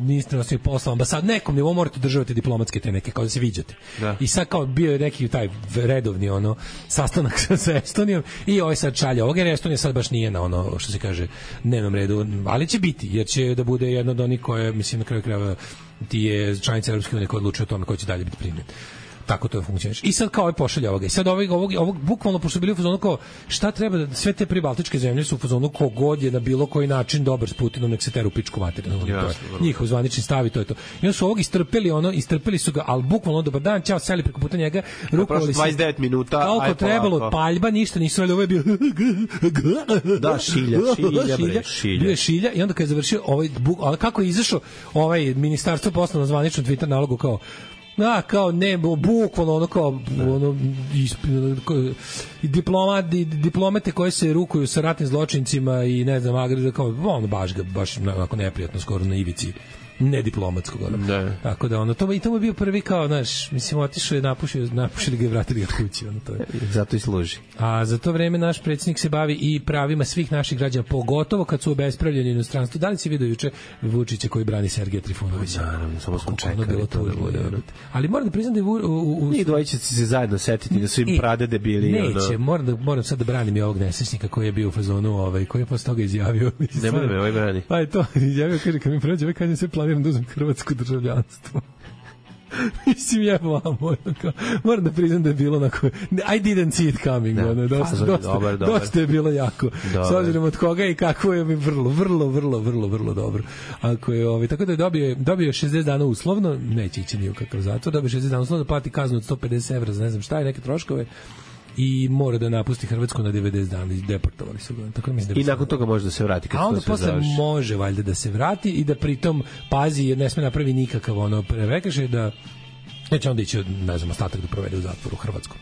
ministra inostranih poslova, ambasad, nekom nivou morate državati diplomatske te neke, kao da se viđate. Da. I sad kao bio je neki taj redovni sastanak sa Estonijom i ovaj sad šalje ovog, jer Estonija sad baš nije na što se kaže, dnevnom redu, ali će biti, jer će da bude jedno od onih koje, mislim, na kraju krajeva ti je članica Evropske unije koja odlučuje o tome ko će dalje biti primljen. Tako to funkcioniše. I sad kao ovaj pošalja ovoga. I sad ovog bukvalno, pošto bili u fazonu kao šta treba da sve te pribaltičke zemlje su u fazonu kogod je na bilo koji način dobar s Putinom, nek se teru pičku materinu. Njihov zvanični stav i to je to. I onda su ovog istrpeli su ga, ali bukvalno dobar dan, čao, seli preko puta njega, rukovali se 29 minuta. Koliko trebalo, paljba, ništa nisu, ali ovo je bio da, šilja. Bio je šilja i onda kad je završio ali kako je izašao ovaj ministarstvo poslalo na zvaničnom Twitter nalogu kao bukvalno diplomate koje se rukuju sa ratnim zločincima i ne znam, baš onako neprijatno, skoro na ivici nediplomatskog. Tako da to je bio prvi kao, znaš, mislim, otišao je, napušili ga i vratili ga kući. To je. Zato i služi. A za to vreme naš predsjednik se bavi i pravima svih naših građana, pogotovo kad su obespravljeni u inostranstvu. Da li si vidio juče Vučića koji brani Sergeja Trifunovića? Naravno, samo smo čekali to da bude. Ali moram da priznam da je njih dvojice se zajedno setiti da su im pradede bili. Neće, moram sad da branim i ovog nesrećnika koji je bio u fazonu, koji je posle toga izjavio. Nemoj da me ovaj brani. Pa je to, izjavio, kaže, kad mi prođe, kad se planiram da uzem hrvatsko državljanstvo. Mislim, moram da priznam da je bilo onako, I didn't see it coming, dosta je bilo jako. S obzirom od koga i kako je mi vrlo dobro. Ako je, tako da je dobio 60 dana uslovno, neće ići ni u kakav zatvor, dobio 60 dana uslovno, da plati kaznu od 150 evra za ne znam šta i neke troškove, i mora da napusti Hrvatsku na 90 dana i deportovali su ga. Tako I nakon toga može da se vrati. A onda posle može valjda da se vrati i da pritom pazi jer ne sme napravi nikakav prekršaj da neće onda ići, ne znam, ostatak da provede u zatvoru u Hrvatskom.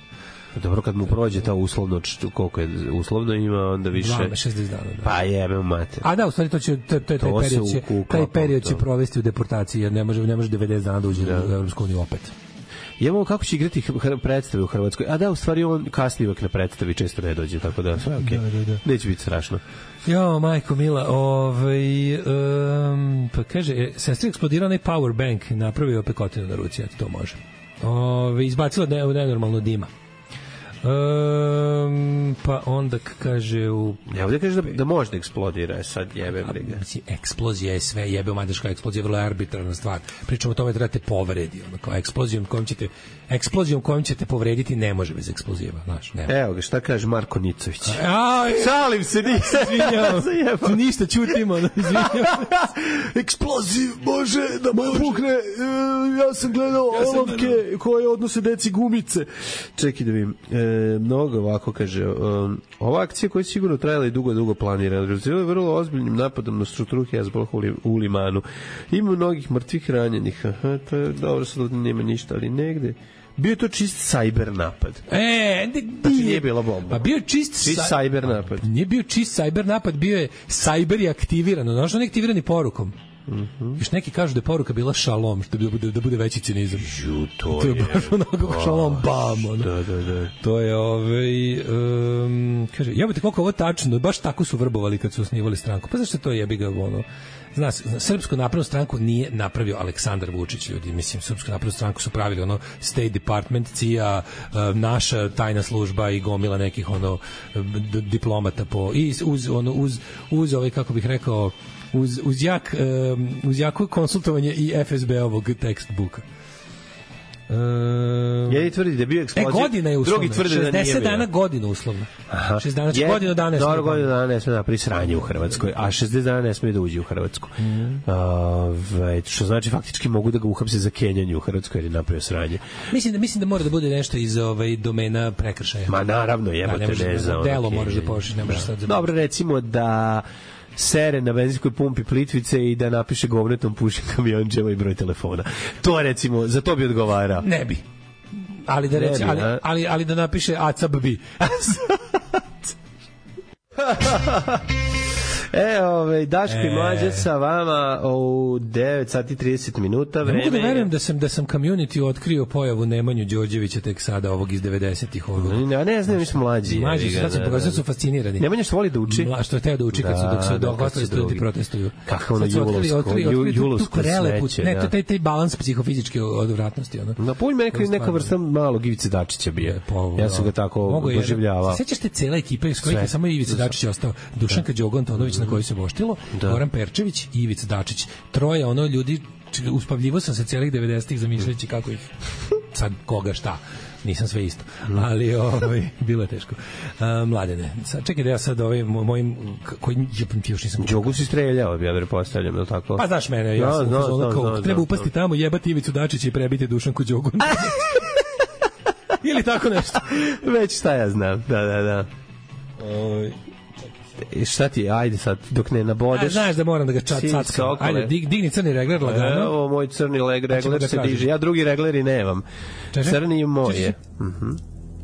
Dobro, kad mu prođe ta uslovno, koliko je uslovno ima, onda više 60 dana. Da. Pa jebe mater. A da, u stvari taj period će provesti u deportaciji jer ne može 90 dana da uđe u Evropsku uniju opet. Imamo kako će igrati predstave u Hrvatskoj. A da, u stvari on kasnije uvek na predstavi često ne dođe, tako da sve okej. Da. Neće biti strašno. Jo, majko mila, pa kaže, sestri eksplodirao onaj power bank, napravio pekotinu na ruci, eto to može. Izbacila nenormalno dima. Pa onda kaže ovdje kaže da može da eksplodira, sad jebe briga. Eksplozija je sve, jebe mađarska eksplozija je vrlo arbitrarna stvar. Pričamo o tome da trebate povredi, kao eksplozijom kojom ćete povrediti ne može bez eksploziva, znaš, nema. Evo ga, šta kaže Marko Nicović? Šalim se, izvinjavam. Ništa, čutimo, izvinjavam. Eksploziv može da pukne. Ja sam gledao olovke koje odnose deci gumice. Čekaj da vidim. Mnogo ovako kaže, ova akcija koja je sigurno trajala i dugo planirana, rezultirala je vrlo ozbiljnim napadom na strukturu Hezbollah u Limanu. Ima mnogih mrtvih ranjenih. To je dobro, sad nema ništa, ali negde bio je to čist cyber napad. Znači nije bila bomba. Pa bio čist cyber napad. Nije bio čist cyber napad, bio je cyber i aktiviran. Znaš, on je aktiviran i porukom. Još neki kažu da je poruka bila šalom, što da bude veći cinizam. To je baš onako šalom bam. Da. To je kaže, jebate koliko ovo tačno, baš tako su vrbovali kad su osnivali stranku. Pa zašto to jebi ga Znaš, Srpsku naprednu stranku nije napravio Aleksandar Vučić, ljudi. Mislim, Srpsku naprednu stranku su pravili State Department, CIA, naša tajna služba i gomila nekih diplomata i uz kako bih rekao, uz jako konsultovanje i FSB-ovog textbooka. Jedni tvrdi da je bio eksplozija, godina je uslovna, drugi tvrdi da nije bio. 60 dana godina uslovna. 60 dana, godinu dana. Dobro, godinu dana ne sme napravi sranje u Hrvatskoj, a 60 dana ne sme da uđe u Hrvatsku. Što znači faktički mogu da ga uhapse za kenjanje u Hrvatskoj jer je napravio sranje. Mislim da mora da bude nešto iz domena prekršaja. Ma naravno, jebote, ne za delo moraš da pošliš, ne možeš sad. Dobro, recimo da sere na benzinskoj pumpi Plitvice i da napiše govnetom pušim kamionđeva i broj telefona. To recimo, za to bi odgovarao. Ne bi. Ali da reći, ali da napiše ACAB bi. Daško i Mlađa sa vama u 9 sati 30 minuta. Ne mogu da verujem da sam community otkrio pojavu Nemanju Đorđevića tek sada, ovog iz 90-ih. Ne znam, mi smo mlađi. Mlađi su, sad se pokazali, su fascinirani. Nemanja što voli da uči. Što je teo da uči dok su ostali studenti protestuju. Kako ono julovsko smeće. Ne, taj balans psihofizičke odvratnosti. Na polju neka vrsta malog Ivice Dačića bio. Ja sam ga tako doživljavao. Sećaš te cela ekipa iz kojih je samo Ivica Dačić ostao? Dušanka Đogon Tonović na koji se voštilo, Goran Perčević i Ivica Dačić. Troje ljudi, uspavljivo sam se celih 90-ih zamišljajući kako ih sad koga šta. Nisam sve isto, ali bilo je teško. Mladene, čekaj da ja sad mojim koji još nisam... Đogu si streljao, ja pretpostavljam, je li tako? Pa znaš mene, ja sam treba upasti tamo, jebati Ivicu Dačića i prebiti Dušanku Đogu. Ili tako nešto. Već šta ja znam, da. Šta ti, ajde sad, dok ne nabodeš. Znaš da moram da ga cackam. Ajde, digni crni regler lagano. Evo, moj crni regler se diže. Ja drugi regleri nemam. Crni je moje.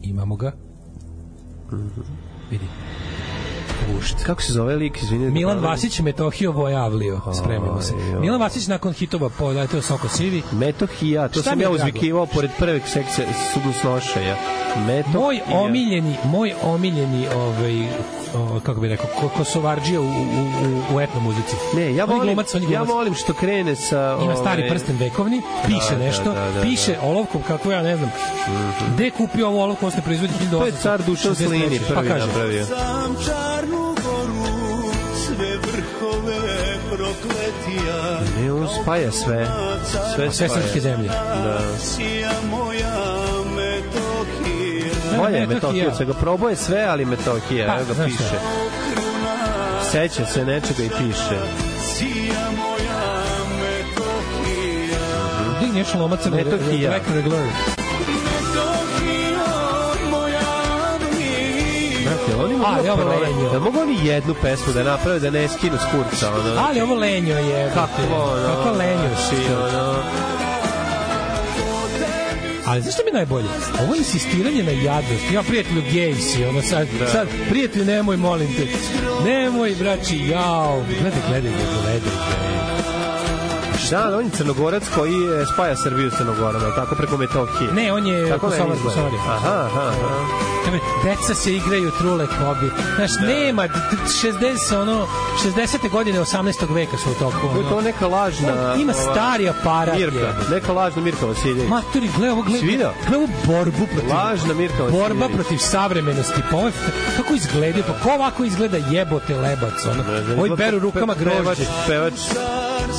Imamo ga. Vidi. Kako se zove lik, izvini? Milan Vasić, Metohio Vojavlio. Spremimo se. Milan Vasić nakon hitova poleteo Soko Sivi. Metohija, to sam ja uzvikivao pored prveg sekcija Sugusnošaja. Moj omiljeni kako bi rekao, Kosovarđija u etno muzici. Ne, ja volim što krene sa... Ima stari prsten vekovni, piše nešto, piše olovkom, kako ja ne znam, gde je kupio ovu olovku, osne proizvodi 1800. To je car Dušan Slini prvi napravio. Sam Čarnu goru, sve vrhove prokletija. Ne, on spaja sve srpske zemlje. Da. Sija moja Metohija. Bolje Metohija, se ga proboje sve, ali Metohija, evo ga piše. Seća se nečega i piše. Sija moja Metohija. Digni još lomaca Metohija. Regler. Da mogu oni jednu pesmu da naprave da ne skinu s kurca, ali ovo lenjo je. Kako lenjo si, Ali zašto mi najbolje? Ovo insistiranje na jadnost. Ja prijatelju gej si, sad prijatelju nemoj, molim te. Nemoj, braći, jao. Gledaj. Da, on je Crnogorac koji spaja Srbiju s Crnogorom, ali tako preko Metohije. Ne, on je Kosovar. Aha. Deca se igraju trule hobi. Znaš, nema 60. godine 18. veka su u toku. To je neka lažna... Ima stari aparat. Neka lažna Mirka Vasiljević. Maturi, gledaj ovu borbu protiv... Lažna Mirka Vasiljević. Borba protiv savremenosti. Kako izgleda? Pa ko ovako izgleda jebote lebac? Ovi beru rukama grožđe. Pevač.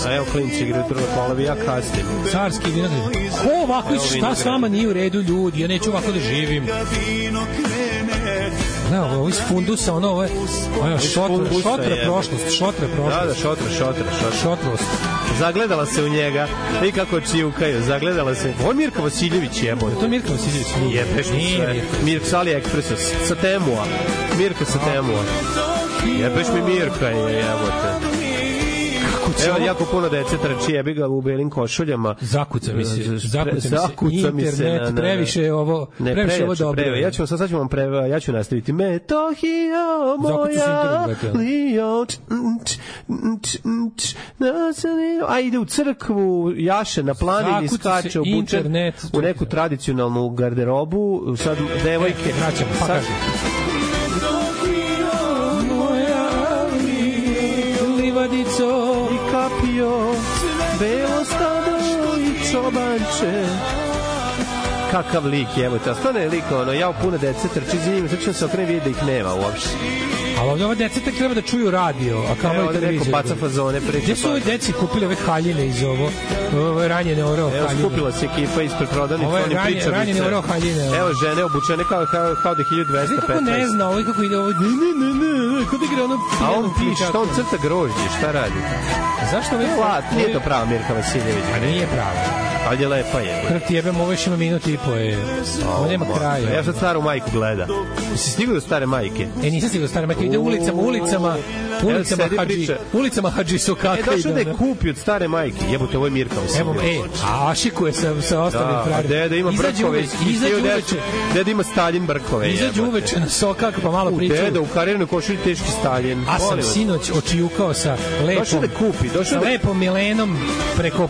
A evo klinci igraju trule polovi, ja kasnim. Carski vinograd. Ko ovako, šta s vama nije u redu, ljudi? Ja neću ovako da živim. Ne, ovo iz fundusa, ovo je šotra prošlost. Da, šotrost. Zagledala se u njega. I kako čivkaju, zagledala se. Ovo je Mirka Vasiljević, jebote. To je Mirka Vasiljević. Jebeš mi sve. Mirka sa AliExpressa, sa Temua. Mirka sa Temua. Jebeš mi Mirka, jebote. Evo, jako puno dece trči, jebi ga u belim košuljama. Zakuca mi se internet, previše ovo dobro. Ja ću nastaviti. Metohija moja, Lio, a ide u crkvu, jaše na planini, skače obučen u neku tradicionalnu garderobu, sad devojke. Vraćamo, pa kaži. Livadico i kapio, belo stado i čobanče. Kakav lik, evo te, stvarno je lik, ja u puno dece trči za njim, sad ću se okrene vidjeti da ih nema uopšte. Ali ovdje ove dece tek treba da čuju radio, a kao i televiziju. Neko baca fazone, priča. Gdje su ove deci kupili ove haljine iz ovo ranjene oreo haljine? Evo, skupila se ekipa ispred prodavnice, oni priča. Ranjene oreo haljine. Evo, žene obučene kao da 1215. Kako ne zna, ovo kako ide ovo, ne, kod igra ono... A on piše, šta on crta grožđe, šta radi? Zašto ove... Nije to prava Mirka Vasiljević. A nije prava. ali je lepa je. Kada ti jebem, ovo još ima minut i po je. Ovo nema kraja. Ja sad staru majku gleda. Si stigao do stare majke? Nisam stigao do stare majke. Ide ulicama Hadži Sokaka. Došao da je kupi od stare majke. Jebote, ovo je Mirka Vasiljević. A ašikuje sa ostalim frajerima. Deda ima brkove. Deda ima Staljin brkove. Izađu uveče na Sokak pa malo pričaju. Deda u karijernoj košulji teški Staljin. A sam sinoć očijukao sa lepom Milenom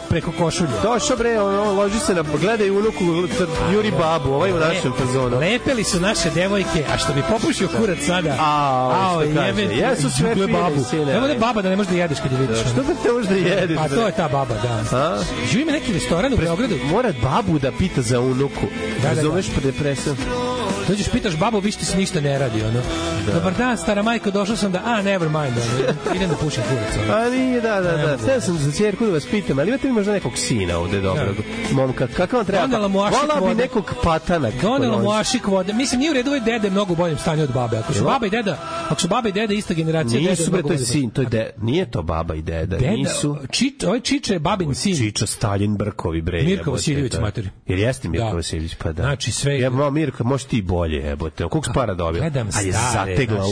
preko košulje. Došao bre, loži se na gledaj unuku Juri babu, ovaj u našem fazonu. Lepeli su naše devojke, a što bi popušio kurac sada. Jesu sve fine sine. Evo da baba da ne možeš da jedeš kad je vidiš. Što da te možeš da jedeš? Pa to je ta baba, da. Živi me neki restoran u Beogradu. Mora babu da pita za unuku. Razumeš depresiju? Dođeš, pitaš babu, viš ti se ništa ne radi, ono. Dobar dan, stara majko, došao sam da, never mind, ono. Idem da pušim kurac, ono. A nije, da. Sve sam za ćerku da vas pitam, ali imate li možda nekog sina ovde dobrog? Momka, kako vam treba? Vola bi nekog patana. Donela mu ašik vode. Mislim, nije u redu, ovaj dede mnogo u boljem stanju od babe. Ako su baba i deda ista generacija, nisu, bre, to je sin, to je deda. Nije to baba i deda, nisu. Ovaj Čiča je babin sin. Čiča Staljin brkovi, bre. Mirko Vasiljević, materi. Jer jeste Mirko Vasiljević, pa da. Znači, sve... Ja, Mirko, možeš ti bolje, jebote. Koliko si para dobio? A je zategla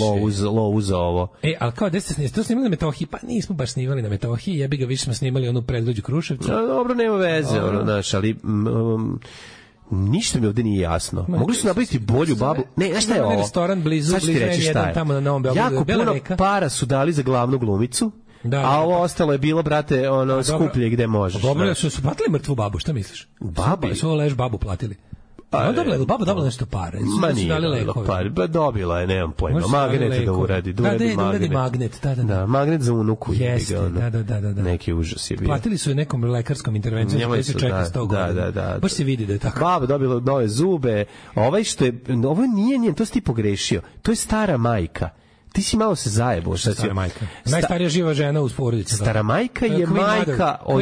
lovu za ovo. Ali kao, gde ste to snimali na Metohiji? Pa nismo baš snimali na Metohiji, jebi ga, više smo snimali onu predgrađu Kruševca. Dobro, nema veze, ono, znaš, ali... ništa mi ovde nije jasno. Mogli su napraviti bolju babu. Ne, znaš šta je ovo? Restoran blizu jedan tamo na Novom Beogradu. Jako puno para su dali za glavnu glumicu, a ovo ostalo je bilo, brate, ono, skuplje gde možeš. Dobro, su platili mrtvu babu, šta misliš? Babi? Su ovo leš babu platili. Baba dobila nešto pare. Ma nije dobila pare. Dobila je, nemam pojma. Magnet da uradi. Da uradi magnet. Da, magnet za unuku. Jeste, da. Neki užas je bio. Platili su je nekom lekarskom intervencijom gde se čeka 100 godina. Da. Baš se vidi da je tako. Baba dobila nove zube. Ovo nije njen, to si ti pogrešio. To je stara majka. Ti si malo se zajebao. Stara majka. Najstarija živa žena u porodici. Stara majka je majka od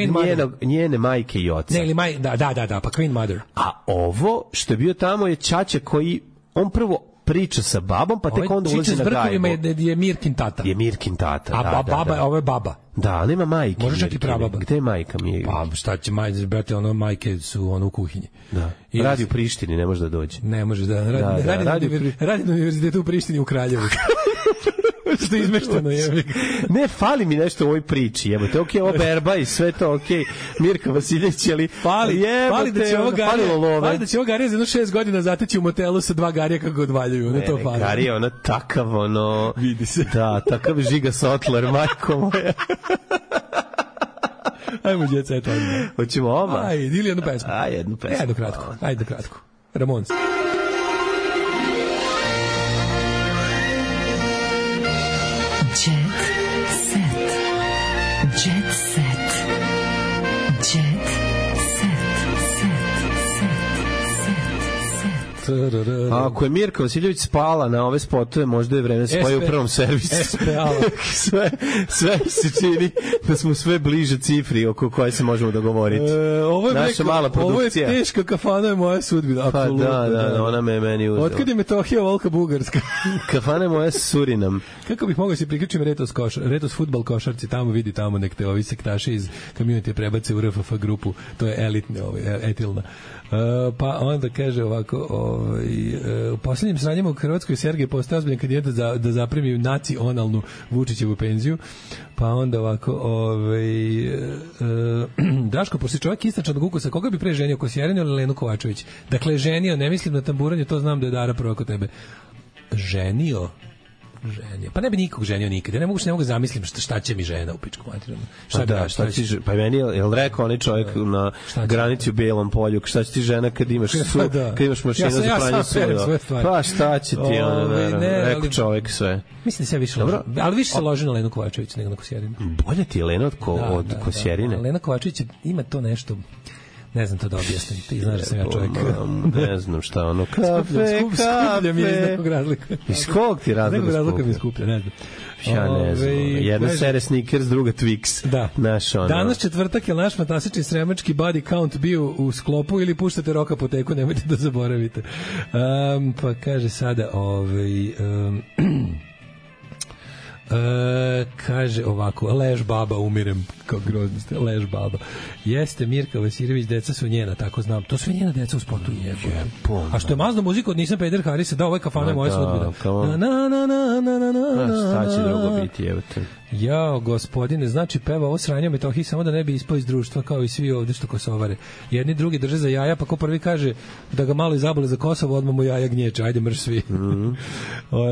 njene majke i oca. Ne, ili da, pa Queen Mother. A ovo što je bio tamo je ćaća koji, on prvo priča sa babom, pa tek onda ulazi na gajbu. Čiča s brkovima je Mirkin tata. Je Mirkin tata, a baba, ovo je baba. Da, nema majke. Može čak i prababa. Gde je majka mi? Pa šta će majke, brate, ono majke su ono u kuhinji. Da. Radi u Prištini, ne može da dođe. Ne može da. Radi na univerzitetu u Prištini u Kraljevu. Što je izmešteno, je. Ne, fali mi nešto u ovoj priči, jebote. Okej, ovo berba i sve to, okej. Mirka Vasiljević, ali fali da će ovo Garija za 6 godina zateći u motelu sa 2 Garija kako odvaljuju. Ne, to fali. Garija, ona takav, ono... Vidi se. Da, takav Žiga Sotler, majko moja. Ajmo, djeca, eto. Hoćemo oma? Ajde, ili jednu pesmu. Jednu pesmu. Ajde kratko. Ramones. Ako je Mirka Vasiljević spala na ove spotove, možda je vreme spoje u prvom servisu. sve se čini da smo sve bliže cifri oko koje se možemo dogovoriti. Naša mala produkcija. Ovo je teška kafana, je moja sudbina. Pa da, ona me meni uzela. Otkad je Metohija volka Bugarska? Kafana je moja Surinam. Kako bih mogao se priključiti Retos fudbal košarci, tamo nek te ovi sektaši iz community prebace u RFF grupu, to je elitne, etilna. Pa onda kaže ovako, u posljednjim sranjima u Hrvatskoj Sergej postaje ozbiljan kandidat da zaprimi nacionalnu Vučićevu penziju. Pa onda ovako, Daško, poslije čovjek istačanog ukusa, koga bi pre ženio, Kosjerinu ili Lenu Kovačević? Dakle, ženio, ne mislim na tamburanje, to znam da je Dara prvo kod tebe. Ženio. Pa ne bi nikog ženio nikad. Ja ne mogu zamislim šta će mi žena u pičku materinu. Pa meni je rekao onaj čovjek na granici u Bijelom polju, šta će ti žena kad imaš mašinu za pranje sudova? Pa šta će ti rekao čovjek sve. Mislim da se više loži. Ali više se loži na Lenu Kovačević nego na Kosjerinu. Bolje ti je Lena od Kosjerine? Lena Kovačević ima to nešto... Ne znam to da objasnim, ti znaš da sam ja čovjek. Ne znam šta ono, kafe. Skuplja mi je iz nekog razlika. Iz kog ti razlika skuplja? Nekog razlika mi je skuplja, ne znam. Ja ne znam, jedna sere Snickers, druga Twix. Da. Danas četvrtak je naš fantastični sremački body count bio u sklopu ili puštate Rock Apoteku, nemojte da zaboravite. Pa kaže sada, Kaže ovako, lež baba, umirem, kao grozni ste, lež baba. Jeste Mirka Vasirević, deca su njena, tako znam. To su njena deca u spotu je. A što je mazno muziku od Nisam Peder Harisa, da, ovo je Kafana moja sudbina. Šta će drugo biti, evo te. Jao, gospodine, znači peva ovo sranje o Metohiji samo da ne bi ispao iz društva kao i svi ovde što kosovare. Jedni drugi drže za jaja, pa ko prvi kaže da ga malo izabole za Kosovo, odmah mu jaja gnječe, ajde mrš svi.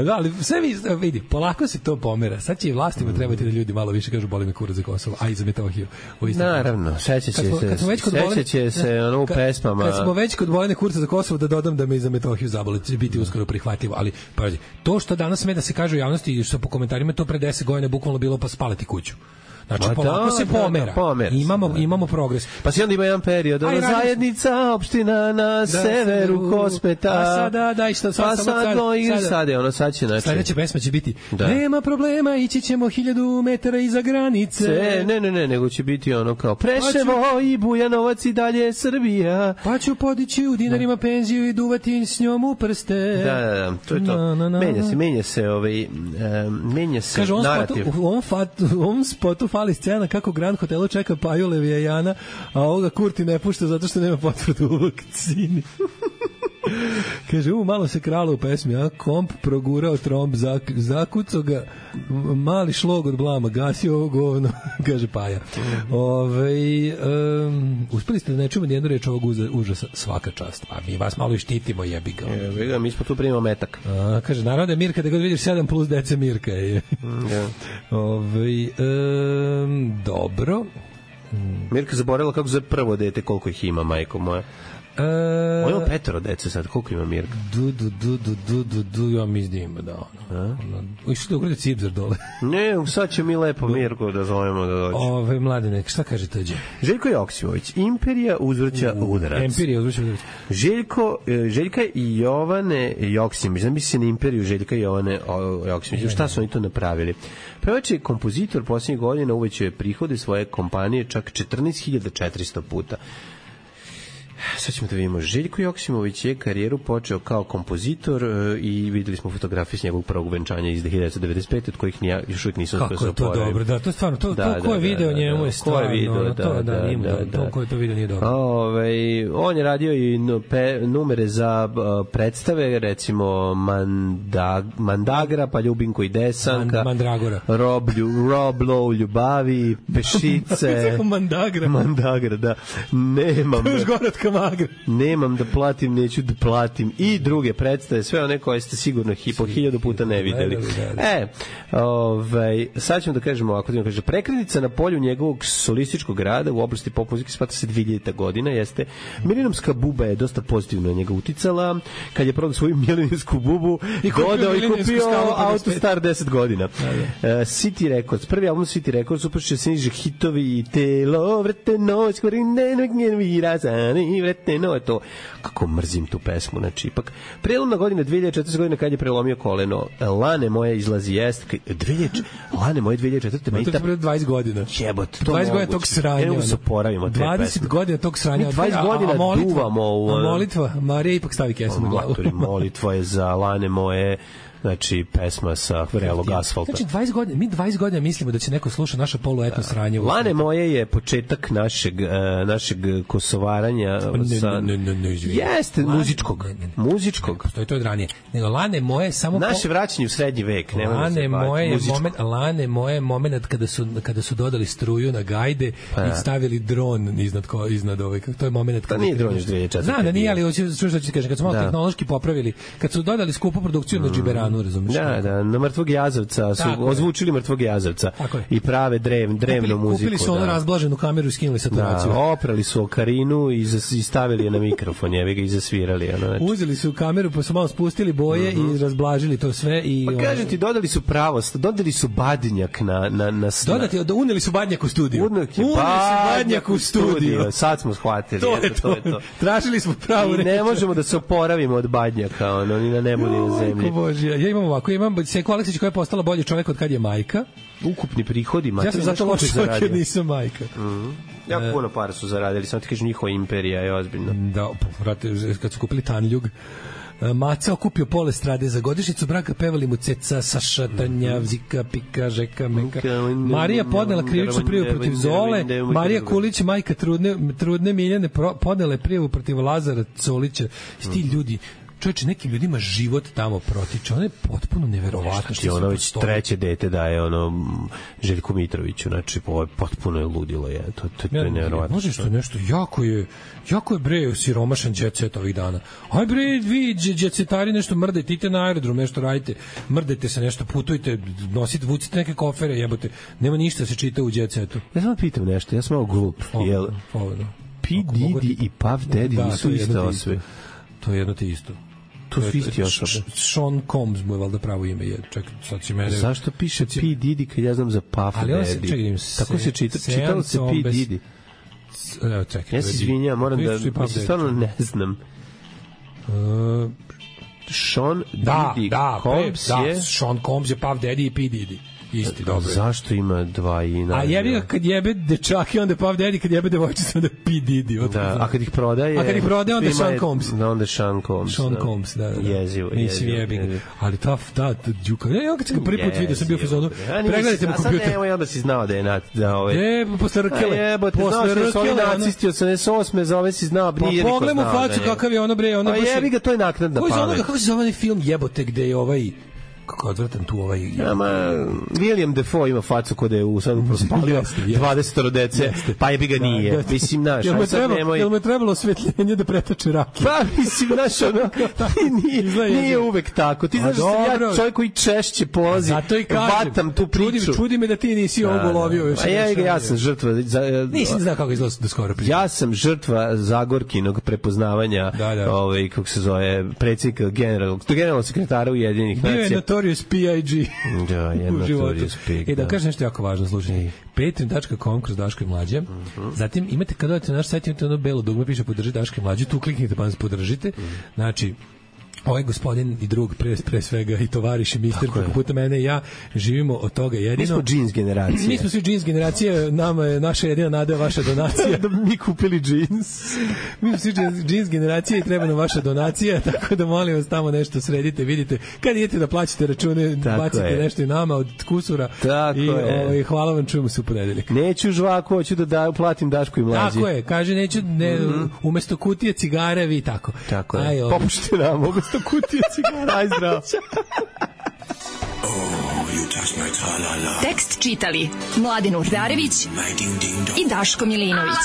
Da, ali sve vidi, polako se to pomera. Sad će i vlastima trebati da ljudi malo više kažu boli me kurac za Kosovo, a i za Metohiju. Naravno, sećaće se ono u pesmama. Kad smo već kod bolene kurca za Kosovo, da dodam da me i za Metohiju zabole, će biti uskoro prihvatljivo, ali pazi, to što danas sme da se kaže u javnosti i što po komentarima to pre 10 godina bukvalno bilo pa spaliti kuću. Znači, polako se pomera. Imamo progres. Pa si onda ima jedan period, zajednica, opština na severu Kospeta. A sada, sad će, znači. Sledeća pesma će biti, nema problema, ići ćemo 1000 metara iza granice. Ne, nego će biti ono kao, Preševo i Bujanovac i dalje Srbija. Pa ću podići u dinarima penziju i duvati s njom u prste. Da, to je to. Menja se narativ. Kaže, u ovom spotu fali scena kako Grand Hotelu čeka Paju Levijana, a ovoga Kurti ne pušta zato što nema potvrdu u vakcini. Kaže, malo se kralo u pesmi, a komp progurao tromb, zakucao ga mali šlog od blama, gasio ovo govno, kaže Paja. Uspeli ste da ne čujemo nijednu reč ovog užasa, svaka čast. A mi vas malo i štitimo, jebi ga. Mi smo tu primamo metak. Kaže, narode Mirka, da ga vidiš 7 plus dece Mirka je. Dobro. Mirka zaboravila kako zove prvo dete, koliko ih ima, majko moja. On ima 5 dece sad, koliko ima Mirka? Ja mislim da išli da ugrade Cipzar dole. Ne, sad će mi lepo Mirko da zovemo da dođe. Mladine, šta kaže tađe? Željko Joksimović, Imperija uzvrća udarac. Željka i Jovane Joksimović, znam se na Imperiju Željka i Jovane Joksimović. Šta su oni to napravili? Pevač je kompozitor posljednjih godina, uvećao prihode svoje kompanije čak 14.400 puta. Sad ćemo da vidimo. Željko Joksimović je karijeru počeo kao kompozitor i videli smo fotografije s njegovog prvog venčanja iz 1995. od kojih još uvijek nisam uspio se oporaviti. Kako je to dobro, da, to je stvarno, ko je video njemu je stvarno, ko je to video nije dobro. On je radio i numere za predstave, recimo Mandagra, pa Ljubinko i Desanka, Mandragora, Rob Low Ljubavi, Pešice, Mandagra, da, nemam. Magra. Nemam da platim, neću da platim i druge predstave, sve one koje ste sigurno po 1000 puta ne videli. Sad ćemo da kažemo ovako, kaže, prekretnica na polju njegovog solističkog rada u oblasti pop muzike smatra se 2000. godina, jeste Mileniumska buba je dosta pozitivno na njega uticala, kad je prodao svoju mileniumsku bubu i kupio Autostar 10 godina. City Records, prvi album City Records, upršće se niže hitovi i telo, vrte noć, vreteno je to. Kako mrzim tu pesmu, znači ipak. Prelomna godina 2014. godina kad je prelomio koleno. Lane moje izlazi jest. Lane moje 2004. To je pre 20 godina. Jebot, to 20 godina tog sranja. Evo se poravimo te 20 godina tog sranja. 20 godina duvamo u... A molitva, Marija ipak stavi kesu na glavu. Molitva je za Lane moje... Znači, pesma sa vrelog asfalta. Znači, 20 godina mislimo da će neko sluša naše poluetno sranje. Lane moje je početak našeg kosovaranja. Jeste, muzičkog. To je od ranije. Nego, Lane moje samo... Naše vraćanje u srednji vek. Lane moje moment kada su dodali struju na gajde i stavili dron iznad ovaj. To je moment kada... To nije dron još 2004. Znam da nije, ali hoću što ću kažem. Kad su malo tehnološki popravili, kad su dodali skupu produkciju na Džiberanu, razumiješ? Da, na Mrtvog Jazavca su ozvučili Mrtvog Jazavca i prave drevnu muziku. Kupili su ono razblaženu kameru i skinuli saturaciju. Da, oprali su okarinu i stavili je na mikrofon, jevi i zasvirali. Uzeli su kameru pa su malo spustili boje i razblažili to sve. Pa kažem ti, dodali su pravost, dodali su badnjak na uneli su badnjak u studiju. Uneli su badnjak u studiju. Sad smo shvatili. To je to. Tražili smo pravu reč. I ne možemo da se oporavimo od badnjaka, ni na nebu, ni na zemlji. Ja imam ovako, imam Seko Aleksić koja je postala bolji čovjek od kad je majka. Ukupni prihodi, ja sam zato loš čovjek jer nisam majka. Ja puno para su zaradili, samo ti kažem, njihova imperija je ozbiljna. Da, kad su kupili Tanljug, Maca okupio pole strade za godišnjicu braka, pevali mu Ceca, Saša, Tanja, Zika, Pika, Žeka, Meka. Marija podnela krivičnu prijavu protiv Zole, Marija Kulić, majka trudne Miljane, podnela je prijavu protiv Lazara Colića. Ti ljudi, čovječe, nekim ljudima život tamo protiče. Ono je potpuno neverovatno. Što ono već treće dete daje Željku Mitroviću. Znači, potpuno je ludilo. To je neverovatno. Može što nešto, jako je bre siromašan jet set ovih dana. Aj bre, vi jetsetari nešto mrdajte, idite na aerodrom, nešto radite, mrdajte se nešto, putujte, nosite, vucite neke kofere, jebote. Nema ništa se čita u jet setu. Ja samo pitam nešto, ja sam malo glup. P. Diddy i Puff Daddy nisu isto osobe. To je jedno te isto. To su isti osobe. Sean Combs mu je valjda pravo ime. Čekaj, sad će mene... Zašto piše P. Diddy kad ja znam za Puff Daddy? Tako se čitalo se P. Diddy. Evo, čekaj. Ja se izvinjam, moram da... Stvarno ne znam. Sean Diddy Combs je... Da, Sean Combs je Puff Daddy i P. Diddy. Isti, dobro. Zašto ima dva ina? A jebi ga kad jebe dečake, onda Puff Daddy, kad jebe devojčice, onda P. Diddy. Da, a kad ih prodaje... onda Sean Combs. Onda Sean Combs. Sean Combs, da. Jezivo. Ali ta djuka... Ja kad sam ga prvi put vidio, sam bio u fazonu. Pregledajte mu kompjuter. A sad nemoj, onda si znao da je posle Rkele. Jebote, znao si da su ovi nacisti od 88. za ove si znao, nije niko znao. Pa pogledaj mu facu kakav je ono bre. A jebi ga, to je naknadna pamet. Kako se zove onaj film jebote gde je ovaj... kako odvratan tu ovaj... William Dafoe ima facu kod je sad prospalio 20 dece, pa je bi ga nije. Mislim, naš, jel me trebalo osvetljenje da pretače rake? Pa, mislim, naš, ono, nije uvek tako. Ti znaš da sam ja čovjek koji češće polazi, vatam tu priču. Čudi me da ti nisi ovo lovio. A ja sam žrtva... Nisam znao kako izgleda do skoro priča. Ja sam žrtva Zagorkinog prepoznavanja, kako se zove, predsjednika generalnog sekretara Ujedinjenih nacija. Notorious P.I.G. Da, je Notorious P.I.G. Da kažem nešto jako važno, slušajte. Patreon.com kroz Daško i Mlađe. Zatim imate, kada odete na naš sajt, imate ono belo dugme, piše podrži Daško i Mlađe, tu kliknite pa nas podržite. Znači, ovaj gospodin i drug pre svega i tovariš i mister kako puta mene i ja živimo od toga jedino. Mi smo džins generacija. Mi smo svi džins generacija, nama je naša jedina nada vaša donacija. Da mi kupili džins. Mi smo svi džins generacija i treba nam vaša donacija, tako da molim vas tamo nešto sredite, vidite. Kad idete da plaćate račune, bacite nešto i nama od kusura. Tako je. Hvala vam, čujemo se u ponedeljak. Neću žvaku, hoću da platim Dašku i Mlađi. Tako je, kaže neću, umesto kutije cigare, vi tako. Tako je. Popušte nam, mogu kutije cigara, aj zdravo. Tekst čitali Mladen Urdarević i Daško Milinović.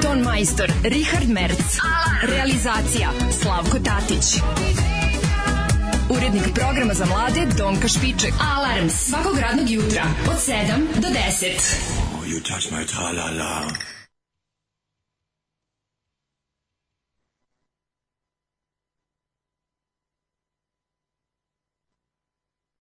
Ton majstor Richard Merc. Realizacija Slavko Tatić. Urednik programa za mlade Donka Špiček. Alarms svakog radnog jutra od 7 do 10. You touch my tra-la-la.